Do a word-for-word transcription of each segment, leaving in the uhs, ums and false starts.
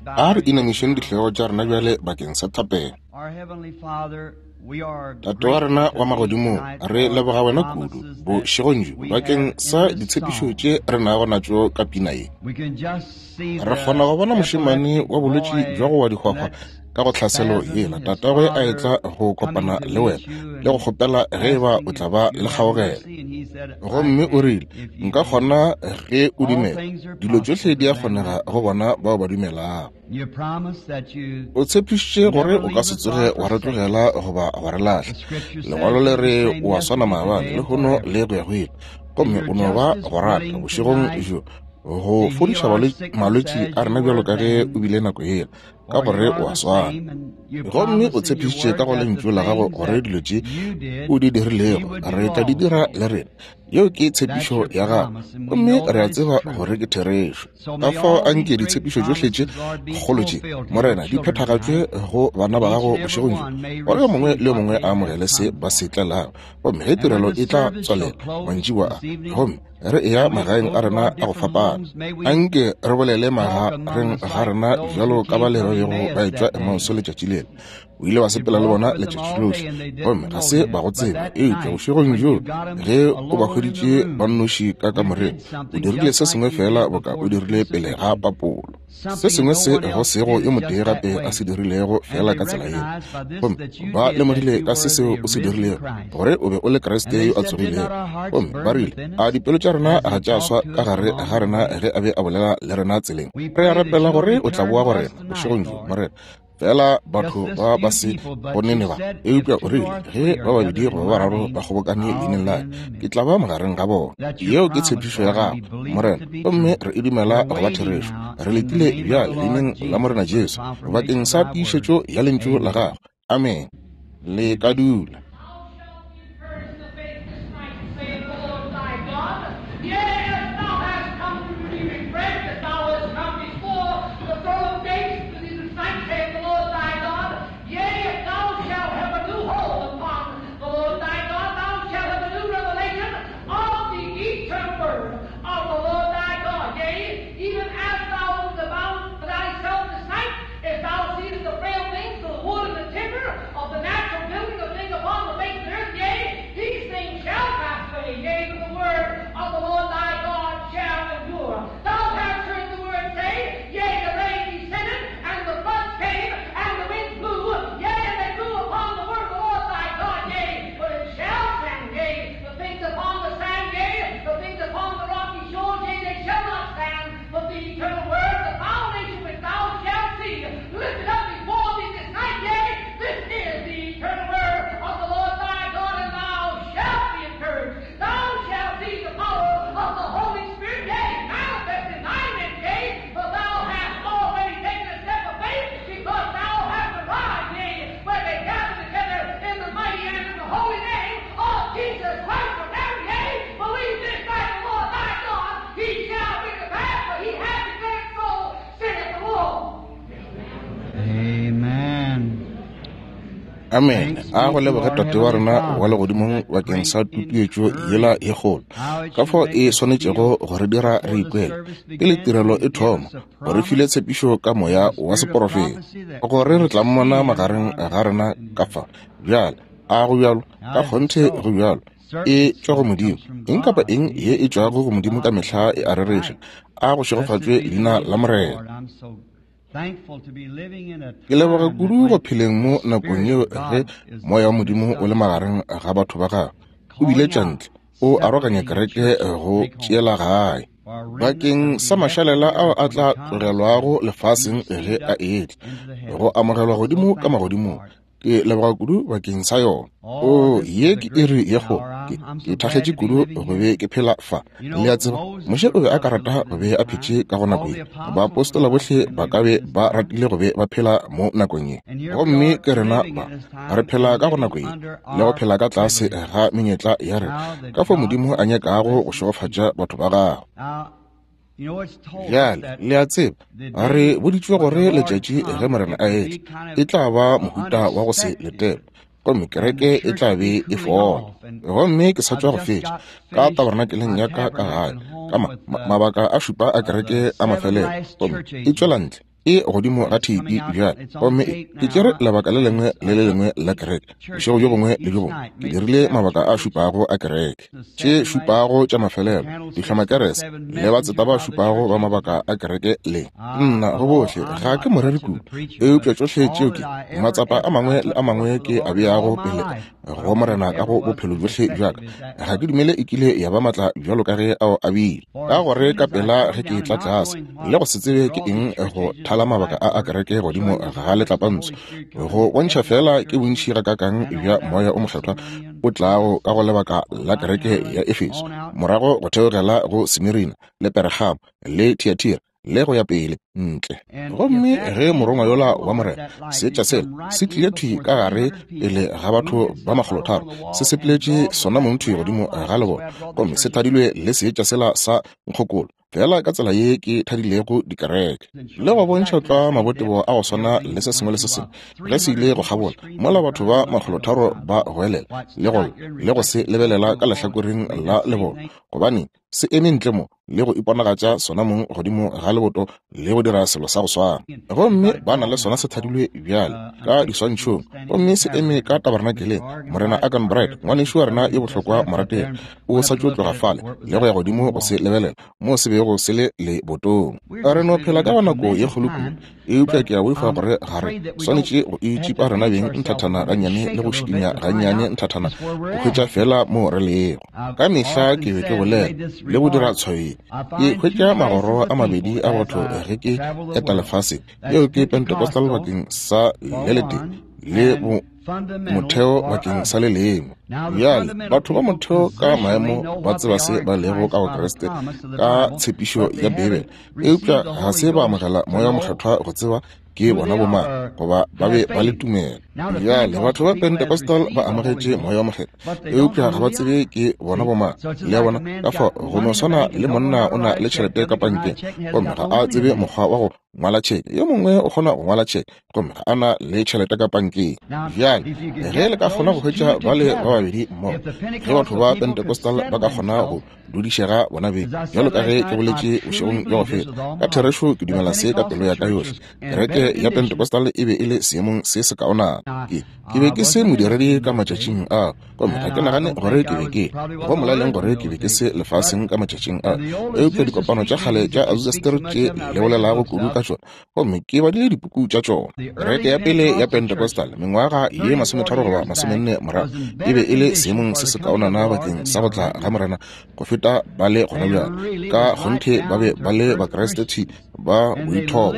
A re inamišeng dihlogo tša rena bjale bakeng sa thapelo. Tate wa rena wa magodimong, re leboga wena kudu bošegong bjo bakeng sa ditshepišo tše re nago natšo ka pina ye. Re kgona go bona mošemane wa bolwetši bja go wa dihwahwa ka go tlhaselo yela, tatagwe a etla go kopana le wena le go kgopela ge eba o tla ba le kgaogelo. Gomme o rile, nka kgona ge o dumela. Dilo tšohle di a kgonega go bona bao ba dumelago. O tshepišitše gore o ka se tsoge wa re tlogela goba wa re lahla. Lengwalo le re o a swana maabane, lehono le go ya go ile. Gomme o no ba go rata bošegong bjo go fodiša malwetši a rena bjalo ka ge o bile nako yela, ka gore o a swana. Gomme o tshepišitše ka go lentšu la gago gore dilo tše o di dirilego re tla di dira le rena. Yeo ke tshepišo ya gago, gomme re a tseba gore ke therešo. Ka fao a nke ditshepišo tšohle tše kgolo tše, Morena, di phethagatšwe go bana ba gago bošegong bjo, gore yo mongwe le yo mongwe a amogele se ba se tlelago. Gomme ge tirelo e tla tswalela mantšiboa a, gomme re eya magaeng a rena a go fapana, a nke re bolele magareng ga rena bjalo ka ba le ba bego ba etšwa Emauso letšatši lela. O ile wa sepela le bona letšatši lohle, gomme ga se ba go tseba. Eupša bošegong bjo ge o ba hweditše ba nnoši ka kamoreng, o dirile se sengwe fela boka o dirile pele ga papolo, se sengwe se go sego yo motee gape a se dirilego fela ka tsela yeo. Gomme ba lemogile ka se seo o se dirilego gore o be o le Kriste yo a tsogilego. Gomme ba rile, a dipelo tša rena ga tša swa ka gare ga rena ge a be a bolela le rena tseleng? Re a rapela gore o tla boa go rena bošegong bjo, Morena. Fela batho ba ba se bonene ba, eupša o rile ge ba babedi goba ba bararo ba kgobokane leineng la ka, ke tla ba magareng ga bona. Yeo ke tshepišo ya gago, Morena, gomme re e dumela go ba therešo. Re letile bjale leineng la Morena Jesu bakeng sa tiišetšo ya lentšu la gago. Amen. Le ka dula. Amen. A go leboge Tate wa rena wa legodimong bakeng sa tutuetšo yela ye kgolo, ka fao e swanetšego go re dira re ikwele pele tirelo e thoma, go re file tshepišo ka moya wa seporofeta gore re tla mmona magareng ga rena ka fa. Bjale a go bjalo, ka kgonthe go bjalo, e tšwa go Modimo. Eng kapa eng ye e tšwago go Modimo ka mehla e a rereša. A go šegofatšwe leina la Morena. Ke leboga kudu go pheleng mo nakong yeo ge moya wa Modimo o le magareng ga batho ba gagwe, o biletša ntle, o aroganya kereke go tšeela gae bakeng sa mašalela ao a tla tlogelwago lefaseng ge a etla go amogelwa godimo ka magodimong. Ke leboga kudu bakeng sa yona. O, ye ke iri ye kgolo. Ke, ke thakgetše kudu go be ke phela fa. Le a tseba, Moshe o be a ka rata go be a phetše ka go nako ye. Baapostola bohle ba ka be ba ratile go be ba phela mo nakong ye. Gomme ke rena ba, re phela ka go nako ye, le go phela ka tlase ga menyetla ya rena, ka fao Modimo a nyakago go šegofatša batho ba gagwe. Bjale, le a tseba, re boditšwe gore letšatši ge Morena a etla e tla ba mohuta wa go se letelwe, gomme kereke e tla be e fola. Gomme ke sa tšwa go fetša ka tabernakeleng ya ka ka gae ka ma, mabaka a šupa a kereke a mafelelo, gomme e tšwela ntle E godimo ga theipi bjale, gomme ke tšere lebaka le lengwe le le lengwe la kereke, bošego bjo bongwe le bjo bongwe. Ke dirile mabaka a šupago a kereke, tše šupago tša mafelelo, dihlomakerese le batseta ba šupago ba mabaka a kereke le nna go bohle. Ga ke moreri kudu, eupša tšohle tšeo ke matsapa a mangwe le a mangwe ke a beago pele go Morena ka go bophelo bjohle bja ka. Ga ke dumele e kile ya ba matla bjalo ka ge ao a bile, ka gore ka pela ge ke tla tlase le go se tsebe ke eng go thala mabaka a a kereke godimo ga letlapantsho, go bontšha fela ke bontši gakakang bja Moya o Mokgethwa o tlago ka go lebaka la kereke ya Efeso, morago go theogela go Smirina le Pergamo le Thiatira le go ya pele ntle. Gomme ge morongwa yola wa Morena, seetša sela se tlile thwi ka gare pele ga batho ba makgolotharo, se sepeletše sona mong thwi godimo ga lebone, gomme se thadilwe le seetša sela sa nkgokolo, fela ka tsela ye ke thadilego dikereke, le go bontšha tlwa mabotebo a go swana le se sengwe le se sengwe ge se ile go kgabola, mola batho ba makgolotharo ba goelela le go le go se lebelela ka lehlakoreng la lebone, gobane se eme ntle mo le go iponagatša sona mong godimo ga leboto le go dira selo sa go swana. Gomme ba na le sona se thadilwe bjale ka diswantšhong, gomme se eme ka tabernakeleng. Morena Akan Bright, ngwanešu wa rena yo bohlokwa morategi, o sa tšo tloga fale le go ya godimo go se lebelela moo se bego se le lebotong. Re no phela ka go nako ye kgolo kudu, eupša ke a boifa gore ga re swanetše go itšipa rena beng nthathana gannyane le go šikinya gannyane nthathana go hwetša fela moo re lego. Ka mehla ke be ke bolela le go dira tshwayo. Ke hwetša magoro a mabedi a batho ge ke eta lefase, yeo ke Pentecostal bakeng sa le letee le bo motheo bakeng sa le lengwe. Bjale batho ba motheo ka maemo ba tseba se ba lego ka go Kriste ka tshepišo ya Beibele, eupša ga se ba amogela Moya o Mokgethwa go tseba ke bona bomang goba ba be ba le tumelo. Bjale batho ba Pentecostal ba amogetše Moya o Mokgethwa, eupša ga ba tsebe ke bona bomang. Le a bona, ka fao go no swana le monna o na le tšhelete ka pankeng gomme ga a tsebe mokgwa wa go ngwala tšheke, yo mongwe o kgona go ngwala tšheke gomme ga a na le tšhelete ka pankeng. Bjale ge le ka kgona go hwetša bale ba babedi mmogo, ge batho ba Pentecostal ba ka kgona go dudišega bona beng, bjalo ka ge ke boletše bošegong bja go feta, ka therešo ke dumela se ka pelo ya ka yohle, kereke ya Pentecostal e be e le seemong se sekaonana. Ke ke be ke se modiredi ka matšatšing ao, gomme ga ke nagane gore ke be ke go molaleng gore ke be ke se lefaseng ka matšatšing ao, eupša dikopano tša kgale tša Azusa Street tše le bolelago kudu ka tšona, gomme ke badile dipuku tša tšona. Kereke ya pele ya Pentecostal mengwaga ye masometharo goba masomenne morago e be e le seemong se sekaonana bakeng sa go tla ga Morena go feta ba le gona bjale. Ka kgonthe ba be ba le Bakriste thwi ba boithobo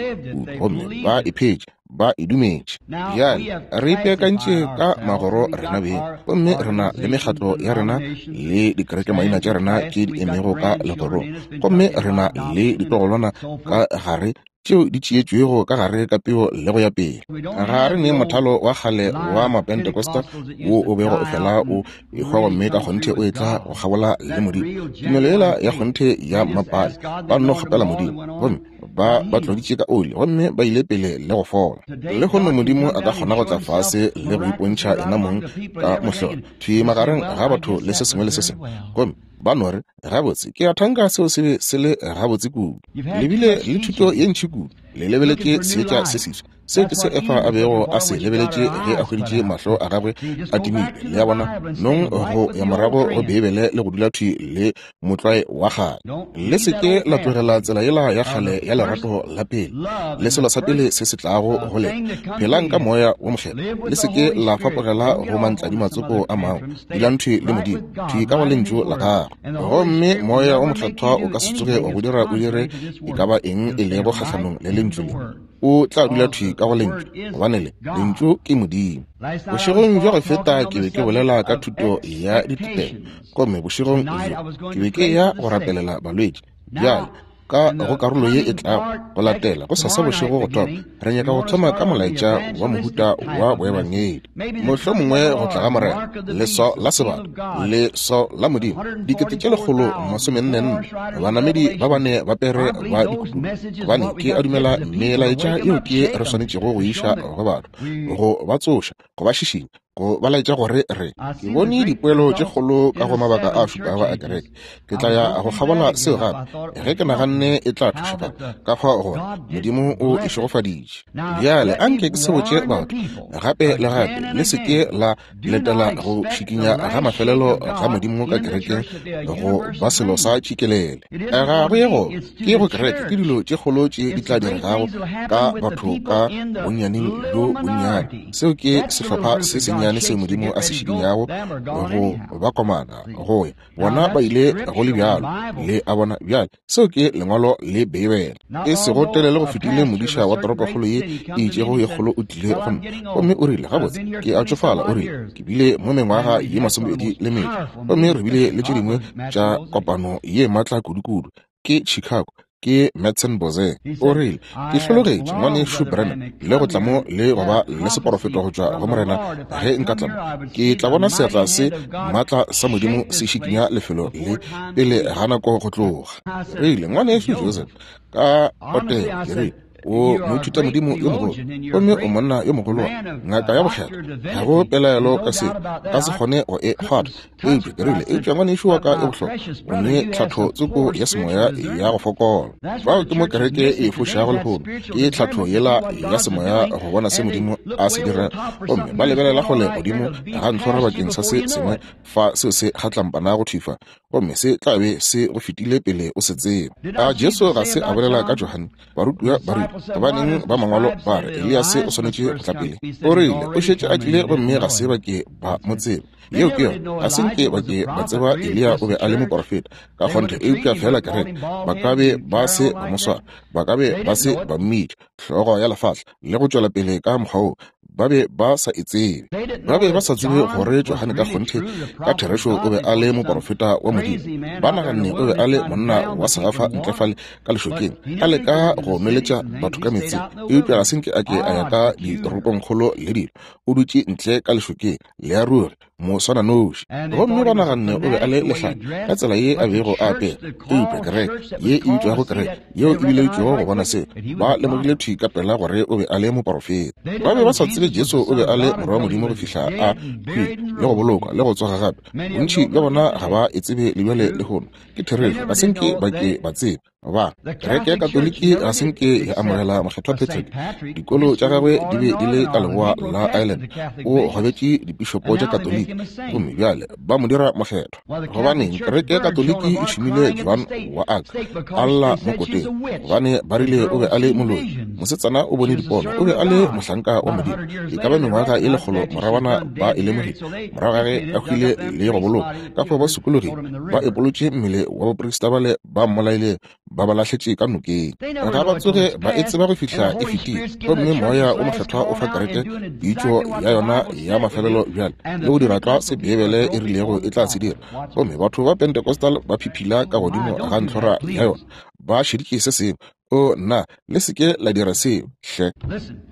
gomme ba iphetše, ba e dumetše. Bjale re ipeakantše ka magoro rena beng, gomme re na le mekgatlo ya rena le dikerekemaina tša rena tše di emego ka legorong, gomme re na le ditlogolwana ka gare tšeo di tšeetšwego ka gare ka peo le go ya pele. Ga re ne mothalo wa kgale wa Mapentecostal wo o bego o fela o ehwa gomme ka kgonthe o etla go kgabola le Modimo. Tumelo yela ya kgonthe ya mmapale, ba nno kgopela Modimo gomme ba ba tloditše ka oli gomme ba ile pele le go fola. Lehono Modimo a ka kgona go tla fase le go ipontšha yena mong ka mohlolo thwi magareng ga batho le se sengwe le se sengwe, gomme ba no re, gabotse ke a thanka seo se be se le gabotse kudu. Le bile le thuto ye ntši kudu, le lebeletše seetša se seswa. Seo ke se Efa a bego a se lebeletše ge a hweditše mahlo a gagwe a timile. Le a bona, nong go ya morago go Beibele le go dula thwi le motlwae wa kgale. Le se ke la tlogela tsela yela ya kgale ya lerato la pele, le selo sa pele se se tlago go lena. Phelang ka Moya wo Mokgethwa, le se ke la fapogela go mantladimatsoko a mangwe. Dulang thwi le Modimo, thwi ka go lentšu la gagwe, gomme Moya wo Mokgethwa o ka se tsoge wa go dira o dire e ka ba eng e lego kgahlanong le lentšu le. O tla dula thwi ka go lentšu, gobane le lentšu ke Modimo. Bošegong bja go feta ke be ke bolela ka thuto ya ditutelo, gomme bošegong bjo ke be ke ya go rapelela balwetši. Bjale ka go karolo ye e tlago go latela go sasa bošego go thoma, re nyaka go thoma ka molaetša wa mohuta wa boebangedi, mohlomongwe go tla ga Morena, leswao la sebata, leswao la Modimo, dikete tše lekgolo masomenne nne, banamedi ba bane ba pere ba dikutulo, gobane ke a dumela melaetša yeo ke re swanetšego go iša go batho, go ba tsoša, go ba šišinya, Go ba laetša gore re ke bone dipoelo tše kgolo ka go mabaka a šupago a kereke. Ke tla ya go kgabola seo gape ge ke naganne e tla thuša gape, ka fao gore Modimo o e šegofaditše. Bjale anke ke se botše batho gape le gape, le se ke la letela go šikinya ga mafelelo ga Modimo ka kerekeng go ba selo sa tšikelele. Ga go ye go ke go kereke, ke dilo tše kgolo tše di tla diregago ka batho ka bonnyaneng bjo bonnyane. Seo ke sehlopha se sennyane seo Modimo a se šikinyago go ba komana go ya. Bona ba ile go le bjalo, le a bona. Bjale seo ke lengwalo le Beibele. E sego telele go fetile modiša wa toropokgolo ye e itšego ye kgolo o tlile go nna, gomme o rile, gabotse ke a tšofala, o rile, ke bile mo mengwaga ye masomepedi le metšo, gomme re bile le tše dingwe tša kopano ye maatla kudukudu ke Chicago, ke Madsen Boze. O rile, ke hlologetše ngwanešu Branham le go tla mo le go ba le seporofeto go tšwa go Morena. Ge nka tla mo, ke tla bona seatla se maatla sa Modimo se šikinya lefelo le pele ga nako go tloga. Rile, ngwanešu Joseph, ka potego ke rile, o moithuta Modimo yo mogolo, gomme o monna yo mogolo wa ngaka ya bokgethwa, ga go pelaelo ka seo, ka se kgone go e kgwatha. Eupša ke rile, eupša ngwanešu wa ka e bohlokwa, o ne tlhatho tsoko ya semoya ya go fokola. Fao ke mo kereke e fošago lehono, ke tlhatho yela ya semoya go bona se Modimo a se dira, gomme ba lebelela kgole godimo ga ntlhora bakeng sa se sengwe fa seo se kgatlampana go thwifa, gomme se tla be se go fetile pele o se tseba. A Jesu ga se a bolela ka Johane? Barutiwa ba rile, gobaneng ba mangwalo ba re Eliase o swanetše go tla pele? O rile, o šetše a tlile gomme ga se ba ke ba mo tseba. Yeo ke yona, ga se nke ba ke ba tseba Eliya o be a le moporofeta ka kgonthe, eupša fela kereke ba ka be ba se ba mo swara, ba ka be ba se ba mmitša hlogo ya lefahla le go tšwela pele ka mokgwa wo. Ba be ba sa e tsebe. Ba be ba sa tsebe gore Johane ka kgonthe ka therešo o be a le moporofeta wa Modimo. Ba naganne o be a le monna wa segafa ntle fale ka lešokeng, a leka go nweletša batho ka meetseng, eupša ga se nke a ke a ya ka ditoropongkgolo le dilo. O dutše ntle ka lešokeng le a ruri moswananoši. Gomme ba naganne o be a le lehlanya ka tsela ye a bego a apere, eupša kereke ye e bitšwago kereke yeo e bileditšwego go bona seo, ba lemogile thwi ka pela gore o be a le moporofeta. Ba be ba sa tsebe Jesu o be a le morwa wa Modimo go fihla a hwile le go bolokwa le go tsoga gape. Bontši bja bona ga ba e tsebe le bjale lehono. Ke therešo, ga se nke ba ke ba tseba. Ba kereke ya Katoliki ga se nke ya amogela mokgethwa Patrick. Dikolo tša gagwe di be di le ka leboa la Ireland. O gobetše dipišopo tša Katoliki, gomme bjale ba mo dira mokgethwa. Gobaneng kereke ya Katoliki e šomile Joan wa Arc a lla mo koteng? Gobane ba rile o be a le moloi. Mosetsana o bone dipono, o be a le mohlanka wa Modimo. E ka ba mengwaga e lekgolo moragwana ba e lemogile, morago ga ge a hwile le go bolokwa. Ka fao ba sokologile, ba epolotše mmele wa baprista bale ba mmolailego, ba ba lahletše ka nokeng. Ga ba tsoge ba e tseba go fihla e fetile, gomme moya o mokgethwa o fa kereke pitšo ya yona ya mafelelo bjale le go dira tlwa se Beibele e rilego e tla se dira. Gomme batho ba Pentecostal ba phiphila ka godimo ga ntlhora ya yona, ba šeditše se sengwe. O nna, le se ke la dira seo hle.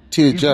Theetša,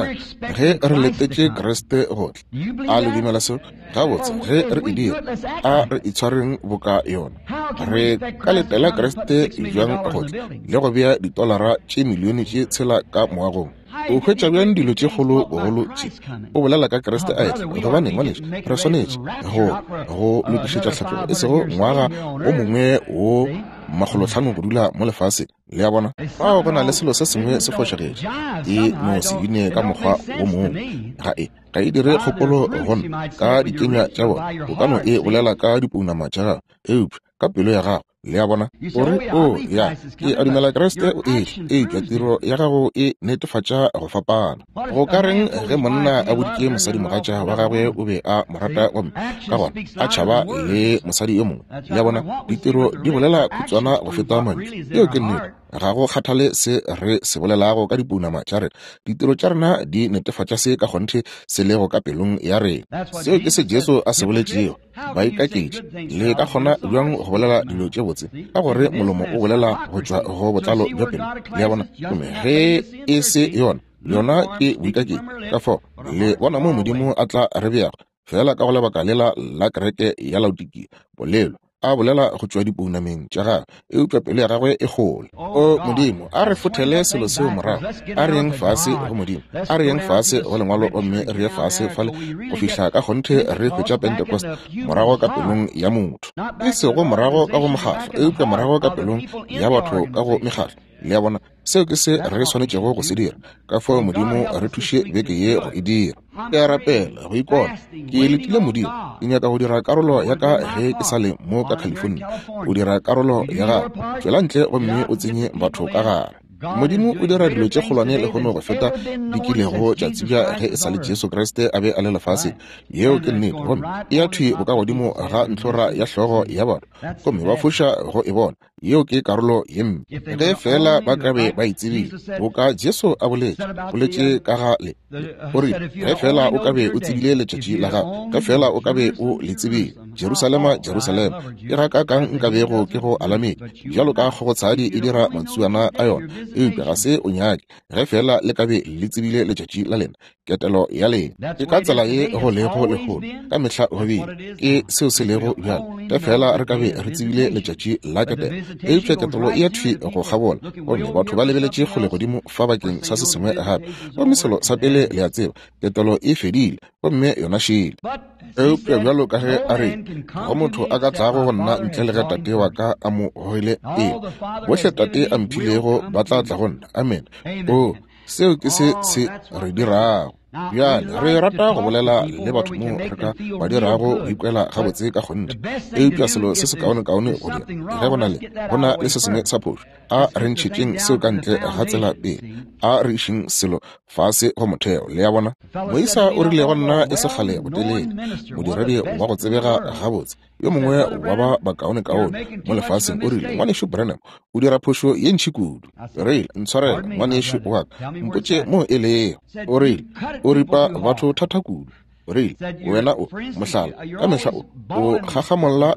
ge re letetše Kriste go tla, a le dumela seo? Gabotse, ge re e dira, a re itshwareng boka yona. Re ka letela Kriste bjang go tla le go bea ditolara tše milione tše tshela ka moagong? O hwetša bjang dilo tše kgolo bogolo tše? O bolela ka Kriste a etla. Gobaneng, ngwanešu, re swanetše go go lokišetša tlhatlogo, e sego ngwaga o mongwe wo makgolotlhano go dula mo lefaseng. Le a bona? Fao go na le selo se sengwe se fošagetše. E no se bine ka mokgwa wo mongwe. Ga e ga e dire kgopolo go nna ka dikenywa tša bona. O ka no e bolela ka dipounama tša gago, eupša ka pelo ya gago. Le a bona? O re, o ya, ke a dumela Kriste o etla, eupša tiro ya gago e netefatša go fapana. Go ka reng ge monna a boditše mosadimogatša wa gagwe o be a mo rata gomme ka gona a tšhaba le mosadi yo mongwe? Le a bona? Ditiro di bolela khutswana go feta mantšu. Yeo ke nnete. Ga go kgathale se re se bolelago ka dipounama tša rena, ditiro tša rena di netefatša se ka kgonthe se lego ka pelong ya rena. Seo ke se Jesu a se boletšego. Baikaketši, le ka kgona bjang go bolela dilo tše botse? Ka gore molomo o bolela go tšwa go botlalo bja pelo. Le a bona? Gomme ge e se yona, yona ke boikaketši. Ka fao le bona mo Modimo a tla re beago, fela ka go lebaka lela la kereke ya Laodikia, polelo. a bolela go tšwa dipounameng tša gagwe, eupša pelo ya gagwe e kgole. O Modimo, a re fothele selo seo morago. A re yeng fase go Modimo, a re yeng fase go Lengwalo, gomme re ye fase fale go fihla ka kgonthe re hwetša Pentecost morago ka pelong ya motho, e sego morago ka go mokgahlo, eupša morago ka pelong ya batho ka go mekgahlo. Le a bona, seo ke se re swanetšego go se dira. Ka fao Modimo re thuše beke ye go e dira. Ke a rapela go ikona. Ke letile Modimo. Ke nyaka go dira karolo ya ka ge ke sa le mo ka California. O dira karolo ya gago. Tšwela ntle gomme o tsenye batho ka gare. Modimo o dira dilo tše kgolwane lehono go feta di kilego tša tsebja ge e sa le Jesu Kriste a be a le lefaseng. Yeo ke nnete. Gomme e ya thwi bokagodimo ga ntlhora ya hlogo ya batho, gomme ba foša go e bona. Yeo ke karolo ye mpe. Ge fela ba ka be ba e tsebile, boka Jesu a boletše, boletše ka ga le, o rile, ge fela o ka be o tsebile letšatši la gago, ge fela o ka be o le tsebile, Jerusalema, Jerusalema, ke ga kakang nka bego ke go alamedi, bjalo ka kgogotshadi e dira matsuana a yona, eupša ga se o nyake. Ge fela le ka be le tsebile letšatši la lena, ketelo ya lena. Ke ka tsela ye go lego lehono, ka mehla go bile ke seo se lego bjale. Ge fela re ka be re tsebile letšatši la ketelo, eupša ketelo e ya thwi go kgabola, gomme batho ba lebeletše kgole godimo fa bakeng sa se sengwe gape. Gomme selo sa pele le a tseba, ketelo e fedile, gomme yona šele. Eupša bjalo ka ge a re, go motho a ka tlago go nna ntle le ge Tate wa ka a mo goile pele, bohle Tate a mphilego ba tla tla go nna. Amen. O, seo ke se se re dirago. Bjale re rata go bolela le batho mo re ka ba dirago go ikwela gabotse ka kgonthe, eupša selo se se kaonekaone go dira ge go na le go na le se sengwe sa phošo, a re ntšhetšeng seo ka ntle ga tsela pele, a re išeng selo fase go motheo. Le a bona, moisa o rile go nna e se kgale botelele, modiredi wa go tsebega gabotse, yo mongwe wa ba bakaonekaone mo lefaseng, o rile, ngwanešu Branham, o dira phošo ye ntši kudu. Rile, ntshwarele ngwanešu wa ka, mpotše mo e lego. O rile, o ripa batho thata kudu. O rile, wena o mohlala, ka mehla o o gagamolla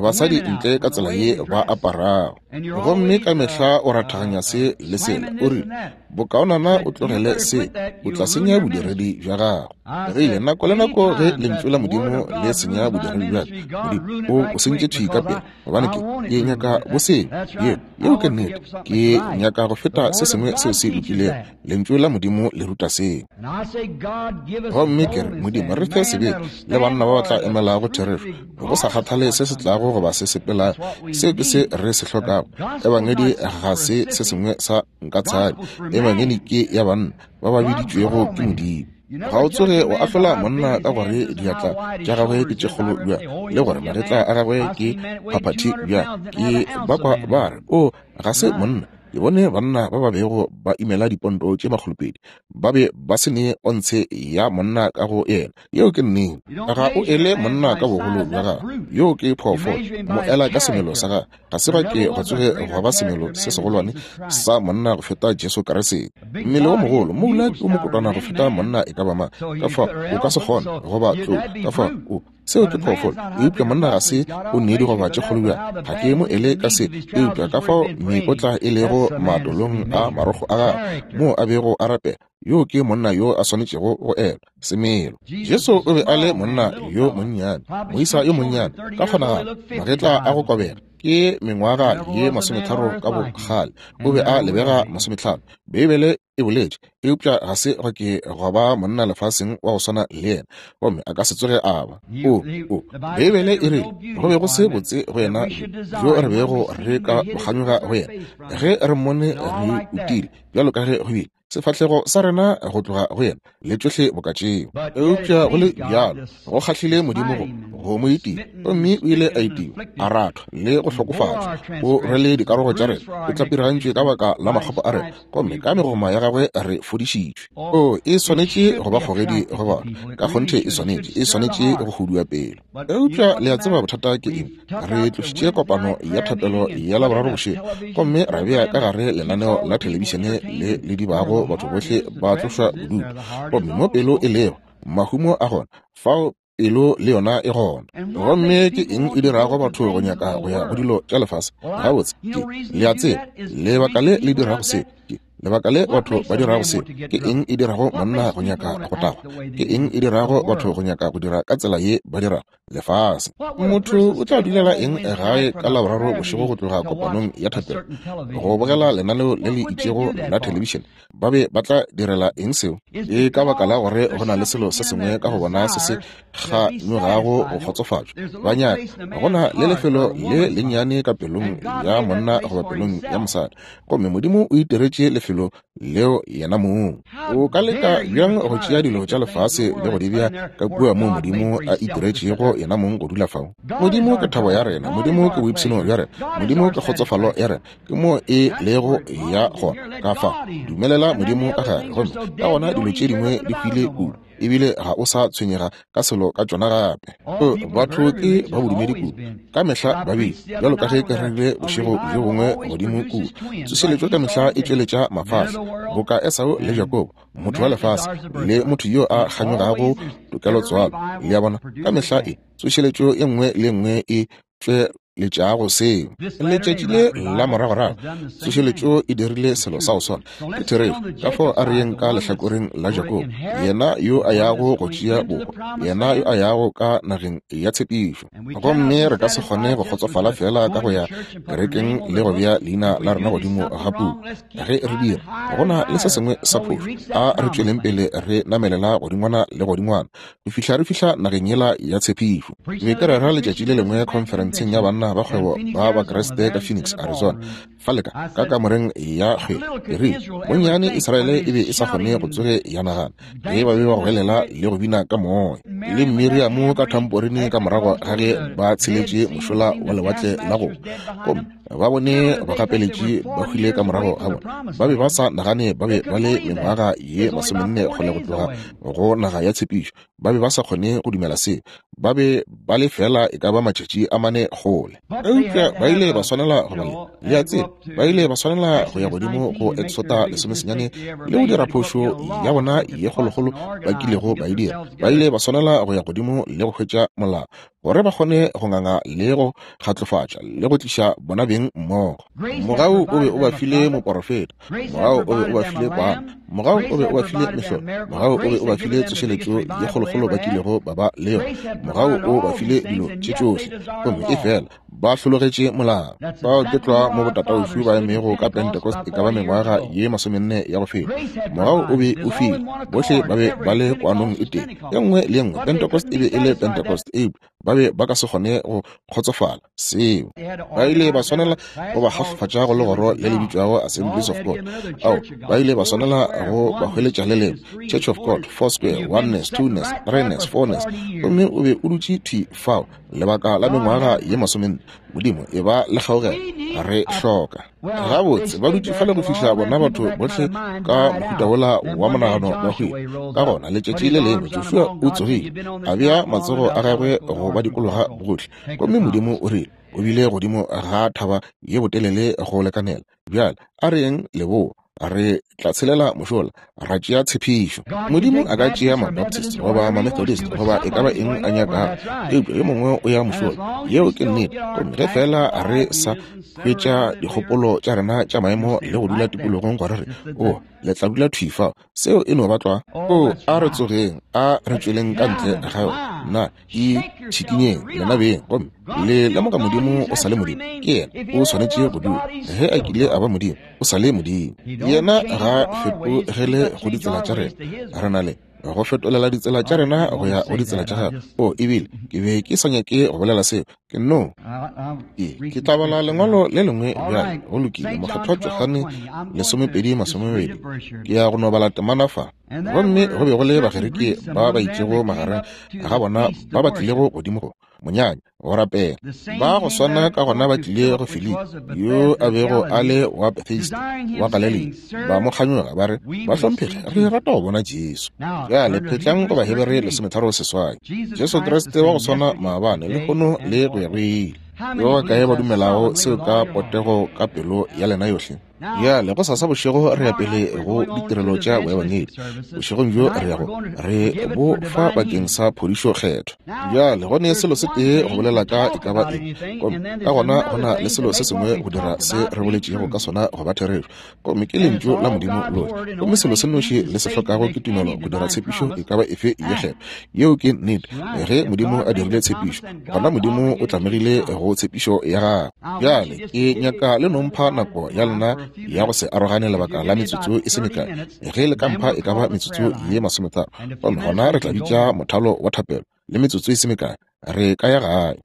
basadi ntle ka tsela ye ba aparago, gomme ka mehla o rathaganya se le sela. O rile, bokaonana o tlogele se, o tla senya bodiredi bja gago. Rile, nako le nako ge lentšu la Modimo le senya bodiredi bja ka, Modimo o o sentše thwi ka pele, gobane ke ke nyaka bo senya. Yeo yeo ke nnete. Ke nyaka go feta se sengwe seo se lokilego. Lentšu la Modimo le ruta seo. Gomme ke re, Modimo, re fe sebete le banna ba ba tla emelago therešo, go sa kgathale se se tlago goba se sepelago. Seo ke se re se hlokago. Ebangedi ga se se sengwe sa nkatshadi. Ebangedi ke ya banna ba ba biditšwego ke Modimo. Ga o tsoge o ahlola monna ka gore diatla tša gagwe ke tše kgolo bjang, le gore magetla a gagwe ke phaphathi bjang. Ke ba kwa ba re, o ga se monna. Ke bone banna ba ba bego ba imela diponto tše makgolopedi, ba be ba se ne ontshe ya monna ka go yena. Yeo ke nnete. Ga o ele monna ka bogolo bja gagwe, yeo ke phoofolo. Mo ela ka semelo sa gagwe. Ga se ba ke go tsoge gwa ba semelo se segolwane sa monna go feta Jesu Kriste. Mmele o mogolo, moula ke o mokotwana go feta monna e ka ba mang. Ka fao o ka se kgone go ba tlou. Ka fao o seo ke phoofolo, eupša monna ga se o ne digoba tše kgolo bjang. Ga ke mo ele ka se, eupša ka fao mekotla e lego matolong a marokgo a gagwe moo a bego a rapela, yo ke monna yo a swanetšego go elwa semelo. Jesu o be a le monna yo monnyane, moisa yo monnyane, ka kgonagalo magetla a go kobega, ke mengwaga ye masometharo ka bokgale, o be a lebega masometlhano, Beibele e boletše, eupša ga se go ke gwa ba monna lefaseng wa go swana le yena, gomme a ka se tsoge a ba. O, o, Beibele e rile go be go se botse go yena jo re bego re ka kganyoga go yena, ge re mmone re utile bjalo ka ge go bile sefahlego sa rena go tloga go yena le tšohle boka tšeo. Eupša go le bjalo go kgahlile Modimo go go mo itia, gomme o ile a itiwa, a rathwa le go hlokofatšwa. O rwele dikarogo tša rena, o tlapiragantšwe ka baka la makgopo a rena, gomme ka megoma ya gagwe re fodišitšwe. O e swanetše go ba kgogedi go batho, ka kgonthe e swanetše, e swanetše go hudua pelo. Eupša le a tseba bothata ke eng? Re tlošitše kopano ya thapelo ya Laboraro bošego, gomme ra bea ka gare lenaneo la thelebišene le le dibago batho bohle ba tlošwa bodutu. Gomme mo pelo e lego, mahumo a gona, fao pelo le yona e gona. Gomme ke eng e dirago batho go nyaka go ya go dilo tša lefase? Gabotse, ke le a tseba lebaka le le dirago se ke Lebaka le batho ba dirago seo, ke eng e dirago monna go nyaka go tagwa? Ke eng e dirago batho go nyaka go dira ka tsela ye ba dirago? Lefase. Motho o tla dulela eng gae ka Laboraro bošego go tloga kopanong ya thapelo go bogela lenaneo le le itšego la thelebišene? Ba be ba tla direla eng seo? E ka baka la gore go na le selo se sengwe ka go bona se se kganyogago go kgotsofatšwa. Ba nyaka go na le lefelo le lennyane ka pelong ya monna goba pelong ya mosadi, gomme Modimo o itiretše lefelo leo yena mong. O ka leka bjang go tšea dilo tša lefase le go di bea ka kua moo Modimo a itiretšego yena mong go dula fao? Modimo ke thabo ya rena, Modimo ke boipshino bja rena, Modimo ke kgotsofalo ya rena, ke moo e lego ya gona. Ka fa dumelela Modimo ka gare, gomme ka gona dilo tše dingwe di hwile kudu, ebile ga o sa tshwenyega ka selo ka tšona gape. Batho ke ba bodumedi kudu, ka mehla ba bile, bjalo ka ge ke rerile bošego bjo bongwe godimo kudu. Tsošeletšo ka mehla e tšweletša mafahla, boka Esau le Jakobo, motho wa lefase le motho yo a kganyogago tokelotswalo. Le a bona, ka mehla e tsošeletšo e nngwe le nngwe e tšweletšago seo. Letšatši le la moragorago tsošeletšo e dirile selo sa go swana. Ke therešo. Ka fao a re yeng ka lehlakoreng la Jakobo, yena yo a yago go tšea bohwa, yena yo a yago ka nageng ya tshepišo. Gomme re ka se kgone go kgotsofala fela ka go ya kerekeng le go bea leina la rena godimo ga puku. Ge re dira, go na le se sengwe sa phošo. A re tšweleng pele re namelela godingwana le godingwana go fihla re fihla nageng yela ya tshepišo. Be ke rera letšatši le lengwe khonferenseng ya banna ba kgwebo ba Bakriste ka Phoenix, Arizona, fa leka ka kamoreng ya kgwebo. Ke rile, bonnyane Israele e be e sa kgone go tsoge ya nagana ge ba be ba goelela le go bina ka moya le Miriamo ka thamporine ka morago ga ge ba tsheletše mošola wa lewatle la go, gomme ba bone bagapeletši ba hwile ka morago ga bona. Ba be ba sa nagane ba be ba le mengwaga ye masomenne kgole go tloga go naga ya tshepišo. Ba be ba sa kgone go dumela seo. Ba be ba le fela e ka ba matšatši a mane kgole. Eupša ba ile ba swanela go ba le, le a tseba, ba ile ba swanela go ya godimo go Exota lesomesenyane le go dira phošo ya bona ye kgolokgolo ba kilego ba e dira. Ba ile ba swanela go ya godimo le go hwetša molao gore ba kgone go nganga le go kgatlofatša le go tliša bona beng mmogo. Mogau o be o ba file moporofeta, mogau o be o ba file kwana, mogau o be o ba file mehlolo, mogau o be o ba file tsošeletšo ye kgolokgolo ba kilego ba ba le yona, mogau o ba file dilo tše tšohle, gomme e fela ba hlologetše molao. Bao ke tlwa mo botataušu ba emego ka Pentecost e ka ba mengwaga ye masomenne ya go feta. Mogau o be o file, bohle ba be ba le kwanong e tee, e nngwe le e nngwe. Pentecost e be e le Pentecost, eupša ba be ba ka se kgone go kgotsofala seo. Ba ile ba swanela go ba kgahlofatša go legoro le le bitšwago Assemblies of God. Ao, ba ile ba swanela go ba hweletša le lengwe, Church of God, Foursquare, Oneness, Twoness, Threeness, Fourness, gomme o be o dutše thwi fao lebaka la mengwaga ye masomenne. Modimo e ba le kgaugelo, re hloka. Gabotse ba dutše fale go fihla bona batho bohle ka mohuta wola wa monagano ba hwile. Ka gona letšatši le lengwe Joshua o tsogile, a bea matsogo a gagwe go ba dikologa bohle, gomme Modimo o rile, o bile godimo ga thaba ye botelele go lekanela. Bjale a re yeng leboa, re tla tshelela mošola, ra tšea tshepišo. Modimo a ka tšea Mabaptist goba Mamethodist goba e ka ba eng a nyakago, eupša yo mongwe o ya mošola. Yeo ke nnete. Gomme ge fela re sa hwetša dikgopolo tša rena tša maemo le go dula tikologong gore re o le tla dula thwi fao, seo e no ba tlwa. O a re tsogeng, a re tšweleng ka ntle ga yona. Nna e tšhikinyeng lena beng, gomme le lemoga Modimo o sa le Modimo. Ke yena o swanetše go dula. Ge a kile a ba Modimo, o sa le Modimo. Yena ga fetogele go ditsela tša rena. Re na le go fetolela ditsela tša rena go ya go ditsela tša gagwe. O ebile ke be ke sa nyake go bolela seo. Ke no ke ke tla bala lengwalo le lengwe bjale. Go lokile, Mokgethwa Johane lesomepedi masomepedi. Ke ya go no bala temana fa. Gomme go be go le Bagerike ba ba itšego magareng ga bona ba ba tlilego godimo go monyanya go rapela. Ba go swana ka gona ba tlile go Filipi, yo a bego a le wa Bethesda wa Galilea. Ba mo kganyoga ba re, Bahlomphegi, re rata go bona Jesu. Bjale phetlang go Bahebere lesometharo seswai. Jesu Kriste wa go swana maabane, lehono le go ya go ile. Yo ba kae ba dumelago seo ka potego ka pelo ya lena yohle? Bjale go sasa bošego re ya pele go ditirelo tša boebangedi. Bošegong bjo re yago re bo fa bakeng sa phodišo kgetho. Bjale go ne selo se tee go bolela ka e ka ba eng, gomme ka gona go na le selo se sengwe go dira se re boletšego ka sona go ba therešo, gomme ke lentšu la Modimo lohle. Gomme selo se nnoši le se hlokago ke tumelo go dira tshepišo e ka ba efe ye kgetho. Yeo ke nnete. Ge Modimo a dirile tshepišo, gona Modimo o tlamegile go tshepišo ya gagwe. Bjale ke nyaka le nompha nako ya lena ya go se arogane lebaka la metsotso e se mekae. Ge le ka mpha e ka ba metsotso ye masometharo, gomme gona re tla bitša mothalo wa thapelo le metsotso e se mekae, re ka ya gae.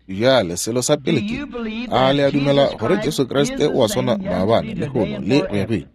Bjale selo sa pele ke, a le a dumela gore Jesu Kriste o a swana maabane, lehono le go ya go ile?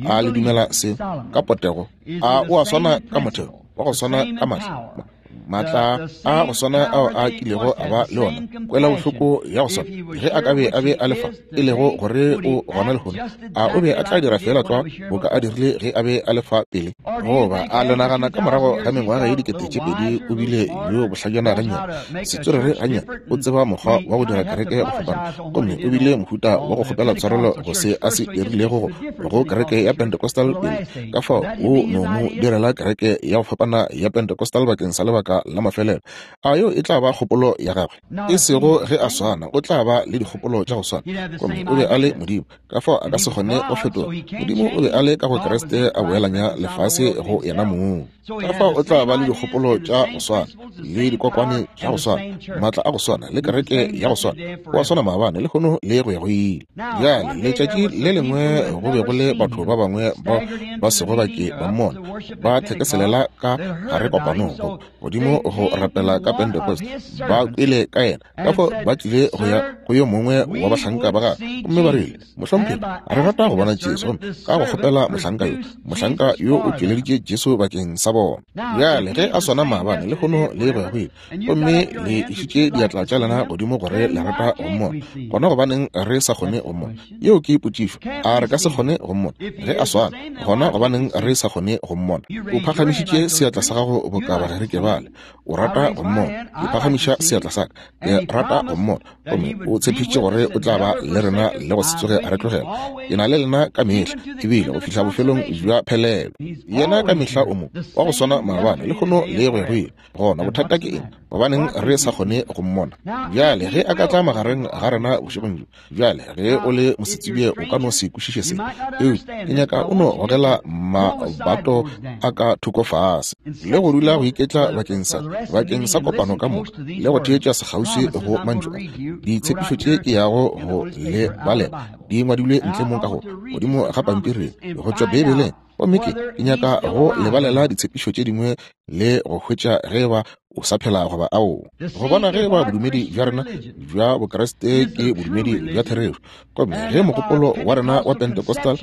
A le dumela se ka potego? A o a swana ka motheo wa go swana ka matla, matla a go swana ao a kilego a ba le ona, kwela bohloko ya go swana ge a ka be a be a le fa, e lego gore o gona lehono? A o be a tla dira fela tlwa boka a dirile ge a be a le fa pele? Goba a le nagana ka morago ga mengwaga ye dikete tše pedi o bile yo bohlajana gannyane, setswerere gannyane, o tseba mokgwa wa go dira kereke go fapana, gomme o bile mohuta wa go kgopela tshwarelo go se a se dirilego go kereke ya Pentecostal pele, ka fao o no mo direla kereke ya go fapana ya Pentecostal bakeng sa lebaka la mafelelo? A yo e tla ba kgopolo ya gagwe? E sego ge a swana, o tla ba le dikgopolo tša go swana. Gomme o be a le Modimo, ka fao a ka se kgone go fetoga. Modimo o be a le ka go Kriste a boelanya lefase go yena mong. Ka fao o tla ba le dikgopolo tša go swana, le dikokwane tša go swana, maatla a go swana, le kereke ya go swana. O a swana maabane, lehono le go ya go ile. Bjale letšatši le lengwe go be go le batho ba bangwe bao ba sego ba ke ba mmona ba thekeselela ka gare kopanong godimo go rapela ka Pentecost. Ba kwele ka yena, ka fao ba tlile go ya go yo mongwe wa bahlanka ba gagwe, gomme ba rile, Mohlomphegi, re rata go bona Jesu. Gomme ka go kgopela mohlanka yo, mohlanka yo o tšweleditše Jesu bakeng sa bona. Bjale ge a swana maabane, lehono le go ya go ile, gomme le išitše diatla tša lena godimo gore le rata go mmona, gona gobaneng re sa kgone go mmona? Yeo ke potšišo. A re ka se kgone go mmona? Ge a swana, gona gobaneng re sa kgone go mmona? O phagamišitše seatla sa gago boka bagerike bale, o rata go mmona. Ke phagamiša seatla sa ka, ke rata go mmona. Gomme o tshepišitše gore o tla ba le rena le go se tsoge a re tlogela. Ke na le lena ka mehla, ebile go fihla bofelong bja phelelo. Yena ka mehla o mo wa go swana maabane, lehono le go ya go ile. Gona bothata ke eng? Gobaneng re sa kgone go mmona? Bjale ge a ka tla magareng ga rena bošegong bjo, bjale ge o le mosetsebje o ka no se kwešiše se, eupša ke nyaka o no gogela mabato a ka thoko fase le go dula go iketla bakeng sa bakeng sa kopano ka moka le go theetša sekgauswi go mantšu a. Ditshepišo tše ke yago go le balela di ngwadilwe ntle mo ka go godimo ga pampiri go tšwa Beibeleng, gomme ke ke nyaka go lebalela ditshepišo tše dingwe le go hwetša ge ba o sa phela goba ao, go bona ge ba bodumedi bja rena bja Bokriste ke bodumedi bja therešo, gomme ge mogopolo wa rena wa Pentecostal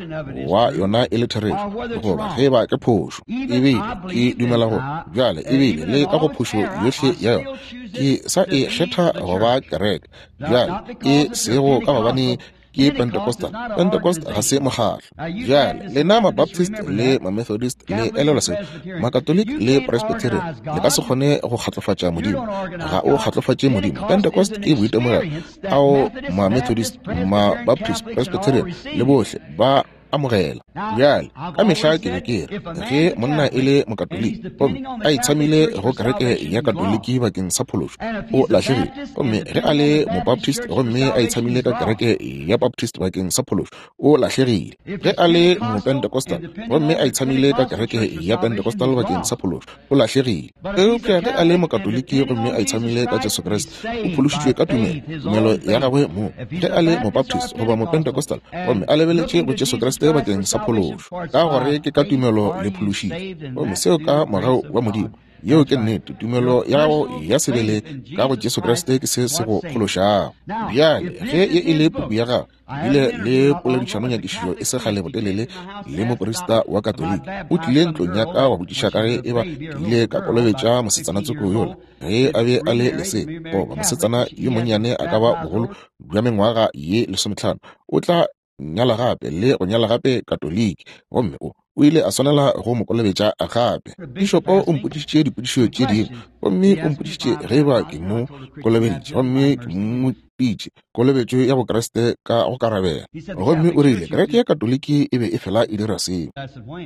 wa yona e le therešo, goba ge ba ke phošo. Ebile ke dumela gore bjale ebile le ka go phošo yohle ya yona ke sa e kgetha go ba kereke. Bjale e sego ka gobane ke Pentecostal. Pentecost ga se mokgatlo. Bjale lena ma-Baptist le ma-Methodist le elelwa se, Makatoliki le Presbyterian, le ka se kgone go kgatlofatša Modimo. Ga o kgatlofatše Modimo. Pentecost ke boitemogelo ao ma-Methodist, ma-Baptist, Presbyterian le bohle ba amogela. Bjale ka mehla ke be ke re ge monna e le mokatoliki gomme a itshamile go kereke ya Katoliki bakeng sa phološo, o lahlegile. Gomme ge a le mobaptist gomme a itshamile ka kereke ya Baptist bakeng sa phološo, o lahlegile. Ge a le mopentecostal gomme a itshamile ka kereke ya Pentecostal bakeng sa phološo, o lahlegile. Eupša ge a le mokatoliki gomme a itshamile ka Jesu Kriste, o phološitšwe ka tumelo, tumelo ya gagwe mo. Ge a le mobaptist goba mopentecostal gomme a lebeletše go Jesu Kriste bakeng sa phološo, ka gore ke ka tumelo le phološitšwe, gomme seo ka mogau wa Modimo. Yeo ke nnete. Tumelo ya gago ya sebele ka go Jesu Kriste ke se se go phološago. Bjale ge ye e le puku ya gago, bile le poledišano nyakišišo e se kgale botelele le moporista wa Katoliki. O tlile ntlong ya ka wa botšiša ka ge e ba ke ile ka kolobetša mosetsana tsoko yola ge a be a le lesea, goba mosetsana yo monnyane a ka ba bogolo bja mengwaga ye lesometlhano, o tla nyala gape le go nyala gape Katoliki, gomme o O ile a swanela go mo kolobetša gape. Pišopo o mpotšišitše dipotšišo tše dingwe, gomme o mpotšišitše ge eba ke mo kolobeditše, gomme ke mo pitše kolobetšo ya Bokriste ka go karabela. Gomme o rile kereke ya Katoliki e be e fela e dira seo.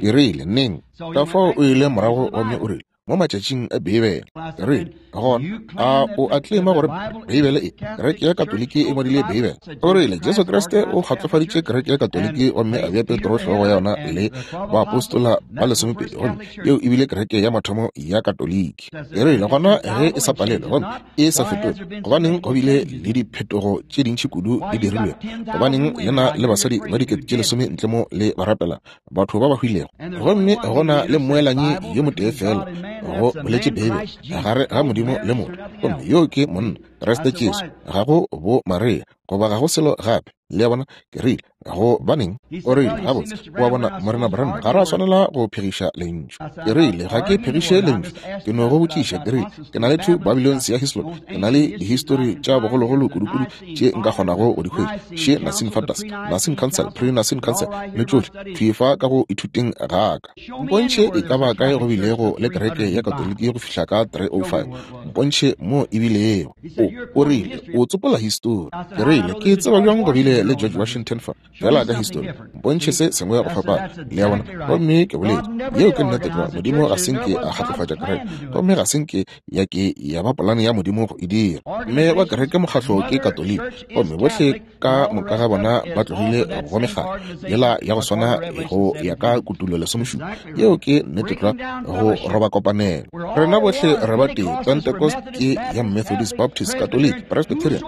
Ke rile neng? Ka fao o ile morago gomme o rile mo matšatšing a Beibele. Ke rile gona a o a tlema gore Beibele e kereke ya Katoliki e ngwadile Beibele? O rile Jesu Kriste o kgatlofaditše kereke ya Katoliki gomme a bea Petro hlogo ya yona le baapostola ba lesomepedi, gomme yeo e bile kereke ya mathomo ya Katoliki. Ke rile gona ge e sa palelwe gomme e sa fetoge, gobaneng go bile le diphetogo tše dintši kudu di dirilwego? Gobaneng lena le basadi ba dikete tše lesome ntle mo le ba rapela batho ba ba hwilego, gomme gona le mmoelanyi yo motee fela go boletše Beibele gare ga Modimo le motho, gomme yo ke monna Kriste Jesu, ga go bo Maria goba ga go selo gape. Le a bona? Ke rile gobaneng? O rile gabotse, wa bona Morena Branham, ga ra swanela go phegiša lentšu. Ke rile ga ke phegiše lentšu, ke no go botšiša. Ke rile ke na le two Babylons ya Hislop, ke na le dihistori tša bogologolo kudukudu tše nka kgonago go di hwetša, še Nicene Fathers, Nicene Council, pre-Nicene Council le tšohle thwi fa ka go ithuteng ga ka. Mpontšhe e ka ba kae go bilego le kereke ya Katoliki go fihla ka three oh five. Mpontšhe mo e bilego. O o rile o tsopola histori. Ke rile ke tseba bjang go bile le George Washington fa fela ka histori. Mpontšhe se sengwe go fapana. Le a bona? Gomme ke boletše yeo ke nnete tlwa. Modimo ga se nke a kgatlofatša kereke, gomme ga se nke ya ke ya ba polane ya Modimo go e dira. Mme wa kereke mokgahlo ke Katoliki, gomme bohle ka moka ga bona ba tlogile go mekgatlo yela ya go swana go ya ka Kutulo lesomešupa. Yeo ke nnete tlwa, go roba kopanelo. Rena bohle re ba tee. Pentecost ke ya Methodist, Baptist, Catholic, Presbyterian,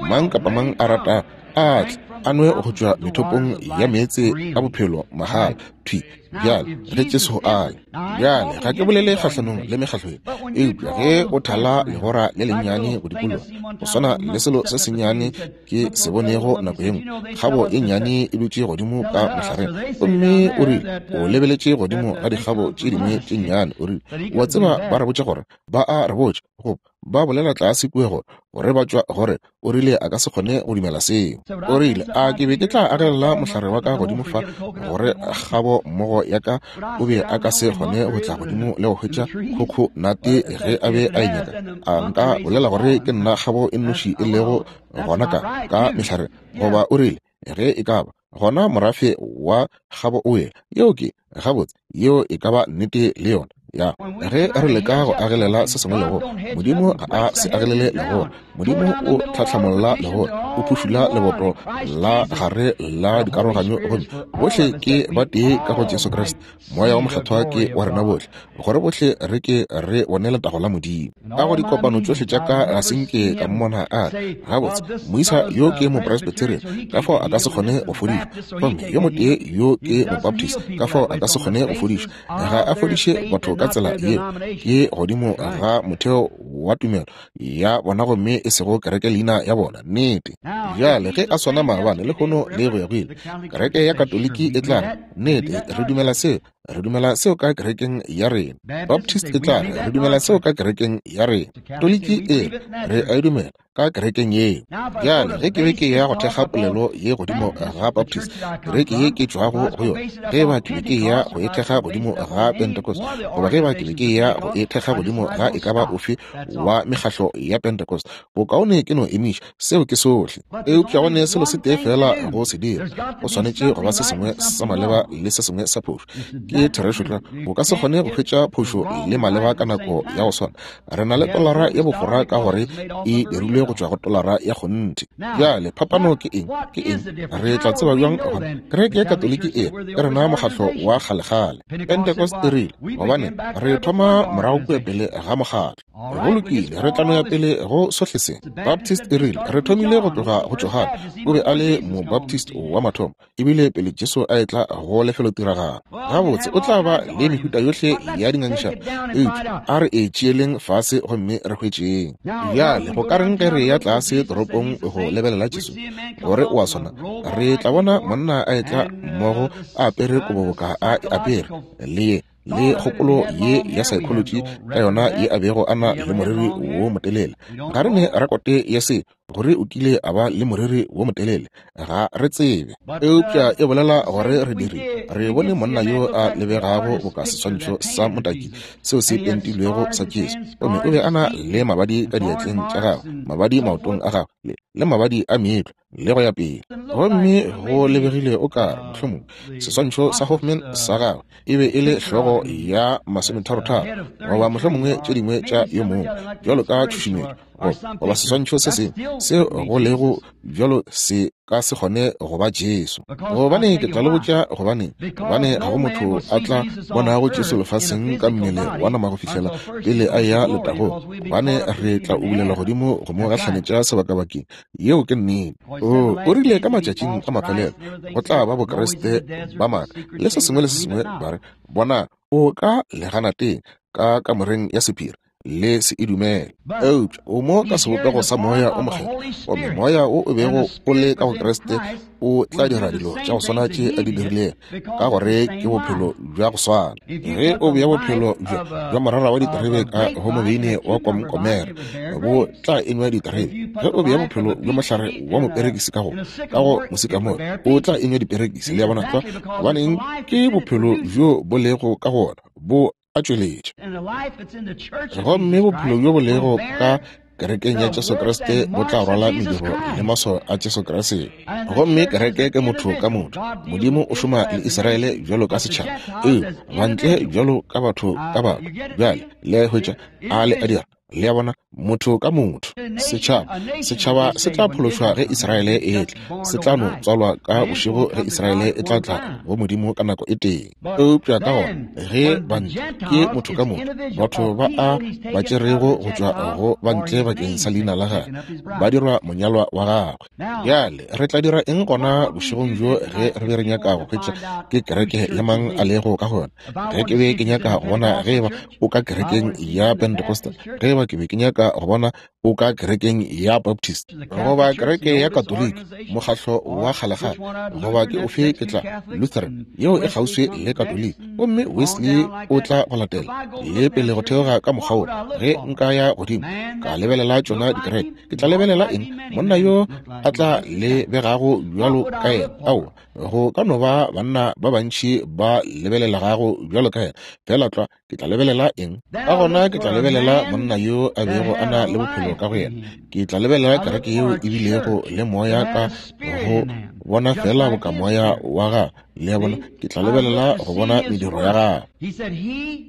mang kapa mang a rata a tle a nwe go tšwa methopong ya meetse a bophelo mahala thwi bjale ge Jesu a ya. Bjale ga ke bolele kgahlanong le mekgahlo ye, eupša ge o thala legora le lennyane go dikologa, go swana le selo se sennyane ke se bonego nako ye nngwe, kgabo ye nnyane e dutše godimo ka mohlareng, gomme o rile o lebeletše godimo ga dikgabo tše dingwe tše nnyane. O rile wa tseba ba re botša gore ba a re botša goba ba bolela tlase kua gore gore ba tšwa gore. O rile a ka se kgone go dumela seo. O rile a ke be ke tla agelela mohlare wa ka godimo fa gore kgabo mmogo ya ka o be a ka se kgone go tla godimo le go hwetša khokhonate ge a be a e nyaka. A nka bolela gore ke nna kgabo e nnoši e lego gona ka ka mehlare? Goba o rile ge e ka ba gona morafe wa kgabo o wela. Yeo ke gabotse, yeo e ka ba nnete le yona. Ya ge re leka go agelela se sengwe legora, Modimo ga a se agelele legora. Modimo o tlhatlhamolla legora, o phušula leboto la gare la dikaroganyo, gomme bohle ke ba tee ka go Jesu Kriste. Moya wa Mokgethwa ke wa rena bohle, gore bohle re ke re bone letago la Modimo. Ka go dikopano tšohle tša ka ga se nke ka mmona a re gabotse moisa yo ke mopresbyterian, ka fao a ka se kgone go fodišwa, gomme yo motee yo ke mobaptist, ka fao a ka se kgone go fodišwa. Ga a fodiše batho ka tsela yeo, ke godimo ga motheo wa tumelo ya bona gomme e sego kereke leina ya bona. Nnete. Bjale ge a swana maabane lehono le go ya go ile, kereke ya Katoliki e tla re nnete re dumela seo, re dumela seo ka kerekeng ya rena. Baptist e tla re re dumela seo ka kerekeng ya rena. Katoliki e re re a e dumela ka kerekeng yeo. Bjale ge ke be ke ya go thekga polelo ye godimo ga Baptist, kereke ye ke tšwago go yona, ge ba ke be ke ya go e thekga godimo ga Pentecost, goba ge ba ke be ke ya go e thekga godimo ga e ka ba ofe wa mekgahlo ya Pentecost, bokaone ke no emiša seo ke sohle. Eupša go ne selo se tee fela go se dira, go swanetše go ba se sengwe sa maleba le se sengwe sa phošo. Ke therešo tlwa, o ka se kgone go hwetša phošo le maleba ka nako ya go swana. Re na le tolara ya bofora ka gore e dirilwe go tšwa go tolara ya kgonthe. Bjale phapano ke eng? Ke eng? Re tla tseba bjang gona? Kereke ya Katoliki e ke rena mokgahlo wa kgalekgale. Pentecost e rile gobane re thoma morago kua pele ga mokgatlo. Go lokile, re tla no ya pele go sohle se. Baptist e rile re thomile go tloga go Johane, o be a le mobaptist wa mathomo, ebile pele Jesu a etla go lefelotiragalo. Gabotse o tla ba le mehuta yohle ya dingangišano, eupša a re e tšeeleng fase gomme re hwetšeng. Bjale go ka reng ge re ya tlase toropong go lebelela Jesu gore o a swana? Re tla bona monna a etla mmogo a apere kobo boka a e apere, le ye le kgopolo ye ya psychology ka yona ye a bego a na le moriri wo motelele. Ga re ne rekote ya se, gore o kile a ba le moriri wo motelele, ga re tsebe. Eupša e bolela gore re dirile, re bone monna yo a lebegago boka seswantšho sa motaki seo se pentilwego sa Jesu, gomme o be a na le mabadi ka diatleng tša gagwe, mabadi maotong a gagwe, le, le mabadi a meetlo, le go ya pele. Gomme go lebegile o ka re mohlomongwe seswantšho sa Hoffman sa gagwe e be e le hlogo ya masometharotharo, goba mohlomongwe tše dingwe tša yo mongwe, bjalo ka tšhušumetšo, goba seswantšho se sengwe seo go lego bjalo se ka se kgone go ba Jesu. Gobane ke tla le botša gobane, gobane ga go motho a tla bonago Jesu lefaseng ka mmele wa nama go fihlela pele a ya letagong, gobane re tla ubulela godimo go mo gahlanetša sebakabakeng. Yeo ke nnete. O, o rile ka matšatšing a mafelelo go tla ba Bokriste ba maaka le se sengwe le se sengwe, ba re, bona o ka leganateng ka kamoreng ya sephiri, le se e dumele. Eupša o mo ka sebopego sa Moya o Mokgethwa, gomme Moya wo o bego o le ka go Kriste o tla dira dilo tša go swana tše a di dirilego, ka gore ke bophelo bja go swana. Ge o bea bophelo bja bja morara wa diterebe ka go mobeine wa komkomere, bo tla enywa diterebe. Ge o bea bophelo bja mohlare wa moperekisi ka go ka go mosikamore, o tla enywa diperekisi. Le a bona tlwa? Gobaneng? Ke bophelo bjo bo lego ka go ona bo a tšweletša. Gomme bophelo bjo bo lego ka kerekeng ya Jesu Kriste bo tla rwala mediro le maswao a Jesu Kriste. Gomme kereke ke motho ka motho. Modimo o šoma le Israele bjalo ka setšhaba, ee, bantle bjalo ka batho ka batho. Bjale le a hwetša a le a dira. Le a bona, motho ka motho. Setšhaba, setšhaba se tla phološwa ge Israele e etla, se tla no tswalwa ka bošego ge Israele e tla tla go Modimo ka nako e tee. Eupša ka gona ge bantle ke motho ka motho, batho ba a ba tšerego go tšwa go bantle bakeng sa leina la gagwe, ba dirwa monyalwa wa gagwe. Bjale re tla dira eng gona bošegong bjo ge re be re nyaka go hwetša ke kereke ya mang a lego ka gona? Ge ke be ke nyaka go bona ge eba o ka kerekeng ya Pentecostal, ge eba ke be ke nyaka go bona o ka kerekeng ya Baptist, goba kereke ya Katoliki, mokgahlo wa kgalekgale, goba ke ofe, ke tla Lutheran yeo e kgauswi le Katoliki, gomme Wesley o tla go latela le pele go theoga ka mokgwa wo. Ge nka ya godimo ka lebelela tšona dikereke, ke tla lebelela eng? Monna yo a tla lebegago bjalo ka yena? Aowa, go ka no ba banna ba bantši ba lebelelegago bjalo ka yena, fela tlwa ke tla lebelela eng? Ka gona ke tla lebelela monna yo a bego a na le bophelo ka go yena. Ke tla lebelela kereke yeo e bilego le moya ka go bona fela boka moya wa gagwe. Le a bona, ke tla lebelela go bona mediro ya gagwe.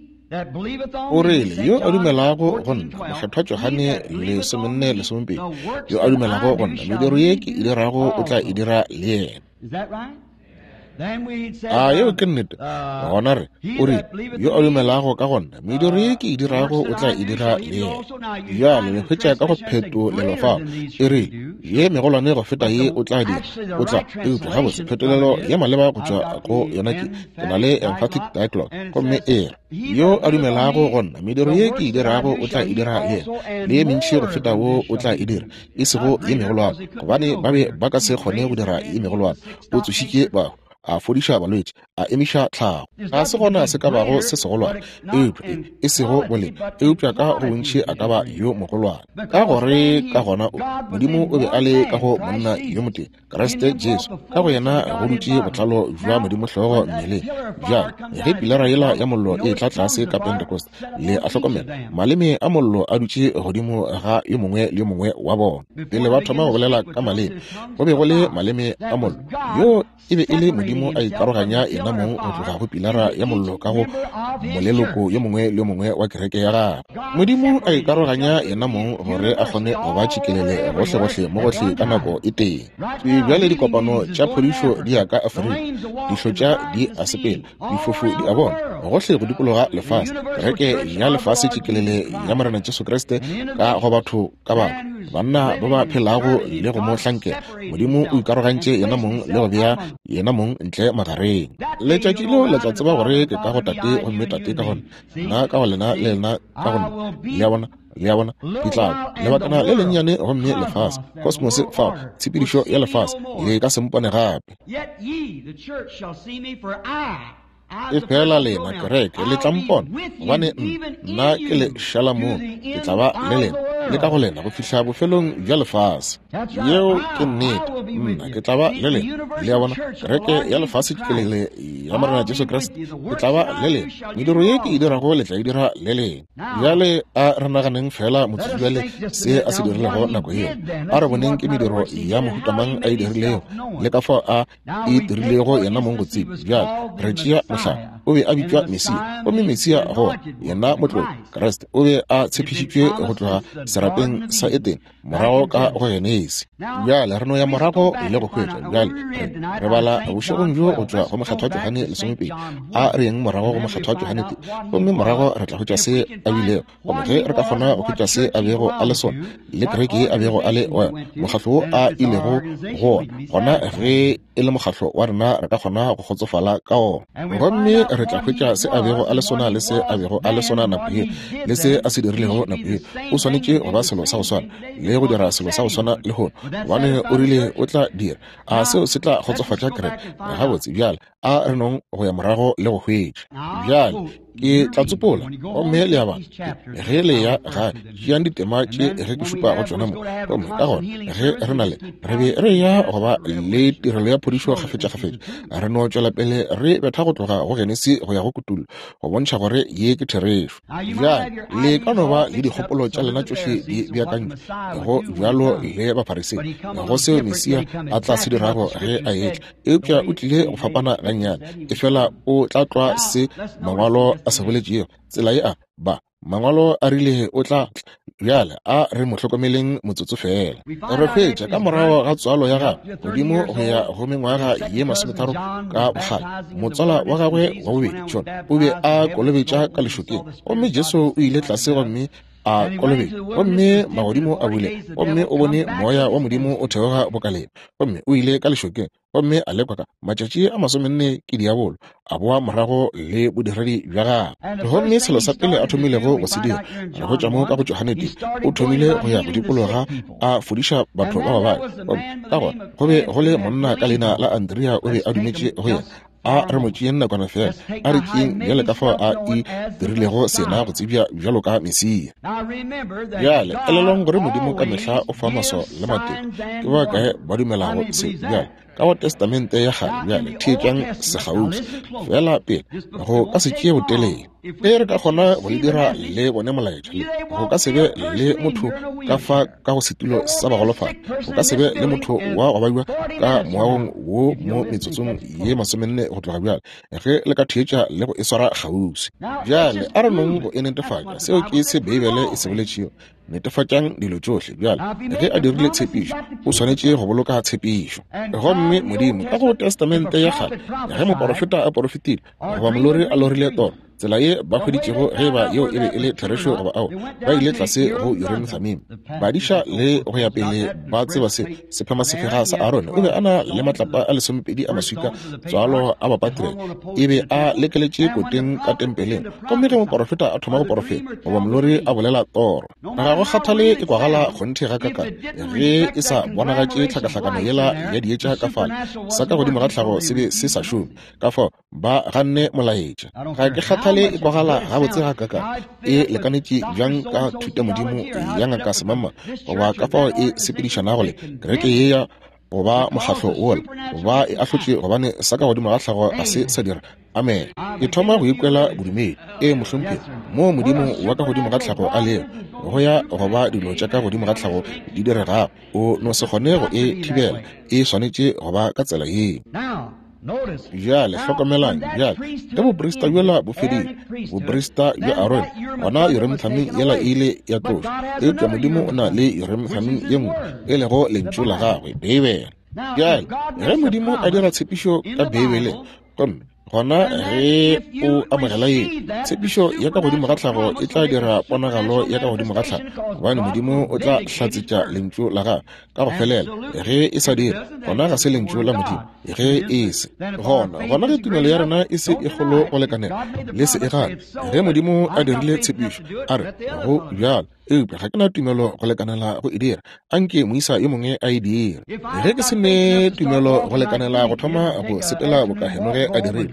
O rile, yo a dumelago go nna, Mokgethwa Johane lesomenne lesomepedi, yo a dumelago go nna, mediro ye ke e dirago o tla e dira le yena. A yeo ke nnete? Gona re, o rile, yo a dumelago ka go nna, mediro ye ke e dirago o tla e dira le yena. Bjale le hwetša ka go phetolelo fao, e rile, ye megolwane go feta ye o tla dira, o tla. Eupša gabotse phetolelo ya maleba go tšwa go yona ke, ke na le emphatic dialogue, gomme e re, yo a dumelago go nna, mediro ye ke e dirago o tla e dira le yena, le ye mentši go feta wo o tla e dira, e sego ye megolwane, gobane ba be ba ka se kgone go dira ye megolwane. O tsošitše bahu, a fodiša balwetši, a emiša tlhago. Ga se gona se ka bago se segolwane, eupša e sego boleng, eupša ka go bontši a ka ba yo mogolwane. Ka gore ka gona o, Modimo o be a le ka go monna yo motee, Kriste Jesu, ka go yena go dutše botlalo bja Modimo hlogo mmeleng. Bjale ge pilara yela ya mollo e tla tlase ka Pentecost, le a hlokomela, maleme a mollo a dutše godimo ga yo mongwe le yo mongwe wa bona. Pele ba thoma go bolela ka maleme, go be go le maleme a mollo. Yo e be e le Modimo a ikaroganya yena mong go tloga go pilara ya mollo ka go moleloko yo mongwe le yo mongwe wa kereke ya gagwe. Modimo a ikaroganya yena mong gore a kgone go ba tšikelele gohlegohle mo gohle ka nako e tee. Bjale dikopano tša phodišo di ya ka Afrika, dihlotša di a sepela, difofu di a bona, gohle go dikologa lefase. Kereke ya lefase tšikelele ya Morena Jesu Kriste ka go batho ka batho, banna ba ba phelago le go mo hlankela. Modimo o ikarogantše yena mong le go bea yena mong ntle magareng. Letšatši leo le tla tseba gore ke ka go Tate, gomme Tate ka go nna, nna ka go lena, le lena ka go nna. Le a bona, le a bona, ke tla lebakana le lennyane, gomme lefase, kosmose fao, tshepedišo ya lefase, le ka se mpone gape. E fela lena kereke le tla mpona, gobane nna ke le šala moo, ke tla ba le lena le ka go lena go fihla bofelong bja lefase. Yeo ke nnete. Nna ke tla ba le lena. Le a bona, kereke ya lefase tšelele ya Morena Jesu Kriste, ke tla ba le lena. Mediro ye ke e dirago le tla e dira le lena. Bjale a re naganeng fela motsotso bjale se a se dirilego nako yeo. A re boneng ke mediro ya mohuta mang a e dirilego le ka fao a e dirilego yena mong go tseba. Bjale re tšea mohlala, o be a bitšwa Mesia, gomme Mesia go yena motlolo Kriste o be a tshepišitšwe go tloga serapeng sa Edene morago ka go Genesi. Bjale re no ya morago le go hwetša. Bjale re, re bala bošegong bjo go tšwa go Mokgethwa Johane lesomepedi. A re yeng morago go Mokgethwa Johane tee, gomme morago re tla hwetša se a bilego. Gomme ge re ka kgona go hwetša se a bego a le sona le kereke ye a bego a le wa mokgatlo wo a ilego go ona, gona ge e le mokgatlo wa rena re ka kgona go kgotsofala ka ona. Gomme re tla hwetša se a bego a le sona le se a bego a le sona nako ye le se a se dirilego nako ye. O swanetše go ba selo sa go swana le go dira selo sa go swana le lehono, gobane o rile o tla dira. A seo se tla kgotsofatša kereke? Gabotse, bjale a re nong go ya morago le go hwetša. Bjale ke tla tsopola, gomme le a bala ge le ya gae, tšeang ditema tše ge ke šupa go tšona mo. Gomme ka gona ge re na le re be re ya go ba le tirelo ya phodišo kgafetšakgafetša, re no tšwela pele re betha go tloga go Genesi go ya go Kutullo go bontšha gore ye ke therešo. Bjale le ka no ba le dikgopolo tša lena tšohle di beakantšwe go bjalo le Bafarisei go seo Mesia a tla se dirago ge a etla, eupša o tlile go fapana gannyane, efela o tla tlwa se mangwalo a se boletšego. Tsela ye a ba mangwalo a rile o tla tla. Bjale a re mo hlokomeleng motsotso fela. Re hwetša ka morago ga tswalo ya gagwe godimo go ya go mengwaga ye masometharo ka bokgale, motswala wa gagwe wa bobedi John o be a kolobetša ka lešokeng, gomme Jesu o ile tlase gomme a kolobetša, gomme magodimo a bule, gomme o bone moya wa Modimo o theoga bokaleng, gomme o ile ka lešokeng gomme a lekwa ka matšatši a masomenne ke diabolo, a boa morago le bodiredi bja gagwe. Gomme selo sa pele a thomilego go se dira, re hwetša mo ka go Johane tee, o thomile go ya go dikologa a fodiša batho ba babadi. Gomme ka gona go be go le monna ka leina la Andrea, o be a dumetše go yena. A re mo tšeeng nakwana fela, a re tšeeng bjale ka fao a e dirilego sena go tsebja bjalo ka Mesia. Bjale elelwang gore Modimo ka mehla o fa maswao le matete. Ke ba kae ba dumelago se? Bjale ka go Testamente ya kgale, bjale theetšang sekgauswi fela pele go ka se tšee botelele. E re ka kgona go le dira le bone molaetša le go ka se be le motho ka fa ka go setulo sa bagolofadi, go ka se be le motho wa go baiwa ka moagong wo mo metsotsong ye masomenne go tloga bjale, ge le ka theetša le go e swara kgauswi. Bjale a re nong go e netefatša, seo ke se Beibele e se boletšego. Netefatšang dilo tšohle. Bjale ge a dirile tshepišo, o swanetše go boloka tshepišo. Gomme Modimo ka go Testamente ya kgale, ge moporofeta a porofetile goba molori a lorile toro, tsela ye ba hweditšego ge ba yeo e be e le therešo goba ao, ba ile tlase go Urim Thummim. Badiša le go ya pele ba tseba se sephema sefega sa Aaron o be a na le matlapa a lesomepedi a maswika tswalo a bapatriarch, e be a lekeletše koteng ka tempeleng. Gomme ge moporofeta a thoma go porofeta goba molori a bolela toro, ga go kgathale e kwagala kgonthe ga kaka, ge e sa bonagatše tlhakahlakano yela ya dietša ka fale, sa ka godimo ga tlhago se be se sa šome. Ka fao ba ganne molaetša. Ga ke kgathale e kwagala gabotse ga kaka, e lekanetše bjang ka thutamodimo ya ngaka semama, goba ka fao e sepedišanago le kereke ye ya goba mokgatlo wola, ba e ahlotše gobane sa ka godimo ga tlhago ga se sa dira. Amen. Ke thoma go ikwela bodumedi. E mohlomphegi, moo Modimo wa ka godimo ga tlhago a lego, go ya goba dilo tša ka godimo ga tlhago di diregago, o no se kgone go e thibela. E swanetše go ba ka tsela yeo. Bjale hlokomelang, bjale ge boprista bjola bo fedile, boprista bja Aaron, gona Urim Thummim yela e ile ya tlošwa, eupša Modimo o na le Urim Thummim ye nngwe, e lego lentšu la gagwe, Beibele. Bjale ge Modimo a dira tshepišo ka Beibeleng, gomme gona ge o amogela ye tshepišo ya ka godimo ga tlhago, e tla dira ponagalo ya ka godimo ga tlhago, gobane Modimo o tla hlatsetša lentšu la gagwe ka go felela. Ge e sa dire, gona ga se lentšu la Modimo. Ge e se gona, gona ge tumelo ya rena e se e kgolo go lekanela, le se e gane. Ge Modimo a dirile tshepišo, a re go bjalo, eupša ga ke na tumelo go lekanela go e dira, anke moisa yo mongwe a e dire. Ge ke se ne tumelo go lekanela go thoma go sepela boka Henoge a dirile,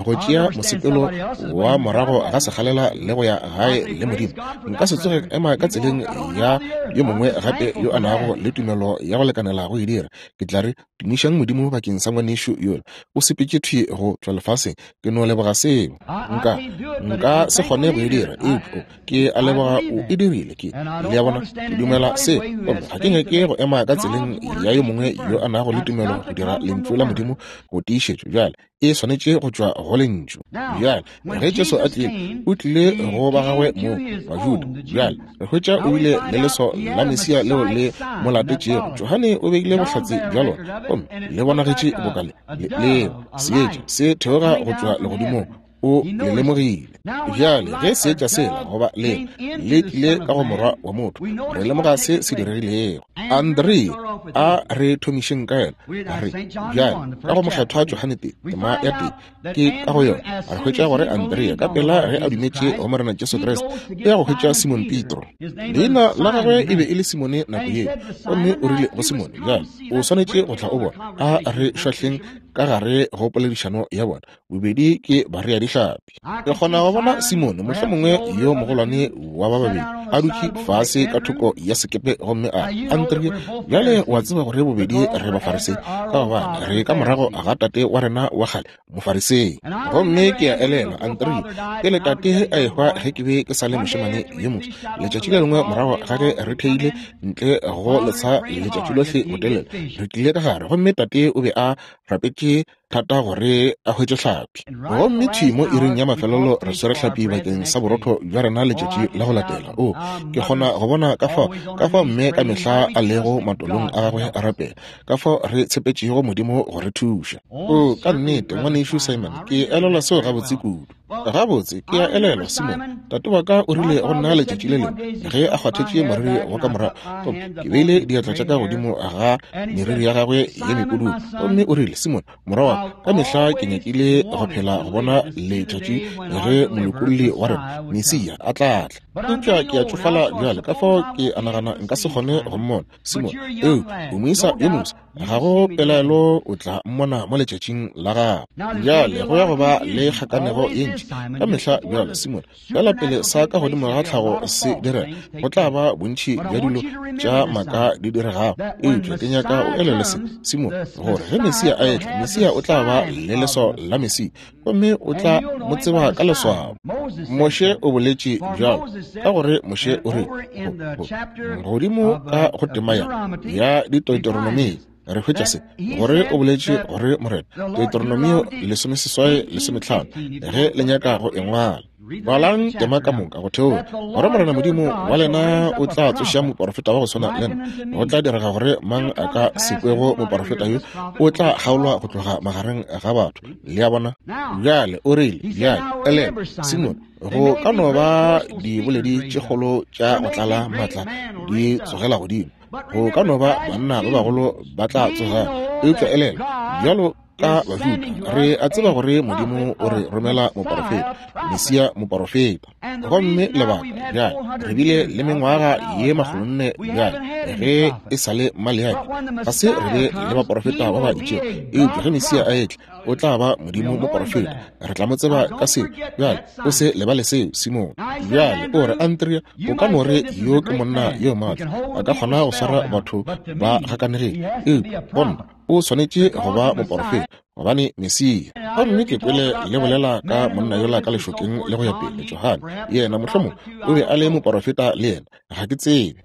Go tšea mosepelo wa morago ga sekgalela le go ya gae le Modimo. Nka se tsoge ema ka tseleng ya yo mongwe gape yo a nago le tumelo ya go lekanela go e dira. Ke tla re, tumišang Modimo bakeng sa ngwanešu yola. O sepetše thwi go tšwa lefaseng. Ke no leboga seo. Nka, nka se kgone go e dira, eupša ke a leboga o e dirile. Ke, le a bona, ke dumela seo. Gomme ga ke nyake go ema ka tseleng ya yo mongwe yo a nago le tumelo go dira lentšu la Modimo go tiišetšo. Bjale e swanetše go tšwa go lentšu. Bjale ge Jesu a tlile, o tlile go ba gagwe mo Bajuda. Bjale re hwetša o bile le leso la Mesia leo le mo latetšego. Johane o beile bohlatse bja lona, gomme le bonagetše boka le leo seetša se theoga go tšwa legodimong. O le lemogile. Bjale ge seetša sela goba le le tlile ka go morwa wa motho, re lemoga se se diregilego. Andre a re thomišeng ka yena, a re bjale ka go mokgethwa Johane tee tema ya tee ke ka go yona re hwetša gore Andrea ka pela ge a dumetše go Morena Jesu Kriste o ya go hwetša Simon Petro. Leina la gagwe e be e le Simone nako yeo, gomme o rile go Simone, bjale o swanetše go tla o bona. A re šwahleng ka gare go poledišano ya bona, bobedi ke bareadihlapi. Ke kgona go bona Simone, mohlomongwe yo mogolwane wa ba babedi, a dutše fase ka thoko ya sekepe gomme a Andrea, bjale wa tseba gore bobedi re Bafarisei, ka gobane re ka morago ga tate wa rena wa kgale Mofarisei. Gomme ke a elelwa, Andrea, pele tate a ehwa ge ke be ke sa le mošemane yo mofsa, letšatši le lengwe morago ga ge re theile ntle go letsha letšatši lohle botelele, re tlile ka gare gomme tate o be a rapetše thata gore a hwetše hlapi. Gomme thwi mo iring ya mafelelo re swere hlapi bakeng sa borotho bja rena letšatši la go latela. O, ke kgona go bona ka fao, ka fao mme ka mehla a lego matolong a gagwe a rapela, ka fao re tshepetšego Modimo go re thuša. O, ka nnete, ngwanešu Simon, ke elelwa seo gabotse kudu. Gabotse, ke a elelwa, Simon, tate wa ka o rile go nna letšatši le lengwe ge a kgwathetše moriri wa ka morago, gomme ke beile diatla tša ka godimo ga meriri ya gagwe ye mepududu, gomme o rile, Simon, morwa wa ka, ka mehla ke nyakile go phela go bona letšatši ge molokolli wa rena Mesia a tla tla. Eupša ke a tšofala bjale, ka fao ke a nagana nka se kgone go mmona. Simon, eupša o moisa yo mofsa, ga go pelaelo o tla mmona mo letšatšing la gago. Bjale go ya go ba le kgakanego ye ntši ka mehla bjale, Simon, fela pele sa ka godimo ga tlhago se direga, go tla ba bontši bja dilo tša maaka di diregago. Eupša ke nyaka o elelwe se, Simon, gore ge Mesia a etla, Mesia o tla ba le leswao la Mesia, gomme o tla mo tseba ka leswao. Moshe o boletše bjalo, ka gore Moshe o rile godimo ka go tema ya ya Deuteronomio, re hwetša se, gore o boletše gore Morena, Deuteronomio lesomeseswai lesometlhano, ge le nyaka go e ngwala, balang tema ka moka go theoga, gore Morena Modimo wa lena o tla tsoša moporofeta wa go swana le nna. Go tla direga gore mang a ka se kwego moporofeta yo o tla kgaolwa go tloga magareng ga batho. Le a bona? Bjale o rile, bjale elelwa, Simon, go ka no ba diboledi tše kgolo tša go tlala maatla di tsogela godimo, go ka no ba banna ba bagolo ba tla tsoga, eupša elelwa, bjalo ka Bajuda re a tseba gore Modimo o re romela moporofeta, Mesia moporofeta. Gomme lebaka bjale re bile le mengwaga ye makgolonne bjale ge e sa le Maleaki, ga se re be le baporofeta ba ba itšego, eupša ge Mesia a etla o tla ba Modimo moporofeta, re tla mo tseba ka seo. Bjale o se lebale seo, Simon. Bjale o re, Andrea, o ka no re yo ke monna yo maatla, a ka kgona go swara batho ba gakanegile, eupša go nna o swanetše go ba moporofeta, gobane Mesia. Gomme ke kwele le bolela ka monna yola ka lešokeng le go ya pele, Johane, yena mohlomong o be a le moporofeta le yena, ga ke tsebe.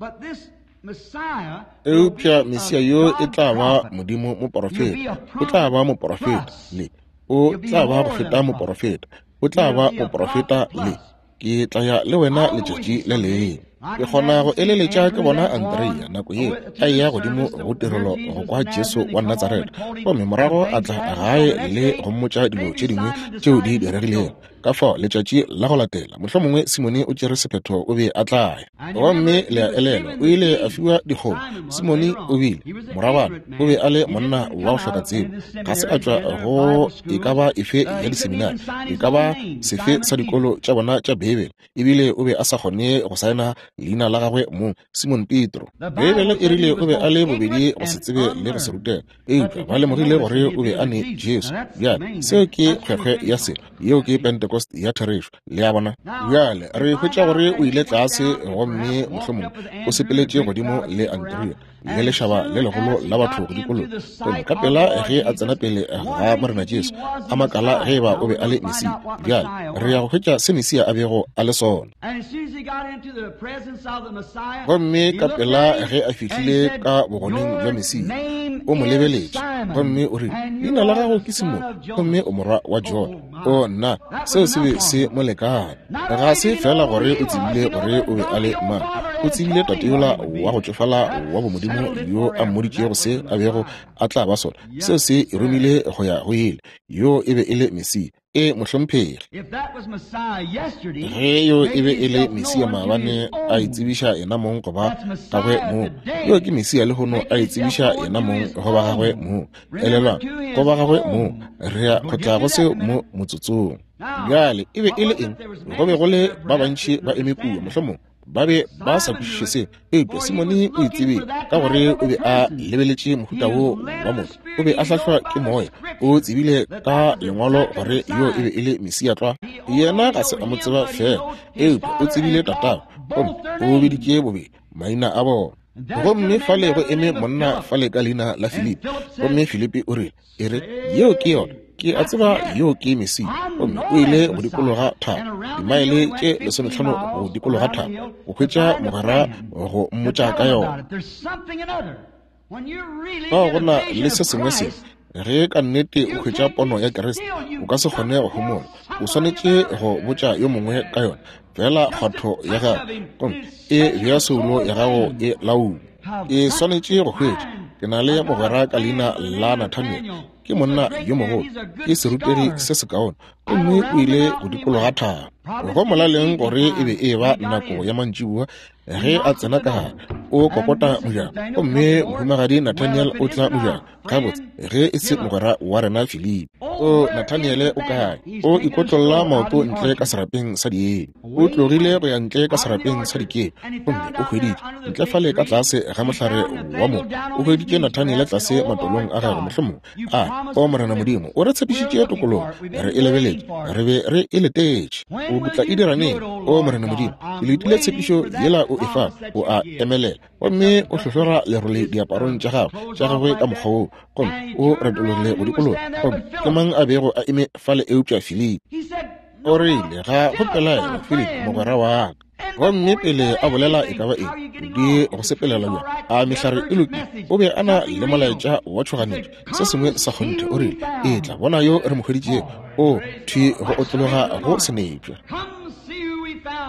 Eupša Mesia yo e tla ba Modimo moporofeta, o tla ba moporofeta le, o tla ba go feta moporofeta, o tla ba moporofeta le, ke tla ya le wena letšatši le lengwe. Ke kgona go eleletša ke bona Andrea nako yeo a eya godimo go tirelo go kwa Jesu wa Natsaretha, gomme morago a tla gae le go mmotša dilo tše dingwe tšeo di diregilego. Ka fao letšatši la go latela, mohlomongwe Simone o tšere sephetho o be a tla ya. Gomme le a elelwa, o ile a fiwa dikgomo. Simone o bile morabana, o be a le monna wa go hloka tsebo. Ga se a tšwa go e ka ba efe ya diseminari, e ka ba sefe sa dikolo tša bona tša Beibele, ebile o be a sa kgone go saena leina la gagwe mong, Simon Petro. Beibele e rile o be a le bobedi go se tsebe le go se rutega, eupša ba lemogile gore o be a ne Jesu. Bjale seo ke kgwekgwe ya selo, yeo ke Pentecost ya therešo, le a bona. Bjale re hwetša gore o ile tlase gomme mohlomongwe o sepeletše godimo le Andrea le lešaba le legolo la batho go dikologa. Gomme ka pela ge a tsena pele ga Morena Jesu, a makala ge eba o be a le Mesia. Bjale re ya go hwetša se Mesia a bego a le sona. Gomme ka pela ge a fihlile ka bogoneng bja Mesia, o mo lebeletše gomme o rile, leina la gago ke Simone, gomme o morwa wa Jona. O nna, seo se be se mo lekane. Ga se fela gore o tsebile gore o be a le mang, o tsebile tate yola wa go tšofala wa bomodimo yo a mmoditšego se a bego a tla ba sona. Seo se e romile go ya go ile. Yo e be e le Mesia. E mohlomphegi. Ge yo e be e le Mesia maabane, a itsebiša yena mong go ba gagwe mong, yo ke Mesia lehono, a itsebiša yena mong go ba gagwe mong. Elelwang, go ba gagwe mong. Re ya go tla go seo mo motsotsong. Bjale e be e le eng? Go be go le ba bantši ba eme kua, mohlomongwe ba be ba sa kwešiše seo, eupša Simone o itsebile ka gore o be a lebeletše mohuta wo wa motho. O be a hlahlwa ke moya, o tsebile ka lengwalo gore yo e be e le Mesia tlwa. Yena ga se a mo tseba fela, eupša o tsebile tatagwe, gomme o biditše bobedi maina a bona. Gomme fale go eme monna fale ka leina la Filipi, gomme Filipi o rile, e re, yeo ke yona, ke a tseba yo ke Mesia. Gomme o ile go dikologa thaba, dimaele tše lesomehlano go dikologa thaba, go hwetša mogwera go mmotša ka yona. Fao go na le se sengwe se, ge ka nnete o hwetša pono ya Kriste, o ka se kgone go homola. O swanetše go botša yo mongwe ka yona. Fela kgwatho ya gago, gomme e bea soulo ya gago e laola. Ke swanetše go hwetša. Ke na le mogwera ka leina la Nathaniel, ke monna yo mogolo, ke serutegi se sekaone, gomme o ile go dikologa thaba. Go molaleng gore e be e ba nako ya mantšiboa ge a tsena ka gare, o kokota mojako, gomme mohumagadi Nathaniel o tla mojako. Gabotse, ge e se mogwera wa rena Filipi. O Nathaniel o kae? O ikotlolla maoto ntle ka serapeng sa dieng. O tlogile go ya ntle ka serapeng sa dikepe, gomme o hweditše ntle fale ka tlase ga mohlare wa mo. O hweditše Nathaniel tlase matolong a gagwe, mohlomongwe a o Morena Modimo, o re tshepišitše tokologo, re e lebeletše, re be re e letetše. O tla e dira neng? O Morena Modimo, ke letile tshepišo yela o e fa. O a emelela gomme o hlohlora lerole diaparong tša gagwe tša gagwe ka mokgwa woo, gomme o retologile go dikologa. Gomme ke mang a bego a eme fale eupša Filipi? O rile, ga go pelaelo, Filipi mogwera wa ka. Gomme pele a bolela e ka ba eng, di go sepelela bjang, a mehlare e lokile, o be a na le molaetša wa tšhoganetšo, se sengwe sa kgonthe. O rile, etla bona yo re mo hweditšego, o thwi go otlologa go senepša.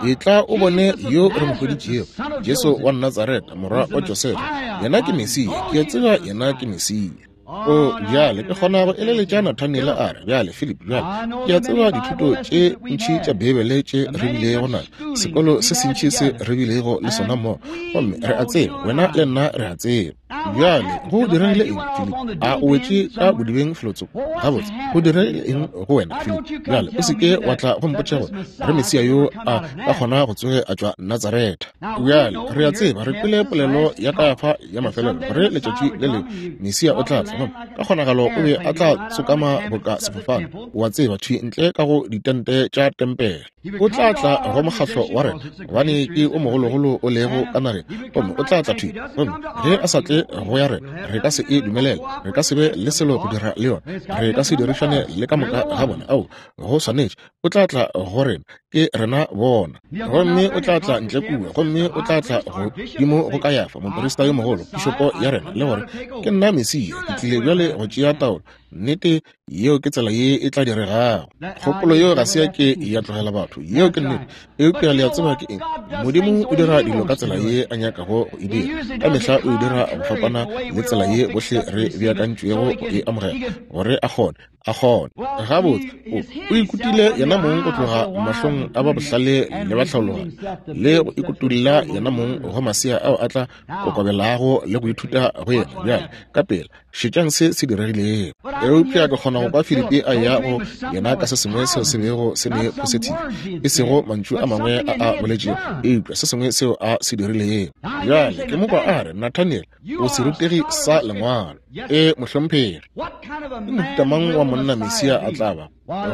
Etla o bone yo re mo hweditšego, Jesu wa Natsaretha, morwa wa Josefa. Yena ke Mesia, ke a tseba yena ke Mesia. O bjale ke kgona go eleletša Nathaniel a re, bjale Philip, bjale ke a tseba dithuto tše ntši tša Beibele tše re bilego nazo, sekolo se sentši se re bilego le sona mo, gomme re a tseba, wena le nna re a tseba. Bjale go diregile eng, Philip? A o wetše ka bodibeng felotsoko? Gabotse, go diregile eng go wena, Philip? Bjale o seke wa tla go mpotša gore re Mesia yo a ka kgona go tsoge a tšwa Natsaretha. Bjale re a tseba, re kwele polelo ya Kayafa ya mafelelo gore letšatši le lengwe Mesia o tla tla, gomme ka kgonagalo o be a tla tsokama boka sefofane, o a tseba, thwi ntle ka go ditente tša tempele. O tla tla go mokgahlo wa rena, gobane ke o mogologolo o lego ka nageng, gomme o tla tla thwi. Gomme ge a sa tle go ya rena, re ka se e dumelele, re ka se be le selo go dira le yona, re ka se dirišane le ka moka ga bona. Ao, go swanetše, o tla tla go rena, ke rena bona. Gomme o tla tla ntle kua, gomme o tla tla godimo go Kayafa, moprista yo mogolo, pišopo ya rena, le gore ke nna Mesia, ke tlile bjale go tšea taolo. Nnete, yeo ke tsela ye e tla diregago. Kgopolo yeo ga se ya ke ya tlogela batho, yeo ke nnete. Eupša le a tseba ke eng? Modimo o dira dilo ka tsela ye a nyakago go e dira. Ka mehla o e dira go fapana le tsela ye bohle re beakantšwego go e amogela, gore a kgone a kgone. Gabotse, o, o ikutile yena mong go tloga mahlong a ba bohlale le ba tlhaologanyo, le go ikutulla yena mong go masea ao a tla kokobelago le go ithuta go yena. Bjale, ka pela, šetšang se se diregilego. Eupša ke kgona go kwa Filipi a ya go yena ka se sengwe seo se bego se le positive, e sego mantšu a mangwe a a boletšego, eupša se sengwe seo a se dirilego. Bjale ke mo kwa a re, Nathaniel, o serutegi sa lengwalo. E, mohlomphegi, ke mohuta mang wa monna Mesia a tla ba?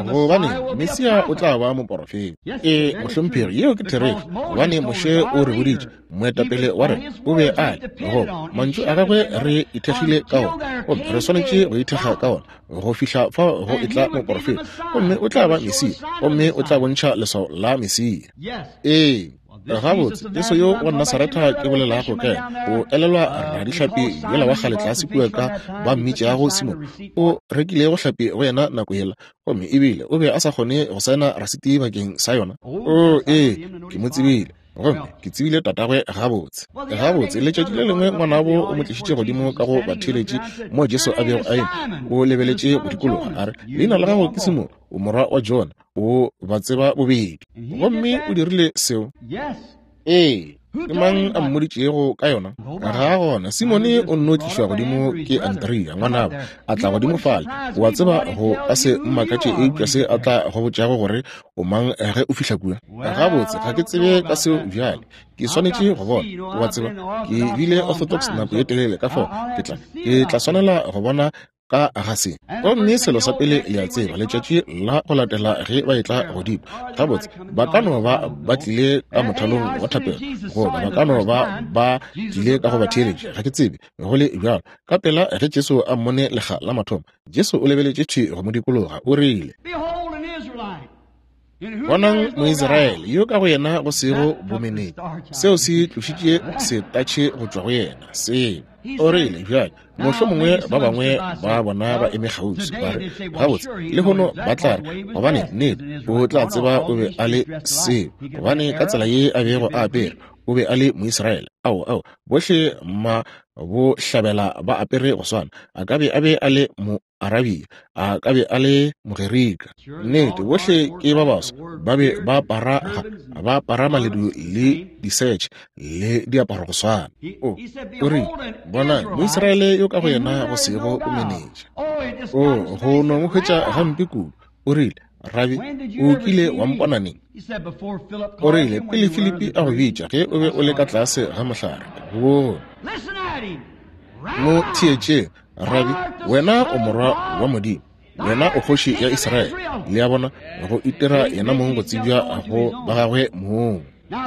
Gobane Mesia o tla ba moporofeta. E, mohlomphegi, yeo ke therešo, gobane Moshe o re boditše, moetapele wa rena o be a le, goba mantšu a gagwe re ithekgile ka ona, gomme re swanetše go ithekga ka ona go fihla fao go etla moporofeta, gomme o tla ba Mesia, gomme o tla bontšha leswao la Mesia. Ee. Gabotse, Jesu yo wa Nasaretha ke bolelago ka yena, o elelwa radihlapi yola wa kgale tlase kua ka ba mmitšago Simon, o rekilego hlapi go yena nako yela, gomme ebile o be a sa kgone go saena rasiti bakeng sa yona. O, ee, ke mo tsebile, gomme ke tsebile tatagwe gabotse. Gabotse, letšatši le lengwe ngwanabo o mo tlišitše godimo ka go batheeletši mo Jesu a bego a eme, o lebeletše go dikologa, a re, leina la gago ke Simon, o morwa wa Jona, o ba tseba bobedi. Gomme o dirile seo. Ee, ke mang a mmoditšego ka yona? Ga gona. Simone o nno tlišwa godimo ke Andrea ngwanabo, a tla godimo fale. O a tseba, go ka se mmakatše eupša se a tla go botšago gore o mang ge o fihla kua. Gabotse, ga ke tsebe ka seo bjale, ke swanetše go bona. O a tseba, ke bile orthodox nako ye telele, ka fao ke tla ke tla swanela go bona ka ga se. Gomme selo sa pele le a tseba, letšatši la go latela ge ba etla godimo, gabotse ba ka no ba ba tlile ka mothalong wa thapelo, goba ba ka no ba ba tlile ka go ba theeletša, ga ke tsebe. Go le bjalo, ka pela ge Jesu a mmone lekga la mathomo, Jesu o lebeletše thwi go mo dikologa, o rile, bonang Moisraele yo ka go yena go sego bomenetša. Seo se tlošitše setatšhe go tšwa go yena. Seo o rile, bjale mohlomongwe ba bangwe ba bona ba eme kgauswi, ba re, gabotse lehono ba tla re, gobane nnete o tla tseba o be a le seo, gobane ka tsela ye a bego a apere, o be a le Moisraele. Ao, ao, bohle ma bo hlabela ba apere go swana. A ka be a be a le Moarabia, a ka be a le Mogerika. Nnete, bohle ke ba baso, ba be ba apara, ba apara maledu le disetšhe le diaparo go swana. O, o rile, bona Moisraele yo ka go yena go sego bomenetša. O, go no mo hwetša gampe kudu. O rile, Rabi, o kile wa mpona neng? O rile, pele Filipi a go bitša, ge o be o le ka tlase ga mohlare. Go mo theetšeng, Rabi, wena o morwa wa Modimo, wena o kgoši ya Israele. Le a bona, go itira yena mong go tsebja go ba gagwe mong.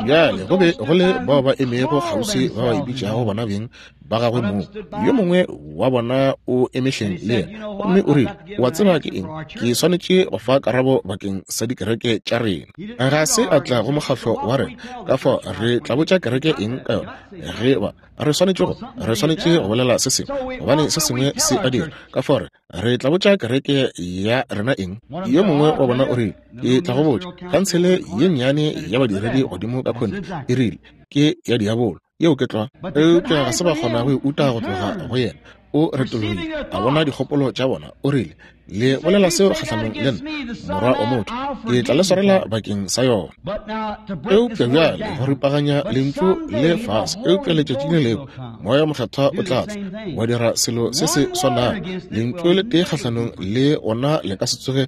Bjale go be go le bao ba emego kgauswi ba ba ipitšago bona beng ba gagwe mong. Yo mongwe wa bona o emehleng le yena, gomme o rile, wa tseba ke eng? Ke swanetše go fa karabo bakeng sa dikereke tša rena. Ga se a tla go mokgahlo wa rena, ka fao re tla botša kereke eng ka yona? Ge ba re swanetše go re swanetše go bolela se sengwe, gobane se sengwe se a dira, ka fao re re tla botša kereke ya rena eng? Yo mongwe wa bona o rile, ke tla go botša, khansele ye nnyane ya badiredi godimo ka khone e rile ke ya diabolo. Yeo ke tlwa. Eupša ga se ba kgona go e uta go tloga go yena. O retologile, a bona dikgopolo tša bona, o rile, le bolela seo kgahlanong le nna, morwa wa motho, ke tla le swarela bakeng sa yona. Eupša bjale go ripaganya lentšu le fase, eupša letšatši le lengwe Moya Mokgethwa o tla tla wa dira selo se se swanago. Lentšu le tee kgahlanong le ona le ka se tsoge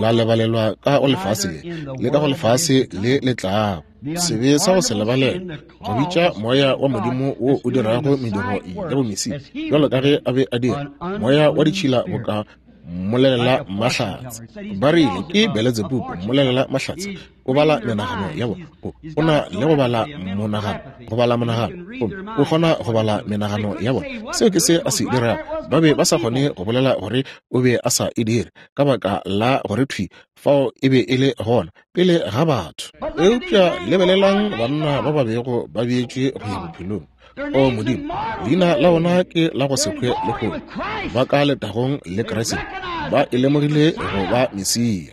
la lebalelwa ka go lefase le, le ka go lefase le le tlago. Sebe sa go se lebalelwe, go bitša moya wa Modimo wo o dirago mediro ya bomesia bjalo ka ge a be a dira, moya wa ditšhila boka mmolelela mahlatse. Ba rile ke Beletsebubu, mmolelela mahlatse, o bala menagano ya bona. O na le go bala monagano, go bala monagano, o kgona go bala menagano ya bona. Seo ke se a se dirago. Ba be ba sa kgone go bolela gore o be a sa e dire, ka baka la gore thwi fao e be e le gona pele ga batho. Eupša lebelelang banna ba ba bego ba beetšwe go ya bophelong. O Modimo, leina la bona ke la go se hwe lehono, ba ka letagong le Kriste, ba e lemogile go ba Mesia.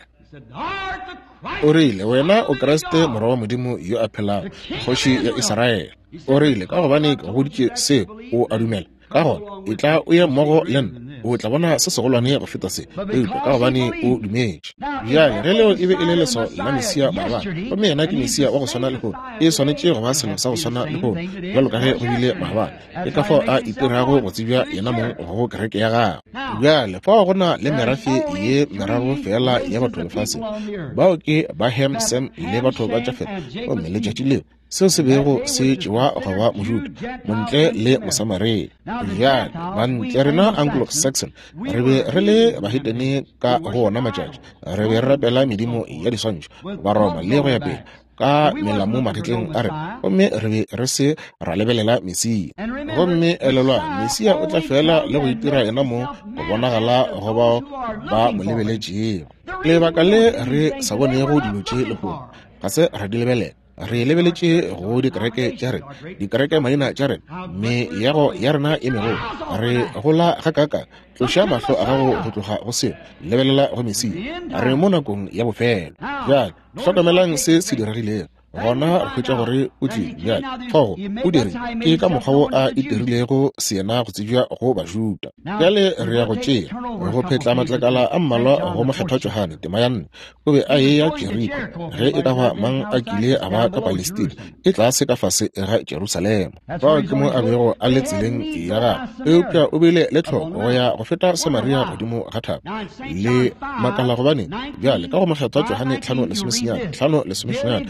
O rile, wena o Kriste, morwa wa Modimo yo a phelago, kgoši ya Israele. O rile, ka gobane ke go boditše seo, o a dumela? Ka gona e tla o ye mmogo le nna. O tla bona se segolwane go feta se, eupša ka gobane o dumetše. Bjale ge leo e be e le leswao la Mesia maabane, gomme yena ke Mesia wa go swana lehono, e swanetše go ba selo sa go swana lehono bjalo ka ge go bile maabane. Ke ka fao a itirago go tsebja yena mong go kereke ya gagwe. Bjale fao go na le merafe ye meraro fela ya batho lefaseng, bao ke ba Ham, Sem le batho ba Jafet. Gomme letšatši leo seo se bego se tšewa go ba Mojuda, Montle le Mosamaria. Bjale bantle rena Anglo-Saxon re be re le bahetene ka go ona matšatši, re be re rapela medimo ya diswantšho, Baroma le go ya pele ka melamo magetleng a rena, gomme re be re se ra lebelela Mesia. Gomme elelwa, Mesia o tla fela le go itira yena mo go bonagala go bao ba mo lebeletšego. Lebaka le re sa bonego dilo tše lehono, ga se ra di lebelela. Re lebeletše go dikereke tša rena, dikereke maina tša rena, meago ya rena e megolo. Re gola gakaka. Tloša mahlo a gago go tloga go seo, lebelela go Mesia. Re mo nakong ya bofelo. Bjale hlokamelang se se diregilego. Gona re hwetša gore o tlile. Bjale fao o dirile, ke ka mokgwa wo a itirilego seyena go tsebja go Bajuda. Bjale re ya go tšea go phetla matlakala a mmalwa go Mokgethwa Johane tema ya nne. O be a eya Jeriko, ge e ka ba mang a kile a ba ka Palestina, e tlase ka fase ga Jerusalema. Fao ke mo a bego a le tseleng ya gagwe, eupša o bile le tlhoko go ya go feta Samaria godimo ga thaba. Le makala gobane bjale ka go Mokgethwa Johane tlhano lesomesenyane tlhano lesomesenyane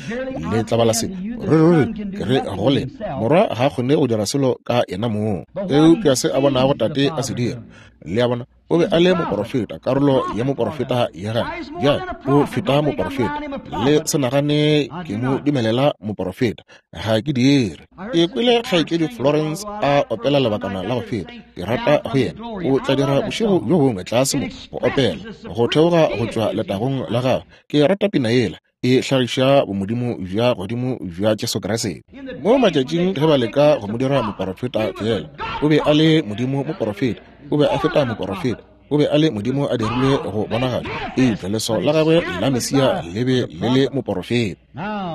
le tla bala se, ruri ruri ke re go lena, Morwa ga a kgone go dira selo ka yena mong, eupša se a bonago Tate a se dira. Le a bona, o be a le moporofeta, karolo ya moporofeta ya gagwe. Bjale o feta moporofeta. Le se nagane ke mo dumelela moporofeta, ga ke dire. Ke kwele kgaetšedi Florence a opela lebakana la go feta. Ke rata go yena. O tla dira bošego bjo bongwe tlase mo go opela go theoga go tšwa letagong la gagwe. Ke rata pina yela, e hlagiša bomodimo bja godimo bja Jesu Kriste. Mo matšatšing ge ba leka go mo dira moporofeta fela, o be a le modimo moporofeta, o be a feta moporofeta, o be a le modimo a dirilwe go bonagala, eupša leswao la gagwe la Mesia le be le le moporofeta.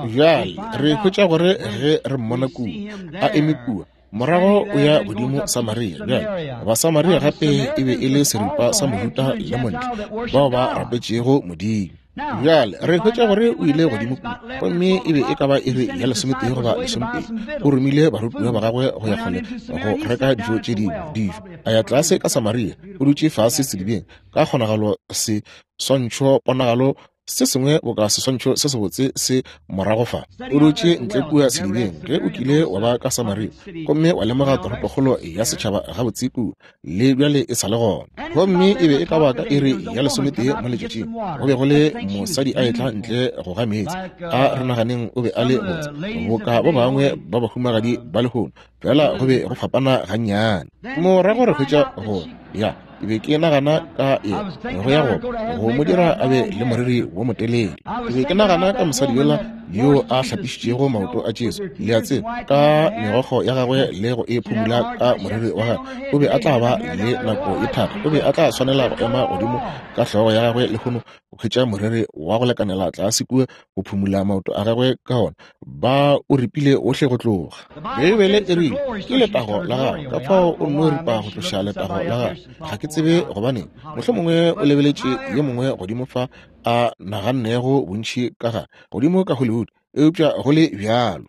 Bjale re hwetša gore ge re mmona kua a eme kua, morago o ya godimo Samaria. Bjale Basamaria gape e be e le seripa sa Mojuda le Montle bao ba rapetšego Modimo. Bjale re hwetša gore o ile godimo kua, gomme e be e ka ba iri ya lesometee goba lesomepedi. O romile barutiwa ba gagwe go ya kgole go reka dijo tše dingwe dijo. A ya tlase ka Samaria, o dutše fase sedibeng, ka kgonagalo se swantšho ponagalo se sengwe boka seswantšho se sebotse se morago fa. O dutše ntle kua sedibeng. Ge o kile wa ba ka Samaria gomme wa lemoga toropokgolo ya setšhaba gabotse kua, le bjale e sa le gona. Gomme e be e ka ba ka iri ya lesometee mo letšatšing, go be go le mosadi a etla ntle go ga meetse. A re naganeng o be a le botse boka ba bangwe ba bahumagadi ba lehono, fela go be go fapana gannyane. Morago re hwetša gore ya ke be ke nagana ka yena go ya go go mo dira a be le moriri wo motelele. Ke be ke nagana ka mosadi yola yo a hlapišitšego maoto a Jesu, le a tseba, ka megokgo ya gagwe le go e phumula ka moriri wa gagwe. O be a tla ba le nako e thata, o be a tla swanela go ema godimo ka hlogo ya gagwe lehono go hwetša moriri wa go lekanela tlase kua go phumula maoto a gagwe ka ona. Ba o ripile ohle go tloga. Beibele e rile ke letago la gagwe, ka fao o nno ripa go tloša letago la gagwe. Ga ke tsebe gobaneng, mohlomongwe o lebeletše yo mongwe godimo fa a nagannego bontši ka ga godimo ka Hollywood, eupša go le bjalo.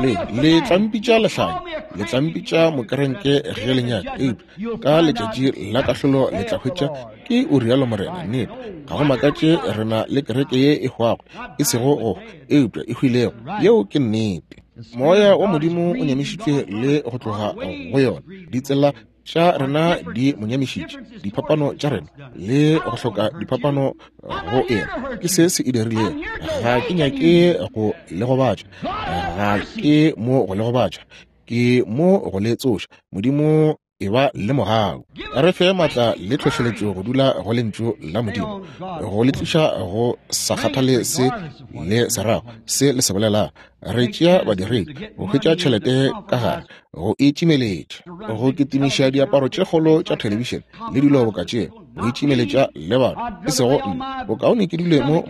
Le le tlampitša lehlanya, le tlampitša mokerenke ge le nyaka, eupša ka letšatši la kahlolo le tla hwetša ke o rialo Morena. Nnete, ga go makatše re na le kereke ye e hwago, e sego go, eupša e hwilego. Yeo ke nnete. Moya wa Modimo o nyamišitšwe le go tloga go yona. Ditsela tša rena di mo nyamišitše, diphapano tša rena le go hloka diphapano go ena ke se se e dirilego. Ga ke nyake go le gobatša, ga ke mo go le gobatša, ke mo go le tsoša. Modimo e ba le mogau, re fe maatla le tlhohleletšo go dula go lentšu la Modimo, go le tliša go sa kgathale se le se rago, se le se bolelago. Re tšea badiredi go hwetša tšhelete ka gare, go itšimeletša, go kitimiša diaparo tše kgolo tša thelebišene le dilo boka tšeo, go itšimeletša le batho, e sego nna. Bokaone ke dule mo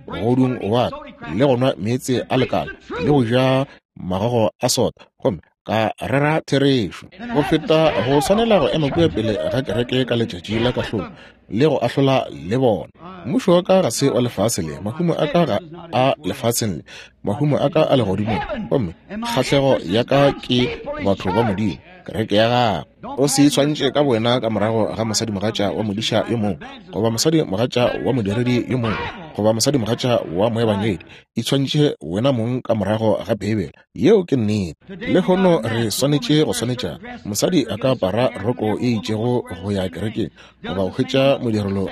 mogodung wa ka le go nwa meetse a lekala le go ja magogo a sota, gomme Ka rera therešo. Go feta go swanela go ema kua pele ga kereke ka letšatši la kahlolo le go ahlola le bona. Mmušo wa ka ga se wa lefase le, mahumo a ka ga a lefaseng le, mahumo a ka a legodimong, gomme kgahlego ya ka ke batho ba Modimo, kereke ya gagwe. O se itshwantšhe ka bowena ka morago ga mosadimogatša wa modiša yo mongwe, goba mosadimogatša wa modiredi yo mongwe, goba mosadimogatša wa moebangedi. Itshwantšhe wena mong ka morago ga Beibele. Yeo ke nnete. Lehono re swanetše go swanetšana. Mosadi a ka apara roko e itšego go ya kerekeng, goba go hwetša modirelo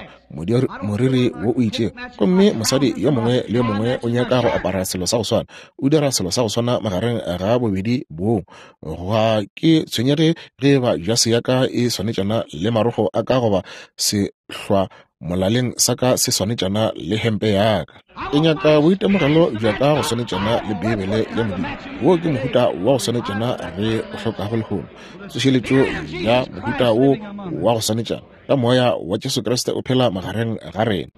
moriri wo o itšego, gomme mosadi yo mongwe le yo mongwe o nyaka go apara selo sa go swana, o dira selo sa go swana magareng ga bobedi boo. Ga ke tshwenyege ge ba jase ya ka e swanetšana le marogo a ka goba sehlwa molaleng sa ka se swanetšana le hempe ya ka. Ke nyaka boitemogelo bja ka go swanetšana le Beibele ya Modimo. Wo ke mohuta wa go swanetšana re o hlokago lehono, tsošeletšo ya mohuta wo wa go swanetšana ka moya wa Jesu Kriste o phela magareng ga rena.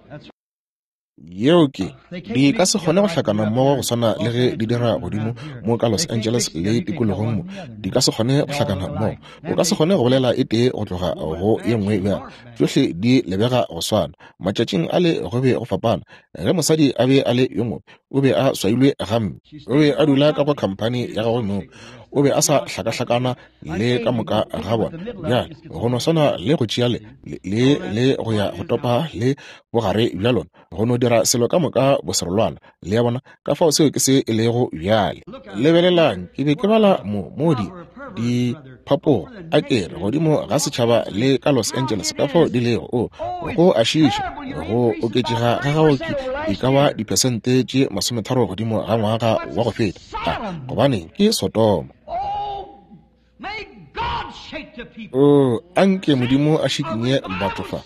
Yeo ke di ka se kgone go hlakana mmogo go swana le ge di dira godimo mo ka Los Angeles le tikologong mo. Di ka se kgone go hlakana mmogo. O ka se kgone go bolela e tee go tloga go ye nngwe bjalo. Tšohle di lebega go swana. Matšatšing a le go be go fapana. Ge mosadi a be a le yo mobe, o be a swailwe gampe. O be a dula ka go khamphani ya gagwe mong. O be a sa hlakahlakana le ka moka ga bona. Bjale go no swana le go tšea le le le go ya go topa le bogare bja lona, go no dira selo ka moka boserolwana. Le ya bona, ka fao seo ke se e lego bjale. Lebelelang, ke be ke bala mo mo di diphapogo a kere godimo ga setšhaba le ka Los Angeles, ka fao di lego. O go a šiiša go oketšega ga gago ke e ka ba diphesente tše masometharo godimo ga ngwaga wa go feta. Gobaneng ke Sodoma. O anke Modimo a šikinye batho fa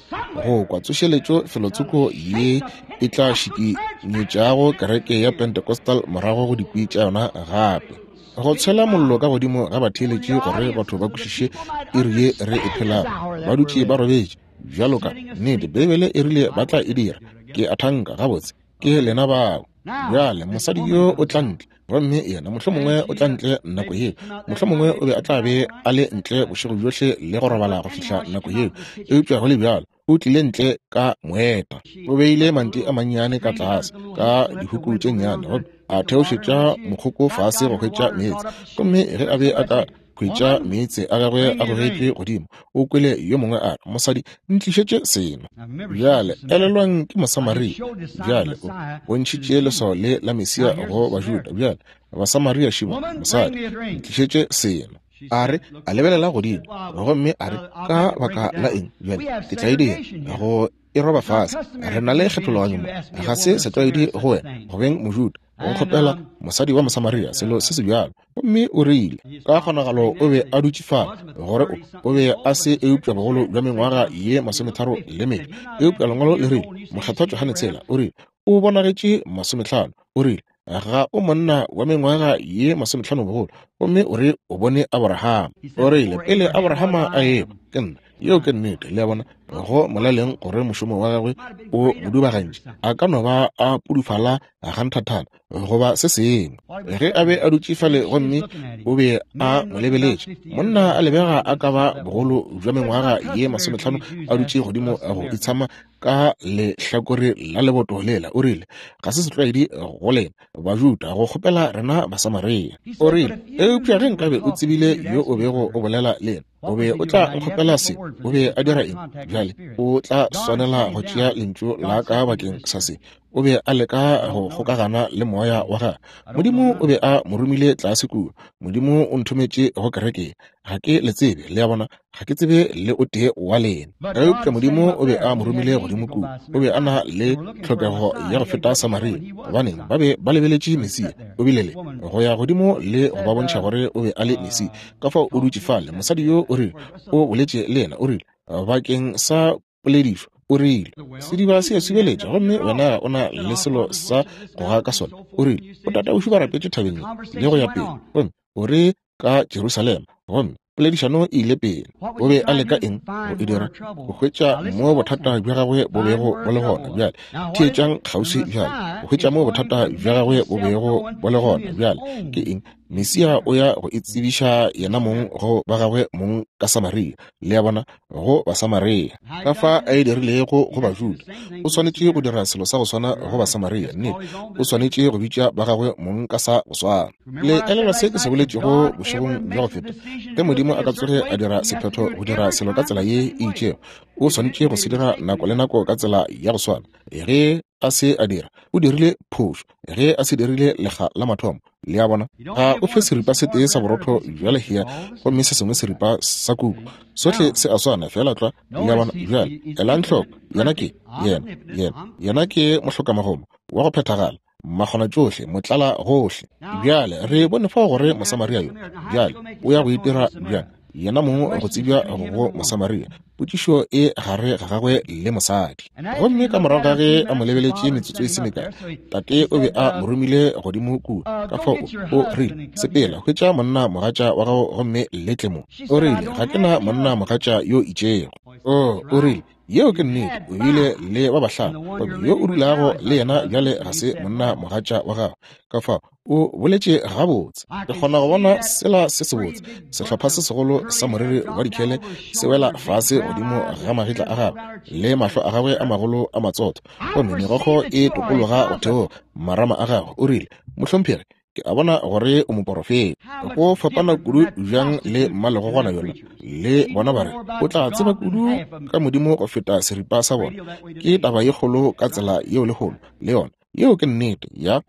go kwa tsošeletšo felotsoko ye e tla šikinyetšago kereke ya Pentecostal morago go dikwi tša yona gape. Go tshwela mollo ka godimo ga batheeletši gore batho ba kwešiše iri ye re e phelago. Ba dutše ba robetše bjalo ka nnete. Beibele e rile ba tla e dira. Ke a thanka gabotse ke lena bao. Bjale mosadi yo o tla ntle, gomme yena mohlomongwe o tla ntle nako yeo, mohlomongwe o be a tla be a le ntle bošego bjohle le go robala go fihla nako yeo, eupša go le bjalo o tlile ntle ka moeta. O beile manti a mannyane ka tlase ka dihuku tše nnyane, gomme a theošetša mokgoko fase go hwetša meetse. Gomme ge a be a ka hwetša meetse a gagwe a gogetšwe godimo, o kwele yo mongwe a re, mosadi, ntlišetše seno. Bjale elelwang ke Mosamaria. Bjale o bontšhitše leswao le la Mesia go Bajuda. Bjale Basamaria šiba, mosadi, ntlišetše seno. A re, a lebelela godimo, gomme a re, ka baka la eng? Bjale ke tla e dira go e roba fase. Re na le kgethologanyo mo, ga se setlwaedi go wena go beng Mojuda go nkgopela mosadi wa Mosamaria selo se se bjalo. Gomme o rile ka kgonagalo o be a dutše fale gore o o be a se eupša bogolo bja mengwaga ye masometharo le mebe. Eupša lengwalo le rile, Mokgethwa Johane tshela o rile o bonagetše masomehlano. O rile ga o monna wa mengwaga ye masomehlano bogolo, gomme o re o bone Abrahama. O rile pele Abrahama a eba ke nna. Yeo ke nnete. Le a bona, go molaleng gore mošomo wa gagwe o mo dubagantše. A ka no ba a pudufala ganthathana goba se sengwe. Ge a be a dutše fale gomme o be a mo lebeletše, monna a lebega a ka ba bogolo bja mengwaga ye masomehlano a dutše godimo go itshama ka lehlakore la leboto lela. O rile ga se setlwaedi go lena Bajuda go kgopela rena Basamaria. O rile eupša ge nkabe o tsebile yo o bego o bolela le yena, o be o tla nkgopela se. O be a dira eng? Bjale o tla swanela go tšea lentšu la ka bakeng sa se. O be a leka go kgokagana le moya wa gagwe. Modimo o be a mo romile tlase kua. Modimo o nthometše go kereke. Ga ke le tsebe, le a bona, ga ke tsebe le o tee wa lena. Eupša Modimo o be a mo romile godimo kua. O be a na le tlhokego ya go feta Samaria, gobaneng ba be ba lebeletše Mesia. O bile le go ya godimo le go ba bontšha gore o be a le Mesia. Ka fao o dutše fale. Mosadi yo o rile, o boletše le yena, o rile bakeng sa poledišo, o rile sediba se a subeletša, gomme wena o na le selo sa go ga ka sona. O rile o tataošu ba rapetše thabeng le go ya pele, gomme o re ka Jerusalema. Gomme poledišano e ile pele. O be a leka eng go e dira? Go hwetša mo bothata bja gagwe bo bego bo le gona. Bjale theetšang kgauswi bjale. Go hwetša mo bothata bja gagwe bo bego bo le gona bjale ke eng? Mesia o ya go itsebiša yena mong go ba gagwe mong ka Samaria. Le a bona, go Basamaria. Ka fa a e dirilego go Bajuda, o swanetše go dira selo sa go swana go Basamaria. Nnete, o swanetše go bitša ba gagwe mong ka sa go swana. Le elelwa se ke se boletšego bošegong bja go feta. Ge Modimo a ka tsoge a dira sephetho go dira selo ka tsela ye e itšego, o swanetše go se dira nako le nako ka tsela ya go swana. Ge a se a dira, o dirile phošo. Ge a se dirile lekga la mathomo, le a bona, ga o fe seripa se tee sa borotho bja lehea gomme se sengwe seripa sa kuku. Sohle se a swana fela tlwa. Le a bona? Bjale elang hloko, yena ke yena yena yena ke mohlokamagomo wa go phethagala, makgona tšohle, motlala gohle. Bjale re bone fao gore Mosamaria yo bjale o ya go itira bjang yena mong go tsebja go Mosamaria. Potšišo e gare ga gagwe le mosadi. Gomme ka morago ga ge a mo lebeletše metsotso e se mekae, tate o be a mo romile godimo kua. Ka fao o rile, sepela, hwetša monna mogatša wa gago gomme le tle mo. O rile, ga ke na monna mogatša yo itšego. O, o rile, yeo ke nnete, o bile le ba bahlano, gomme yo o dulago le yena bjale ga se monna mogatša wa gago. Ka fao o boletše gabotse. Ke kgona go bona sela se sebotse, sehlopha se segolo sa moriri wa dikhele se wela fase godimo ga magetla a gagwe le mahlo a gagwe a magolo a matsotho, gomme megokgo e tokologa go theoga marama a gagwe. O rile, mohlomphegi, ke a bona gore o moporofeta. Go fapana kudu bjang le mmalegogwana yola. Le bona ba re o tla tseba kudu ka Modimo go feta seripa sa bona. Ke taba ye kgolo ka tsela yeo lehono le yona. Yeo ke nnete ya.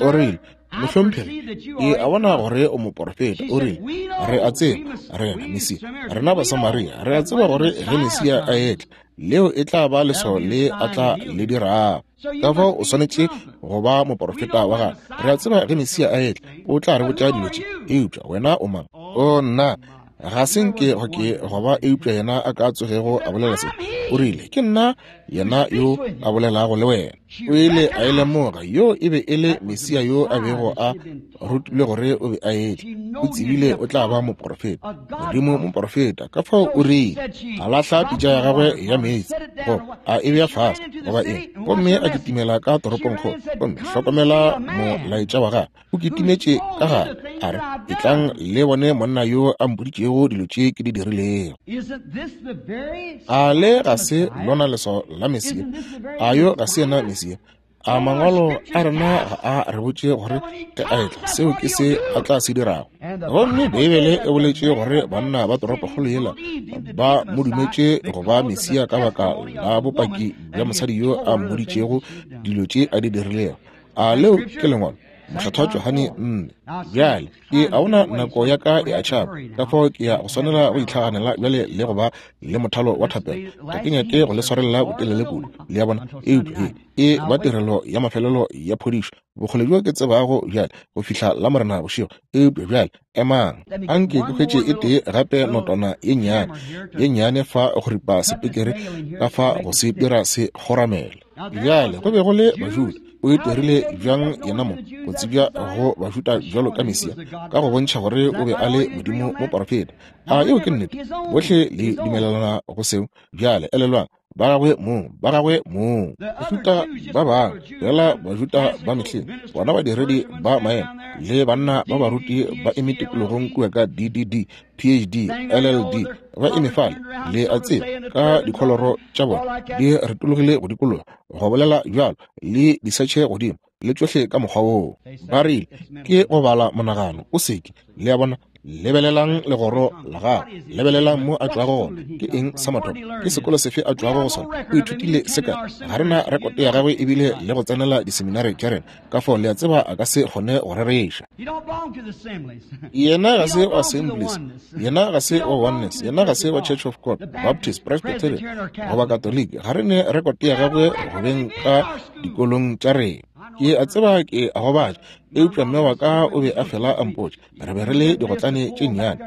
O rile, mohlomphegi, ke a bona gore o moporofeta. O rile, re a tseba rena Mesia, rena Basamaria, re a tseba gore ge Mesia a etla, leo e tla ba leswao le a tla le dirago. Ka fao o swanetše go ba moporofeta wa gagwe. Re a tseba ge Mesia a etla, o tla re botša dilo tše. Eupša wena o mang? O nna ga se nke go ke go ba eupša yena a ka tsogego a bolela se. O rile, ke nna yena yo a bolelago le wena. O ile a e lemoga, yo e be e le Mesia yo a bego a rutilwe gore o be a etla. O tsebile o tla ba moporofeta, Modimo moporofeta. Ka fao o rile, a lahla pitša ya gagwe ya meetse, goba a e bea fase, goba eng, gomme a kitimela ka toropongkgolo. Gomme hlokomela molaetša wa gagwe, o kitimetše ka gare, a re, etlang le bone monna yo a mpoditšego dilo tše ke di dirilego. A le ga se lona leswao la Mesia? A yo ga se yena Mesia? A mangwalo a rena ga a re botše gore ge a etla seo ke se a tla se dirago? Gomme Beibele e boletše gore banna ba toropokgolo yela ba mo dumetše go ba Mesia ka baka la bopaki bja mosadi yo a mmoditšego dilo tše a di dirilego. A leo ke lengwalo? Mokgethwa Johane nne. Bjale ke a bona nako ya ka e a tšhaba, ka fao ke ya go swanela go itlhaganela bjale le go ba le mothalo wa thapelo. Ga ke nyake go le swarelela botelele kudu, le a bona, eupša e ba tirelo ya mafelelo ya phodišo bokgole bjo ke tsebago bjale go fihla la Morena bošego. Eupša bjale emang, anke ke hwetše e tee gape notwana ye nnyane ye nnyane fa go ripa sepekere ka fa go se dira se kgoramele. Bjale go be go le Bajuda. O itirile bjang yena mo go tsebja go Bajuda bjalo ka Mesia, ka go bontšha gore o be a le Modimo moporofeta. A yeo ke nnete? Bohle le dumelelana go seo? Bjale elelwang, ba gagwe mong, ba gagwe mong. Bajuda ba bangwe fela, Bajuda ba mehleng, bona badiredi ba maemo le banna ba baruti ba eme tikologong kua ka D D D, P H D, L L D, ba eme fale, le a tseba, ka dikholoro tša bona di retologile go dikologa, go bolela bjalo, le disetšhe godimo, le tšohle ka mokgwa woo. Ba rile, ke go bala monagano, o seke. Le a bona? Lebelelang legoro la gagwe, lebelelang mo a tšwago gona. Ke eng sa mathomo? Ke sekolo sefe a tšwago go sona? O ithutile se kae? Ga re na rekoto ya gagwe ebile le go tsenela diseminari tša rena. Ka fao le a tseba a ka se kgone go rereša. Yena ga se wa Assemblies, yena ga se wa Oneness, yena ga se wa Church of God, Baptist, Presbyterian goba Catholic. Ga re ne rekoto ya gagwe go beng ka dikolong tša rena. Ke a tseba ke a gobatša, eupša mme wa ka o be a fela a mpotša. Re be re le digotlane tše nnyane,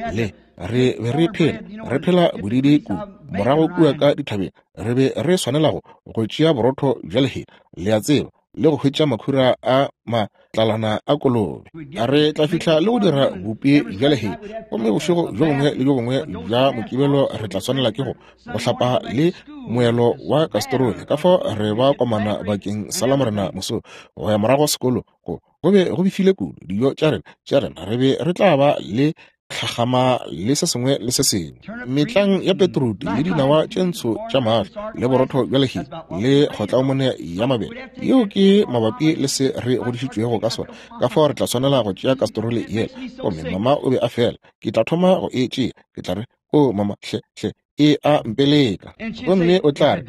re le re be re phela re phela bodidi kudu morago kua ka dithabeng. Re be re swanela go go tšea borotho bja lehea, le a tseba, le go hwetša makhura a matlalana a kolobe. Re tla fihla le go dira bupi bja lehea, gomme bošego bjo bongwe le bjo bongwe bja Mokibelo re tla swanela ke go go hlapa le moelo wa kastrole. Ka fao re ba komana bakeng sa Lamorena moso go ya morago sekolo go go be go befile kudu. Dijo tša rena tša rena re be re tla ba le tlhagama le se sengwe le se sengwe, metlang ya petruti le dinawa tše ntsho tša mahlo le borotho bja lehea le kgotlaomone ya mabele. Yeo ke mabapi le se re godišitšwego ka sona. Ka fao re tla swanela go tšea kastrole yela. Gomme mama o be a fela, ke tla thoma go e tšea, ke tla re, o mama, hle hle, e a mpeleka. Gomme o tla re,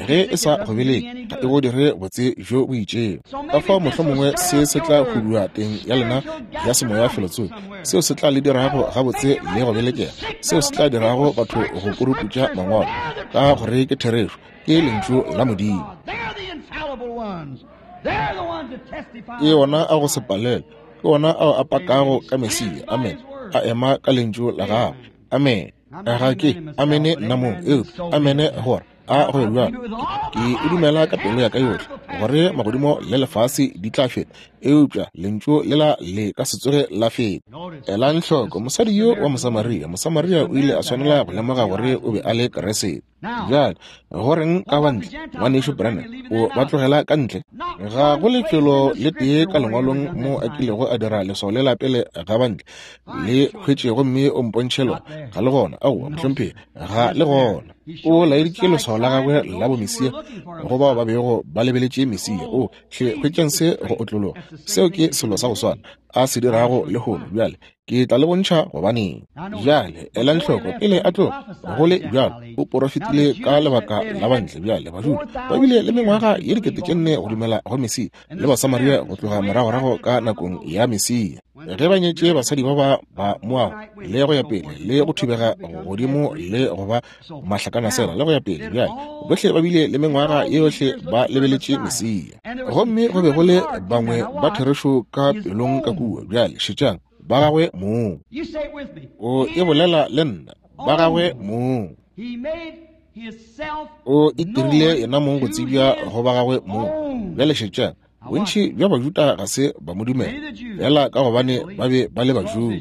ge e sa go beleke, ga e go dire botse bjo bo itšego. Ka fao mohlomongwe se se tla hudua teng ya lena ya semoya felotsoko, seo se tla le dirago gabotse le go belekega, seo se tla dirago batho go kuruputša mangwalo, ka gore ke therešo, ke lentšu la Modimo. Ke ona a go se palelwe, ke ona ao a pakago ka Mesia. Amen. A ema ka lentšu la gagwe. Amen. Ga ke amene nna mong, eupša amene gore a go be bjalo. Ke e dumela ka pelo ya ka yohle gore magodimo le lefase di tla feta, eupša lentšu lela le ka se tsoge la feta. Elang hloko mosadi yo wa Mosamaria. Mosamaria o ile a swanela go lemoga gore o be a le Keresete. Bjale goreng ka bantle, ngwanešu Branham, o ba tlogela ka ntle? Ga go lefelo le tee ka lengwalong mo a kilego a dira leswao lela pele ga bantle le hwetše gomme o mpontšhe lona. Ga le gona. Aowa, mohlomphegi, ga le gona. O laeditše leswao la gagwe la bomesia go bao ba bego ba lebeletše Mesia. O hle, hwetšang se go otlologa. Seo ke selo sa go swana a se dirago lehono. Bjale ke tla le bontšha gobaneng. Bjale elang hloko, pele a tloga go le bjalo, o porofetile ka lebaka la bantle. Bjale Bajuda ba bile le mengwaga ye dikete tše nne go dumela go Mesia, le Basamaria go tloga moragorago ka nakong ya Mesia, ge ba nyetše basadi ba ba ba Moago le go ya pele, le go thubega godimo le go ba mahlakanasela le go ya pele. Bjale bohle ba bile le mengwaga yohle ba lebeletše Mesia, gomme go be go le bangwe ba therešo ka pelong ka kua. Bjale šetšang, ba gagwe mong. O e bolela le nna, ba gagwe mong. O itirile yena mong go tsebja go ba gagwe mong. Bjale šetšang, bontši bja Bajuda ga se ba mo dumela, fela ka gobane ba be ba le Bajuda.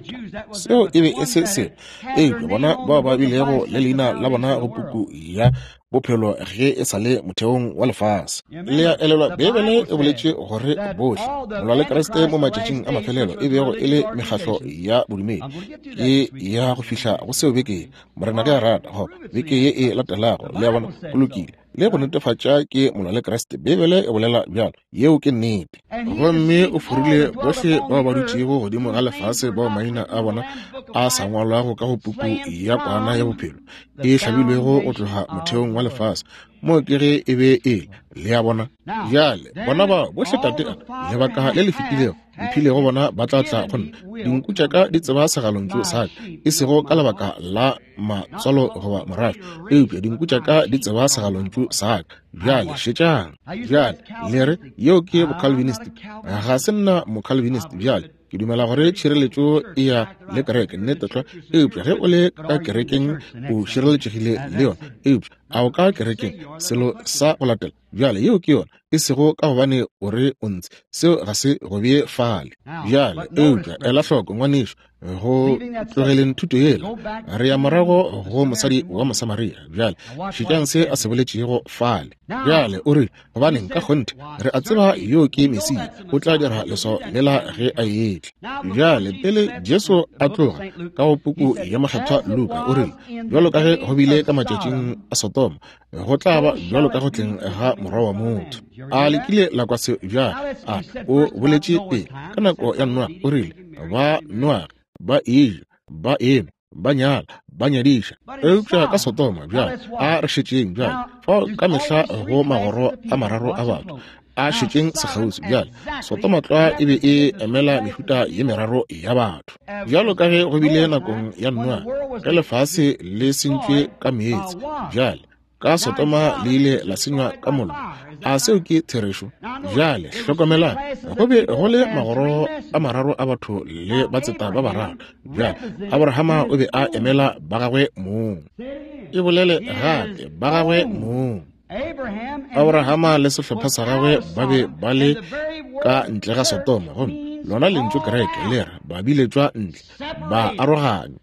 Seo e be e se selo, eupša bona bao ba bilego le leina la bona go puku ya bophelo ge e sa le motheong wa lefase. Le a elelwa, Beibele e boletše gore bohle molwa le Kriste mo matšatšing a mafelelo e bego e le mekgahlo ya bodumedi. Ke ya go fihla go seo beke, Morena ge a rata, go beke ye e latelago. Le a bona, go lokile. Le go netefatša ke molwa le Kriste. Beibele e bolela bjalo. Yeo ke nnete. Gomme o forile bohle bao ba dutšego godimo ga lefase bao maina a bona a sa ngwalwago ka go puku ya kwana ya bophelo e hlabilwego go tloga motheong wa lefase. Mo ke ge e be e le a bona. Bjale bona bao bohle tate a lebaka le le fetilego mphilego bona ba tla tla go nna. Dinku tša ka di tseba segalontšu sa ka, e sego ka lebaka la matswalo goba morafe, eupša dinku tša ka di tseba segalontšu sa ka. Bjale šetšang. Bjale le re yeo ke bocalvinist. Ga se nna mocalvinist. Bjale ke dumela gore tšhireletšo e ya le kereke, nnete tlwa, eupša ge o le ka kerekeng o šireletšegile le yona, eupša a o ka kerekeng selo sa go latela. Bjale yeo ke yona, e sego ka gobane o re o ntse, seo ga se go bee fale. Bjale eupša ela hloko ngwanešu, go tlogeleng thuto yela, re ya morago go mosadi wa Mosamaria. Bjale šetšang se a se boletšego fale. Bjale o rile, gobaneng ka kgonthe re a tseba yo ke Mesia, o tla dira leswao lela ge a etla. Bjale pele Jesu a tloga ka go puku ya Mokgethwa Luka, o rile, bjalo ka ge go bile ka matšatšing a Sodoma, go tla ba bjalo ka go tleng ga Morwa wa motho. A le kile la kwa seo? Bjale a o boletše pele ka nako ya Noa, o rile ba Noa ba eja, ba enwa, ba nyala, ba nyadiša. Eupša ka Sodoma, bjale a re šetšeng. Bjale fao ka mehla go magoro a mararo a batho, a šetšeng sekgauswi. Bjale Sodoma tlwa e be e emela mehuta ye meraro ya batho, bjalo ka ge go bile nakong ya Noa ge lefase le sentšwe ka meetse. Bjale ka Sodoma le ile la senywa ka mollo. A seo ke therešo? Bjale hlokomelang, go be go le magoro a mararo a batho le batseta ba bararo. Bjale Abrahama o be a emela ba gagwe mong. E bolele gape, ba gagwe mong. Abrahama le sehlopha sa gagwe ba be ba le ka ntle ga Sodoma, gomme lona lentšu kereke le re ba biletšwa ntle, ba aroganywa.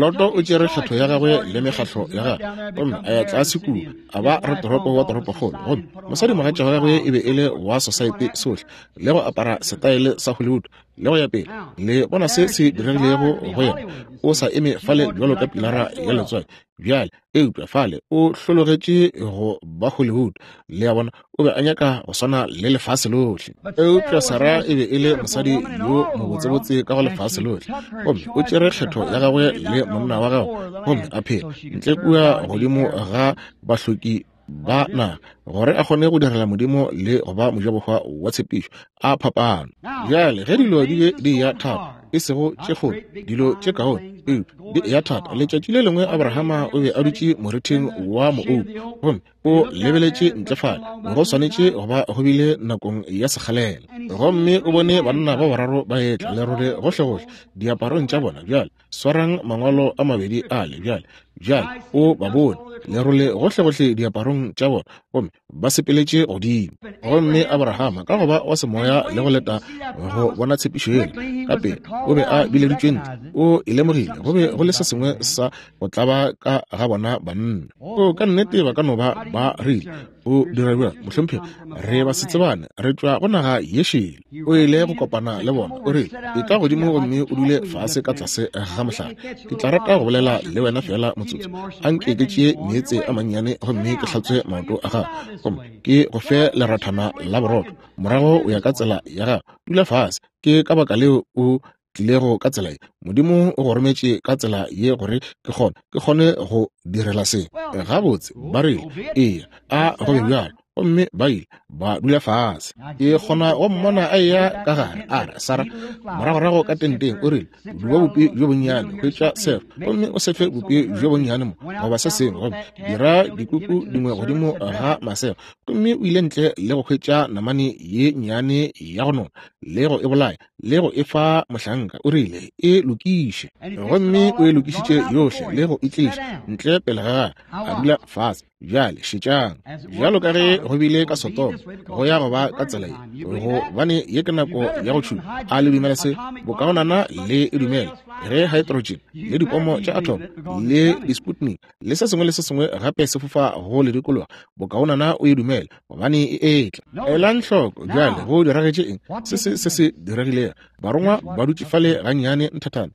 Loto o tšere kgetho ya gagwe le mekgatlo ya gagwe gomme a ya tlase kua, a ba ratoropo wa toropokgolo, gomme mosadimogatša wa gagwe e be e le wa sosaete sohle, le go apara setaele sa Hollywood le go ya pele. Le bona se se diregilego go yena, o sa eme fale bjalo ka pilara ya letswai bjale, eupša fale o hlologetše go ba Hollywood. Le a bona, o be a nyaka go swana le lefase lohle. Eupša Sarah e be e le mosadi yo mobotsebotse ka go lefase lohle, gomme o tšere kgetho ya gagwe le monna wa gagwe gomme a phela ntle kua godimo ga bahloki ba naga gore a kgone go direla Modimo le go ba mojabohwa wa tshepišo a phapano. Bjale ge dilo di be di ya thata, e sego tše kgolo, dilo tše kaone, eupša di ya thata. Letšatši le lengwe Abrahama o be a dutše morithing wa moouku gomme o lebeletše ntle fale, go swanetše go ba go bile nakong ya sekgalela, gomme o bone banna ba bararo ba etla lerole gohlegohle diaparong tša bona. Bjale swarang mangwalo a mabedi ale bjale, bjale o ba bone lerole gohlegohle diaparong tša bona, gomme ba sepeletše godimo. Gomme Abrahama ka go ba wa semoya le go leta go bona tshepišo yela ka pele, o be a bileditšwe ntle, o e lemogile go be go le se sengwe sa go tlaba ka ga bona banna. O ka nnete ba ka no ba ba rile, o dira bjang mohlomphegi, re ba setsebane, re tšwa go naga ye šele. O ile go kopana le bona, o rile, etla godimo gomme o dule fase ka tlase ga mohlare, ke tla rata go bolela le wena fela motsotso. Anke ke tšee meetse a mannyane gomme ke hlatswe maoto a gago, gomme ke go fe lerathana la borotho, morago o ya ka tsela ya gago. Dula fase. Ke ka baka leo o tlilego ka tsela ye. Modimo o go rometše ka tsela ye gore ke kgone ke kgone go direla se. Gabotse, ba rile, eya, a go be bjalo. Gomme ba ile ba dula fase. Ke kgona go mmona a eya ka gare, a re, Sarah, moragorago ka tenteng, o rile, duba bupi bjo bonnyane, hwetša sefo, gomme o sefe bupi bjo bonnyane mo goba se sengwe, gomme dira dikuku dingwe godimo ga masego. Gomme o ile ntle le go hwetša namane ye nnyane ya go nona, le go e bolaya, le go e fa mohlanka. O rile, e lokiše. Gomme o e lokišitše yohle le go e tliša ntle pele ga gagwe, a dula fase. Bjale šetšang, bjalo ka ge go bile ka Sodoma, go ya go ba ka tsela ye, gobane ye ke nako ya go tšhuma. A le dumela se? Bokaonana le e dumela. Ge hydrogen le dipomo tša atom le di-sputnik le se sengwe le se sengwe gape se fofa go le dikologa, bokaonana o e dumele, gobane e etla. Elang hloko bjale go diragetše eng, se se se se diregilego. Barongwa ba dutše fale gannyane nthathana,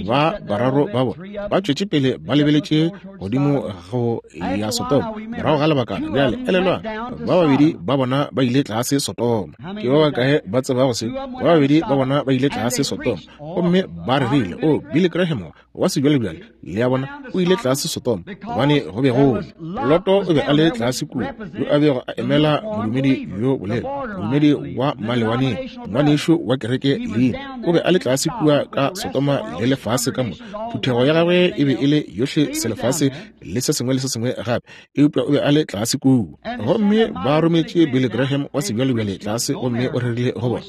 ba bararo ba bona ba tšwetše pele ba lebeletše godimo go ya Sodoma. Morago ga lebakana, bjale elelwang, ba babedi ba bona ba ile tlase Sodoma. Ke ba bakae ba tsebago se? Ba babedi ba bona ba ile tlase Sodoma, gomme ba rerile, o Billy Graham wa sebjalebjale, le a bona, o ile tlase Sodoma gobane go be go Loto o be a le tlase kua, yo a bego a emela modumedi yo bolela, modumedi wa malewaneng, ngwanešu wa kereke leina, o be a le tlase kua ka Sodoma le lefase ka moka. Phuthego ya gagwe e be e le yohle selefase le se sengwe le se sengwe gape, eupša o be a le tlase kua. Gomme ba rometše Billy Graham wa sebjalebjale tlase, gomme o rerile go bona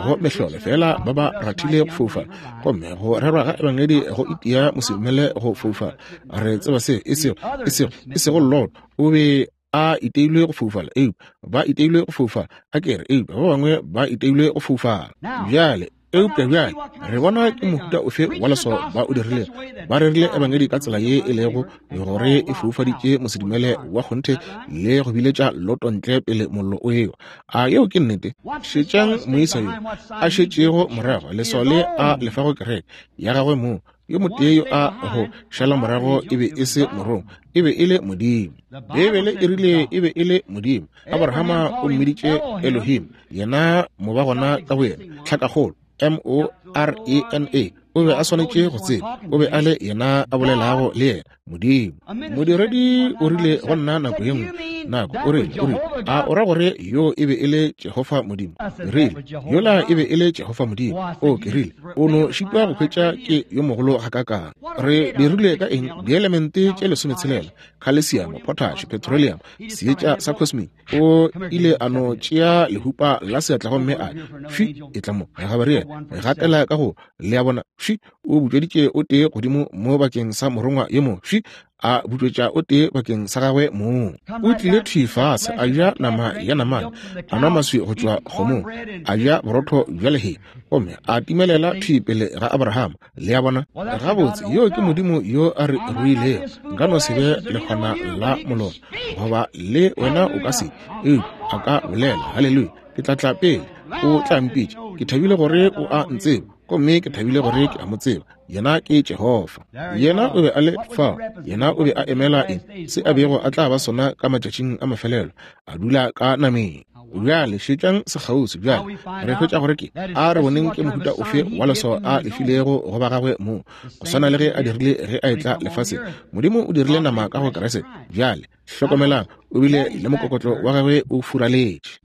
go mehlolo fela ba ba rathile go foufala, gomme go rerwa ga ebangedi go itia mosedumele go foufala. Re tseba se, e sego e sego e sego Lot o be a iteilwe go foufala, eupša ba iteilwe go foufala, a kere, eupša ba bangwe ba iteilwe go foufala. Bjale eupša bjale re bona ke mohuta ofe wa leswao ba o dirilego. Ba rerile ebangedi ka tsela ye e lego gore e foufaditše mosedumele wa kgonthe le go biletša Loto ntle pele mollo o ewa. A yeo ke nnete? Šetšang moisa yo a šetšego morago, leswao le a lefago kereke ya gagwe moo. Yo motee yo a go šala morago e be e se morongwa, e be e le Modimo. Beibele e rile e be e le Modimo. Abrahama o mmiditše Elohim, yena mobagona ka boyena, tlhakakgolo M O R E N A. O be a swanetše go tseba, o be a le yena a bolelago le yena, Modimo. Modiredi o rile go nna nako ye nngwe, nako o rile, o rile, a o ra gore yo e be e le Jehofa Modimo? Ke rile, yola e be e le Jehofa Modimo. O ke rile, o no šitwa go hwetša ke yo mogolo gakakang. Re dirile ka eng? Dielemente tše lesometshelela, calcium, potash, petroleum, seetša sa cosmic. O ile a no tšea lehupa la seatla gomme a fi e tla mo Gabriel gatela ka go le a bona fi o butšeditše o tee godimo mo bakeng sa morongwa yo mongwe fi Thwi a butšwetša o tee bakeng sa gagwe mong. O tlile thwi fase, a ja nama ya namane, a nwa maswi go tšwa kgomong, a ja borotho bja lehea, gomme a timelela thwi pele ga Abraham. Le a bona? Gabotse, yo ke Modimo yo a re ruilego. Nka no se be lekgwana la molora, goba le wena o ka se, eupša a ka bolela. Haleluya! Ke tla tla pele, o tla mpitša. Ke thabile gore o a ntseba, gomme ke thabile gore ke a mo tseba. Yena ke Jehofa. Yena o be a le fao. Yena o be a emela eng? Se a bego a tla ba sona ka matšatšing a mafelelo, a dula ka nameng. Bjale šetšang sekgauswi. Bjale re hwetša gore ke a re boneng ke mohuta ofe wa leswao a lefilego go ba gagwe mo, go swana le ge a dirile ge a etla lefaseng. Modimo o dirile nama ka go Kriste. Bjale hlokomelang, o bile le mokokotlo wa gagwe o furaletše.